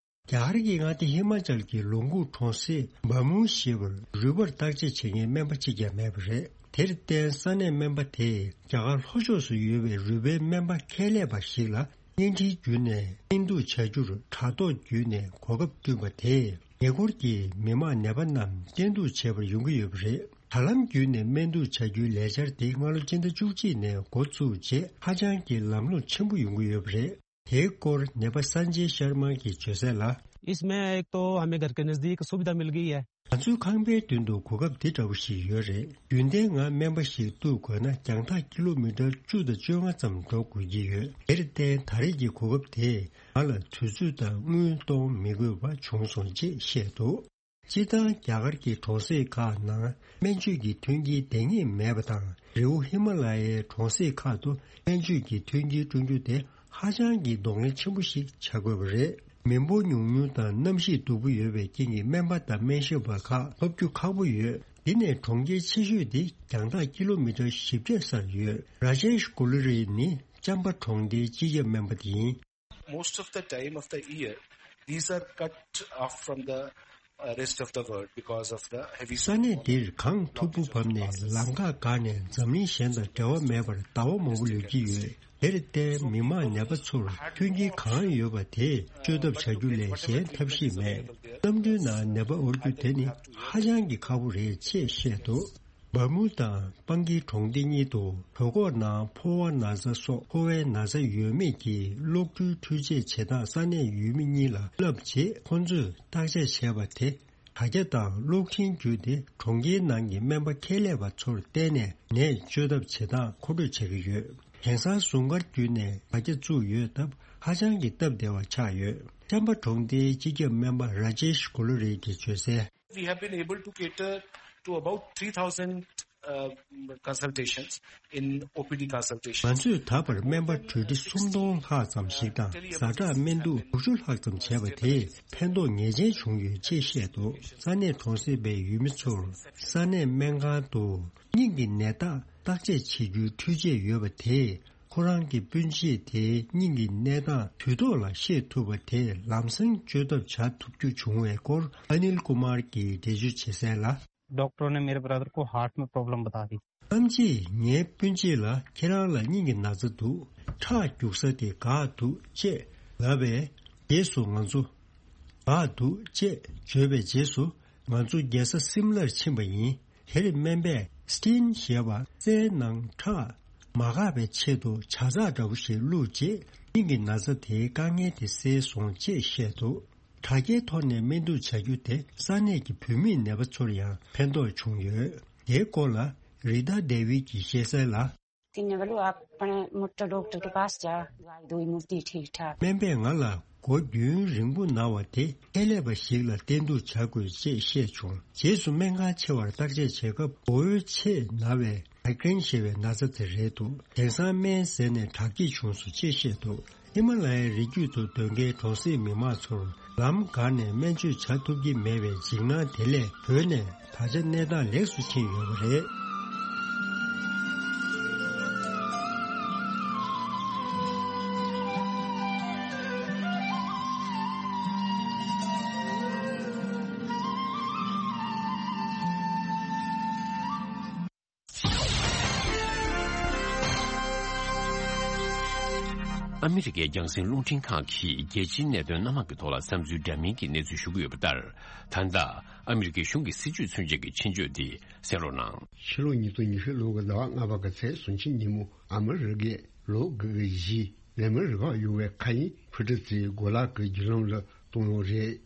རྒྱ་གར་གྱི་མངའ་སྡེ་ཧི་མ་ཅལ་གྱི་ལུང་ཁུག་གྲོང་གསེབ་བ་མུ་ཞེས་པར་རུས་པར་བརྟག་དཔྱད་བྱེད་མཁན་སྨན་པ་གཅིག་ཀྱང་མེད་པ་རེད། དེར་བརྟེན་ས་གནས་སྨན་པ་དེས་རྒྱ་གར་ལྷོ་ཕྱོགས་སུ་ཡོད་པའི་རུས་པའི་སྨན་པ་ཁྱད་ལས་པ་ཞིག་ལ་བརྙན་འཕྲིན་བརྒྱུད་ནས་སྨན་འདུག་བྱ་རྒྱུར་དྲ་ཐོག་བརྒྱུད་ནས་གོ་སྐབས་བསྐྲུན་པ་དེས་ཉེ་འཁོར་གྱི་མི་མང་ནད་པ་རྣམས་བསྟེན་གཏུགས་བྱེད་པར་ཡོང་གི་ཡོད་པ་རེད། དྲ་ལམ་བརྒྱུད་ནས་སྨན་བསྡུར་བྱ་རྒྱུའི་ལས་འཆར་དེ་སྔ་ལོ་སྤྱི་ཟླ་བཅུ་གཅིག་ནས་འགོ་བཙུགས་རྗེས་ཧ་ཅང་གི་ལམ་ལྷོང་ཆེན་པོ་ཡོང་གི་ཡོད་པ་རེད། དེའི་སྐོར་ནད་པ་སན་ཇེ་ཤར་མ་གིས་བརྗོད་གསལ་ལ། इसमें एक तो हमें घर के नज़दीक सुविधा मिल गई है। ང་ཚོའི་ཁང་པའི་མདུན་དུ་གོ་སྐབས་འདི་འདྲ་བོ་ཞིག་ཡོད་རེད། རྒྱུན་ལྡན་ང་སྨན་པ་ཞིག་གཏུག་དགོས་ན་རྒྱང་ཐག་ཀི་ལོ་མི་ཊར་བཅུ་དང་བཅོ་ལྔ་ཙམ་འགྲོ་དགོས་ཀྱི་ཡོད། དེར་བརྟེན་ད་རེས་ཀྱི་གོ་སྐབས་དེས་ང་ལ་དུས་ཚོད་དང་དངུལ་གཏོང་མི་དགོས་པ་བྱུང་སོང་ཅེས་བཤད་འདུག་སྤྱིར་བཏང་རྒྱ་གར་གྱི་གྲོང་གསེབ་ཁག་ནང་སྨན་བཅོས་ཀྱི་མཐུན་རྐྱེན་ལྡེང་ངེས་མེད་པ་དང་། རི་བོ་ཧི་མ་ལ་ཡའི་གྲོང་གསེབ་ཁག་ཏུ་སྨན་བཅོས་ཀྱི་མཐུན་རྐྱེན་བསྐྲུན་རྒྱུ་དེ་ཧ་ཅང་གི་གདོང་ལེན་ཆེན་པོ་ཞིག་བྱ་དགོས་པ་རེད། མི་འབོར་ཉུང་ཉུང་དང་གནམ་གཤིས་སྡུག་པོ་ཡོད་པའི་རྐྱེན་གྱིས་སྨན་པ་དང་སྨན་ཞབས་པ་ཁག་ཐོབ་རྒྱུ་ཁག་པོ་ཡོད། འདི་ནས་གྲོང་ཁྱེར་ཆེ་ཤོས་དེ་རྒྱང་ཐག་ཀི་ལོ་མི་ཊར་བཞི་བརྒྱ་སར་ཡོད། ར་ཇེཤ་གུ་ལུ་རི་ནི་ཅམ་པ་གྲོང་སྡེའི་སྤྱི་ཁྱབ་སྨན་པ་དེ་ཡིན། Most of the time of the year, these are cut off from the uh, rest of the world because of the heavy ས་གནས་འདིར་གངས་མཐུག་པོ་བབས་ནས་ལམ་ཁ་འགག་ནས་འཛམ་གླིང་གཞན་དང་འབྲེལ་བ་མེད་པར་ཟླ་བ་མང་པོ་ལུས་ཀྱི་ཡོད། དེར་བརྟེན་མི་མང་ནད་པ་ཚོར་མཐུན་རྐྱེན་གང་ཡོད་པ་དེ་སྤྱོད་ཐབས་བྱ་རྒྱུ་ལས་གཞན་ཐབས་ཤེས་མེད། གནམ་གྲུའི་ནང་ནད་པ་དབོར་རྒྱུ་དེ་ནི་ཧ་ཅང་གི་ཁག་པོ་རེད་ཅེས་བཤད་འདུག་བ་མུ་དང་པང་གི་གྲོང་སྡེ་གཉིས་དུ་བོད་ཁོག་ནང་ཕོ་བ་ན་ཚ་སོགས་ཕོ་བའི་ན་ཚ་ཡོད་མེད་ཀྱི་གློག་འཕྲུལ་འཕྲུལ་ཆས་བྱེད་སྟངས་ས་གནས་ཡུལ་མི་གཉིས་ལ་བསླབས་རྗེས་ཁོང་ཚོས་བརྟག་དཔྱད་བྱས་པ་དེ། དྲ་རྒྱ་དང་གློག་འཕྲིན་བརྒྱུད་དེ་གྲོང་ཁྱེར་ནང་གི་སྨན་པ་ཁྱད་ལས་པ་ཚོར་བརྟེན་ནས་ནད་བཅོས་ཐབས་བྱེད་སྟངས་མཁོ་སྤྲོད་བྱེད་ཀྱི་ཡོད། དེང་སང་ཟུང་སྐར་བརྒྱུད་ནས་དྲ་རྒྱ་བཙུགས་ཡོད་སྟབས་ཧ་ཅང་གི་སྟབས་བདེ་བ་ཆགས་ཡོད། ཅམ་པ་གྲོང་སྡེའི་སྤྱི་ཁྱབ་སྨན་པ་ར་ཇེཤ་གུ་ལུ་རི་གིས་བརྗོད་གསལ། We have been able to cater to about three thousand uh, consultations in O P D consultations. ང་ཚོས་ད་བར་སྨན་པ་གྲོས་ཁྲི་སུམ་སྟོང་ལྷག་ཙམ་ཞིག་དང་ཛ་དྲག་སྨན་གཏུག་དྲུག་ཅུ་ལྷག་ཙམ་བྱས་པ་དེས་ཕན་ཐོགས་ངེས་ཅན་བྱུང་ཡོད་ཅེས་བཤད་འདུག་ས་གནས་གྲོང་གསེབ་པའི་ཡུལ་མི་ཚོར་ས་གནས་སྨན་ཁང་དུ་སྙིང་གི་ནད་རྟགས་བརྟག་དཔྱད་བྱེད་རྒྱུའི་འཕྲུལ་ཆས་ཡོད་པ་དེས་ཁོ་རང་གི་སྤུན་མཆེད་དེའི་སྙིང་གི་གནས་སྟངས་དུས་ཐོག་ལ་ཤེས་ཐུབ་པ་དེས་ལམ་སང་བཅོས་ཐབས་བྱ་ཐུབ་རྒྱུ་བྱུང་བའི་སྐོར་ཨ་ནིལ་ཀུ་མར་གྱིས་འགྲེལ་བརྗོད་བྱེད་གསལ་ལ། डॉक्टरों ने मेरे ब्रदर को हार्ट में प्रॉब्लम बता दी। ཐམས་ཅད་ངའི་སྤུན་མཆེད་ལ་ཁྱེད་རང་ལ་སྙིང་གི་ན་ཚ་འདུག་ཁྲག་རྒྱུག་ས་དེ་འགག་འདུག་ཅེས་ལབ་པས། རྗེས་སུ་ང་ཚོ་འགག་འདུག་ཅེས་བརྗོད་པའི་རྗེས་སུ་ང་ཚོ་རྒྱལ་ས་སིམ་ལར་ཕྱིན་པ་ཡིན། དེར་སྨན་པས་སི་ཊིན་ཞེས་པ་རྩའི་ནང་ཁྲག་མ་འགག་པའི་ཆེད་དུ་ཇ་ཚགས་འདྲ་བོ་ཞིག་བླུགས་རྗེས་སྙིང་གི་ན་ཚ་དེའི་དཀའ་ངལ་དེ་སེལ་སོང་ཅེས་བཤད་འདུག་དྲ་རྒྱའི་ཐོག་ནས་སྨན་བསྡུར་བྱ་རྒྱུ་དེ་ས་གནས་ཀྱི་བུད་མེད་ནད་པ་ཚོར་ཡང་ཕན་ཐོགས་བྱུང་ཡོད། དེའི་སྐོར་ལ་རི་ད་ཌེ་ཝིད་ཀྱིས་བཤད་གསལ་ལ། किन्ने वालू आप अपने मुट्टा डॉक्टर के पास जा, दवाई दवाई मिलती ठीक ठाक। སྨན་པས་ང་ལ་སྒོ་རྒྱུན་རིང་པོ་ན་བ་དེ་ཁྱད་ལས་པ་ཞིག་ལ་བསྟེན་གཏུག་བྱ་དགོས་ཅེས་བཤད་བྱུང་། རྗེས་སུ་སྨན་ཁང་ཆེ་བར་བརྟག་དཔྱད་བྱེད་སྐབས་མགོ་བོའི་ཆེས་ན་བའི་མའི་གྷི་རེན་ཞེས་པའི་ན་ཚ་དེ་རེད་འདུག་དེང་སང་སྨན་ཟས་ནས་དྲག་སྐྱེད་བྱུང་སོང་ཅེས་བཤད་འདུག་ཧི་མ་ལ་ཡའི་རི་རྒྱུད་དུ་སྡོད་མཁན་གྲོང་གསེབ་མི་མང་ཚོར་ལམ་འགག་ནས་སྨན་བཅོས་བྱ་ཐུབ་ཀྱི་མེད་པའི་འཇིགས་སྣང་དེ་ལས་བོད་ནས་ད་ཆ་གནས་སྟངས་ལེགས་སུ་ཕྱིན་ཡོད་པ་རེད། ཨ་མི་རི་ཀའི་རྒྱང་སྲིང་རླུང་འཕྲིན་ཁང་གིས་རྒྱལ་སྤྱིའི་གནད་དོན་སྣ་མང་གི་ཐོག་ལ་བསམ་ཚུལ་འདྲ་མིན་གྱི་གནས་ཚུལ་ཞུ་གི་ཡོད་པ་ལྟར། ད་ལྟ་ཨ་མི་རི་ཀའི་གཞུང་གི་སྲིད་བྱུས་ཚུན་ཆད་ཀྱི་ཆེད་བརྗོད་འདི་གསན་རོགས་གནང་། ཕྱི་ལོ་ཉིས་སྟོང་ཉི་ཤུ་ལོ་གི་ཟླ་བ་ལྔ་པ་གི་ཚེས་སུམ་ཅུ་ཉིན་མོ་ཨ་མི་རི་ཀས་ལོ་དགུ་གི་གཞི་ལས་མི་རིགས་ཡོང་བའི་མཁའ་དབྱིངས་འཕུར་གྲུ་དེ་གོ་ལག་གི་བརྒྱུད་ལམ་ལ་གཏོང་ཡོད་རེད།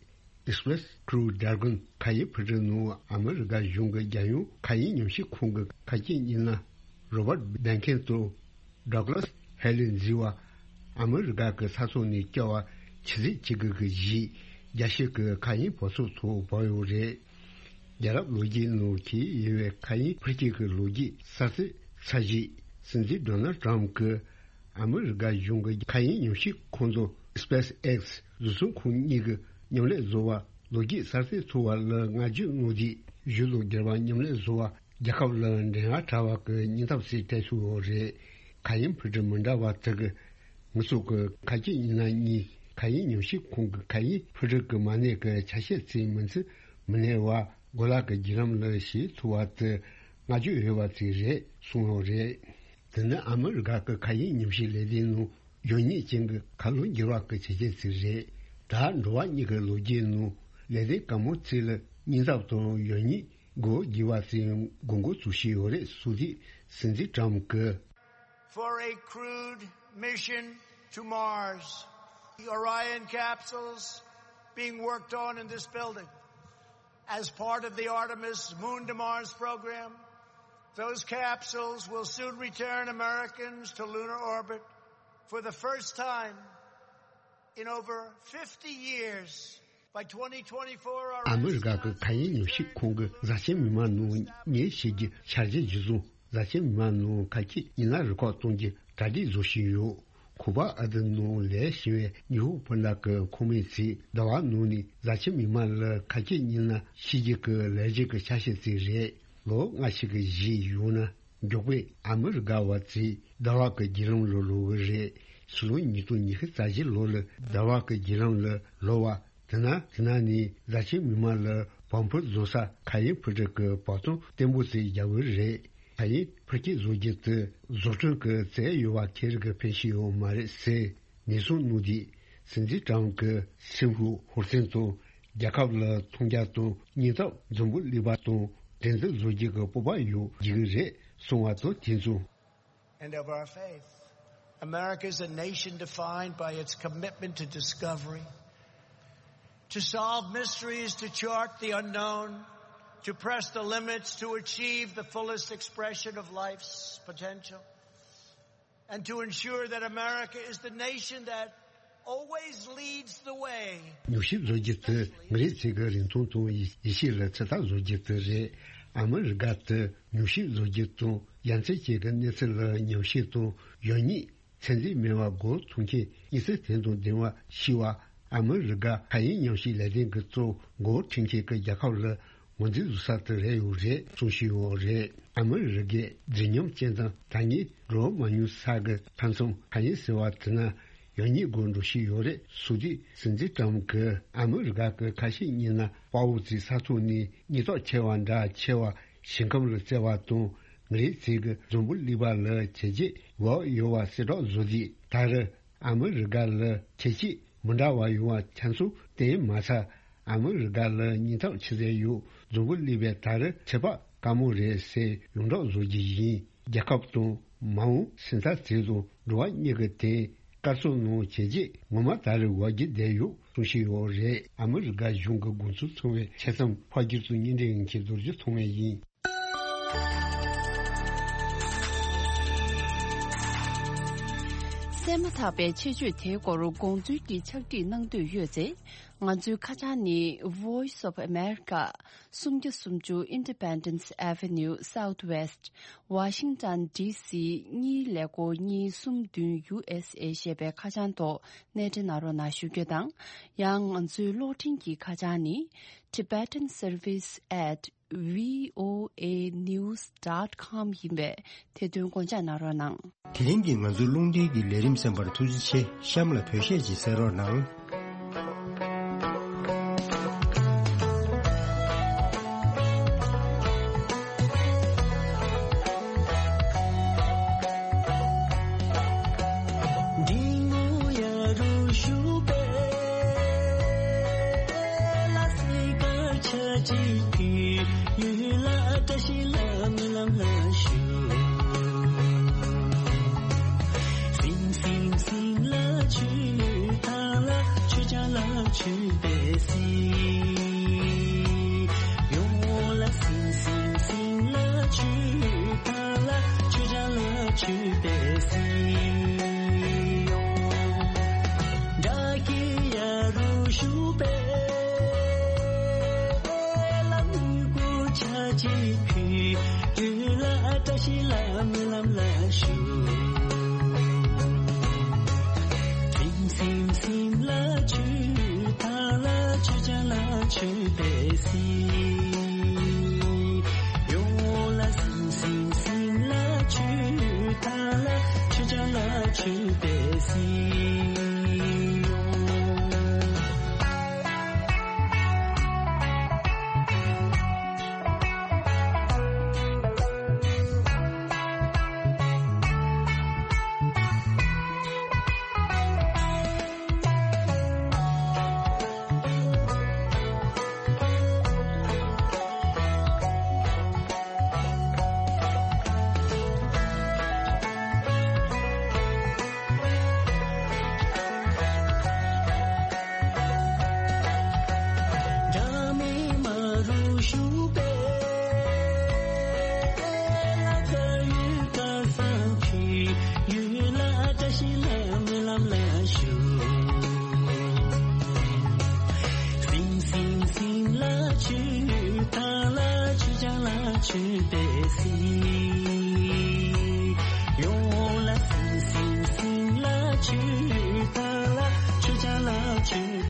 Express Crew Dragon མཁའ་དབྱིངས་འཕུར་གྲུ་ནང་ཨ་མི་རི་ཀ་གཞུང་གི་རྒྱལ་ཡོངས་མཁའ་དབྱིངས་ཉམས་ཞིབ་ཁང་གི་མཁའ་དཀྱིལ་ཉི་ན་Robert Behnken དང་Douglas Hale འཛིན་པ་ཨ་མི་རི་ཀ་གི་ས་ཐོག་ནས་བསྐྱལ་བ་ཆུ་ཚོད་གཅིག་གི་གཞི་རྒྱལ་སྤྱི་གི་མཁའ་དབྱིངས་བབས་ཚུགས་ཐོག་བབས་ཡོད་རེད། རྒྱལ་རབས་ལོ་རྒྱུས་ནང་གི་ཡིན་པའི་མཁའ་དབྱིངས་འཕུར་སྐྱོད་ཀྱི་ལོ་རྒྱུས་གསར་ཚེས་ཚར་རྗེས་སྲིད་འཛིན་Donald Trump གིས་ཨ་མི་རི་ཀ་གཞུང་གི་མཁའ་དབྱིངས་ཉམས་ཞིབ་ཁང་དང་SpaceX བཟོ་ཚོང་ཁང་གཉིས་ཀྱི་མཉམ་ལས་བཟོ་བ་ལོ་རྒྱུས་གསར་ཚེས་ཚོགས་པ་ལ་བསྔགས་བརྗོད་གནང་རྗེས་གཞུང་དང་སྒེར་པ་མཉམ་ལས་བཟོ་བ་རྒྱལ་ཁབ་ལ་འགྲན་ཡ་དྲག་པ་གི་སྙིང་སྟོབས་ཤིག་སྤྲད་ཐུབ་ཡོད་རེད། མཁའ་དབྱིངས་འཕུར་གྲུ་མི་འདྲ་བ་དག་གི་ངེད་ཚོ་གི་མཁའ་དཀྱིལ་ཉི་ན་གཉིས་མཁའ་དབྱིངས་ཉམས་ཞིབ་ཁང་གི་མཁའ་དབྱིངས་འཕུར་གྲུ་གི་མ་གནས་ཀྱི་ཆ་ཤས་ཚིག་མིན་ཚིག་མི་གནས་པ་གོ་ལག་གི་བརྒྱུད་ལམ་ལ་ཞིག་ཐུབ་པ་དེ་བསྔགས་བརྗོད་འོས་པ་ཅིག་རེད་གསུངས་ཡོད་རེད། དེ་ནི་ཨ་མི་རི་ཀ་གི་མཁའ་དབྱིངས་ཉམས་ཞིབ་ལས་སྡེའི་ནང་ཡོད་ཉིད་ཅན་གྱི་ཁ་ལོ་བསྒྱུར་བ་གི་བྱས་རྗེས་ཅིག་རེད། ད་འགྲོ་བ་མིའི་ལོ་རྒྱུས་ནང་ལས་སྡེ་དཀའ་མོ་ཅིག་ལ་སྙིང་སྟོབས་དང་ཡོད་ཉིད་ སྒོ་རྒྱག་པ་དེ་དགོས་མཁོ་བཟོ་བཞིན་ཡོད་རེད་ཟེར་ཏེ་སྲིད་འཛིན་ཊམ་གྱིས། For a crewed mission to Mars, the Orion capsules being worked on in this building as part of the Artemis Moon to Mars program. Those capsules will soon return Americans to lunar orbit for the first time in over fifty years. By twenty twenty-four, our ཨ་མི་རི་ཀ་གི་མཁའ་དབྱིངས་ཉམས་ཞིབ་ཁང་གིས་བཟའ་ཆེན་མི་མང་ནང་མཉེན་ཆས་ཀྱི་འཆར་གཞི་གཞིར་བཟུང་བཟའ་ཆེན་མི་མང་ནང་ཁ་ཆེ་ཉིན་ལ་རི་ཁོག་གཏོང་རྒྱུ་གྲ་སྒྲིག་བཟོ་བཞིན་ཡོད། ཁོ་པ་ཨ་དི་ནང་ལས་བྱེད་པའི་ཉི་ཧོང་སྤུན་ཟླ་གི་ཁོངས་མི་ཚོས་ཟླ་བ་ནང་ནས་བཟའ་ཆེན་མི་མང་ལ་ཁ་ཆེ་ཉིན་ལ་ཤེས་རྒྱུ་གི་ལས་གཞི་གི་ཆ་ཤས་ཅིག་རེད། ལོ་ལྔ་ཞིག་གི་རྗེས་ཡོང་ན། མགྱོགས་པོས་ཨ་མི་རི་ཀ་བ་ཚོས་ཟླ་བ་གི་བརྒྱུད་ལམ་ལ་ལོག་གི་རེད། ཕྱི་ལོ་ཉིས་སྟོང་ཉི་ཤུ་རྩ་བཞི་ལོ་ལ་ཟླ་བ་གི་བརྒྱུད་ལམ་ལ་ལོག་པ། དེ་ན་དེ་ན་ནི་བཟའ་ཆེན་མི་མང་ལ་བམ་ཕུ་བཟོ་ས་མཁའ་དབྱིངས་འཕུར་གྲུ་གི་བབ་ཚང་བརྟན་པོ་ཞིག་རྒྱག་གི་རེད། མཁའ་དབྱིངས་འཕུར་སྐྱོད་བཟོ་རྒྱུ་དེ་བཟོ་སྐྲུན་གྱི་རྩལ་ཡོད་པ་ཁེ་རིག་གི་ཕན་ཤེས་ཡོད་མ་རེད་ཟེར། ཉེན་སྲུང་གནང་དུས་སྲིད་འཛིན་ཊམ་གྱིས་སིང་ཧྥུ་ཧུར་བརྩོན་དང་རྒྱལ་ཁབ་ལ་མཐོང་རྒྱ་དང་སྙིང་སྟོབས་འཛོམས་པོ་སླེབས་པ་དང་འགྲན་བསྡུར་བཟོ་རྒྱུ་གི་སྤོབས་པ་ཡོང་རྒྱུ་རེད་གསུངས་པ་དང་དེ་མཚུངས། And of our faith. America is a nation defined by its commitment to discovery, to solve mysteries, to chart the unknown, to press the limits, to achieve the fullest expression of life's potential. And to ensure that America is the nation that always leads the way. ཉམས་ཞིབ་བཟོ་རྒྱུ་དེ་མི་རིགས་གཅིག་གི་རིན་ཐང་དང་ཡིད་ཡིད་ཆེས་ལ་ཚོད་ལྟ་བཟོ་རྒྱུ་དེ་རེད། ཨ་མི་རི་ཀ་དེ་ཉམས་ཞིབ་བཟོ་རྒྱུ་དང་ཡ་མཚན་ཅན་གྱི་གནས་ཚུལ་ལ་ཉམས་ཞིབ་དང་ཡོད་ཉིད་ཚད་འཛིན་མེད་པར་སྒོ་འཐོམ་མཁན་སྙིང་སྟོབས་དོན་དང་ལྡན་པ་ཤེས་པ། ཨ་མི་རི་ཀ་མཁའ་དབྱིངས་ཉམས་ཞིབ་ལས་དོན་གྱི་གཙོ་འགོ་ཁྲིད་མཁན་གྱི་རྒྱལ་ཁབ་ལ་ངོས་འཛིན་བཟོ་ས་དེ་རེད་ཡོད་རེད་གསུངས་བཞིན་ཡོད་རེད། ཨ་མི་རི་ཀའི་མཛེས་ཉམས་ཅན་དང་ད་ངས་འགྲོ་མ་མྱོང་ས་གི་མཐའ་མཚམས་མཁའ་དབྱིངས་ཟེར་བ་དེ་ན་ཡང་སྙིང་དགོས་འགྲོ་བཞིན་ཡོད་རེད་ཟེར་དུས་སྲིད་འཛིན་ཀྲམ་གྱིས་ཨ་མི་རི་ཀ་གི་ཁ་ཤས་གཉིས་ན་དཔའ་བོ་ཚོའི་ས་ཐོག་ནས་སྙིང་སྟོབས་ཆེ་བ་འདྲ་ཆེ་བ་ཞིང་ཁམས་ལ་བརྩེ་བ་དང་མི་རིགས་ཚོའི་གི་འཛམ་བུ་གླིང་པ་ལ་བྱས་རྗེས་འོག་ཡོད་པ་གསལ་སྒྲོག་བཟོ་དུས་ད་རེས། ཨ་མི་རི་ཀ་ལ་ཁྱད་ཆོས་མི་འདྲ་བ་ཡོང་བ་ཁྱེད་ཚོས་བསྟན་མ་ཚར། ཨ་མི་རི་ཀ་ལ་སྙིང་སྟོབས་ཆེ་ཟེར་ཡོད། འཛམ་བུ་གླིང་པས་ད་རེས་ཁྱད་པར་དཀའ་མོ་རེད་ཟེར་ཡོངས་གྲགས་བཟོ་རྒྱུ་ཡིན། རྒྱལ་ཁབ་དང་མ་འོངས་སེམས་ཚ་ཚིག་དང་འགྲོ་བ་མྱི་གི་དེ་སྐར་ཚོགས་ནང་བྱས་རྗེས་ངོ་མ་ད་རེས་འོག་རྒྱུ་བསྡད་ཡོད་གསུང་བཞིན་ཡོད་རེད། ཨ་མི་རི་ཀ་གཞུང་གི་དགོངས་ཚུལ་ཚང་བའི་ཆ་ཚང་ཕར་སྒྱུར་དང་སྙན་འགྲེལ་ཡིན་གྱི་རྡོ་རྗེ་ཐོགས་མེད་ཡིན། གསན་མ་ཐག་པའི་ཆེད་བརྗོད་དེའི་སྐོར་དགོངས་ཚུལ་གྱི་ཕྱག་བྲིས་གནང་འདོད་ཡོད་ཚེ། ང་ཚོའི་ཁ་བྱང་ནི་Voice of America སུམ་བརྒྱ་སུམ་ཅུ་Independence Avenue Southwest Washington D C གཉིས་ཀླད་ཀོར་གཉིས་གསུམ་བདུན་U S A ཞེས་པའི་ཁ་བྱང་ཐོག་གནས་འབྲེལ་གནང་རོགས་གནང་ཞུ་རྒྱུ་དང་། ཡང་ང་ཚོའི་གློག་འཕྲིན་གྱི་ཁ་བྱང་ནི། Tibetan Service at V O A news dot com ཡིན་པས་དེ་དོན་དགོངས་འཇགས་གནང་རོགས་གནང་། དེ་རིང་གི་ང་ཚོའི་རླུང་འཕྲིན་གྱི་ལས་རིམ་གསན་པར་ཐུགས་རྗེ་ཆེ། གཤམ་ལ་བོད་གཞས་ཅིག་གསན་རོགས་གནང་། འབྲི་མོ་ཡ་རུ་ཞུ་པེ་ལ་སི་ཀ་ཆ་ཅི་ཀི་ཡུལ་ལ་བཀྲ་ཤིས་ལ་མི་ལམ་ལ་ཞུ། སིང་སིང་སིང་ལ་ཆུ་ཐང་ལ་ཆུ་ཆང་ལ་ཆུ་པེ་སི། ཡོང་ལ་སིང་སིང་སིང་ལ་ཆུ་ཐང་ལ་ཆུ་ཆང་ལ་ཆུ་པེ་སི། ཡོང་། ད་ཀི་ཡ་རུ་ཞུ་པེ་ལ་མི་གུ་ཆ་ཅི་ཕི་དུ་ལ་བཀྲ་ཤིས་ལ་མི་ལམ་ལ་ཞུ། སིང་སིང་སིང་ལ་ཆུ་ཐང་ལ་ཆུ་ཆང་ལ་ཆུ་པེ་སི། ཡོང་ལ་སིང་སིང་སིང་ལ་ཆུ་ཐང་ལ་ཆུ་ཆང་ལ་ཆུ་པེ་སི། ཞུགས་པའི་ལ་ཁ་ཡུལ་ཁ་སང་ཁྱོད་ཡུལ་ལ་བཀྲ་ཤིས་ལ་སྨོན་ལམ་ལ་ཞུགས། སིང་སིང་སིང་ལ་ཆུ་ཐང་ལ་ཆུ་བྱང་ལ་ཆུ་པས་སིང་།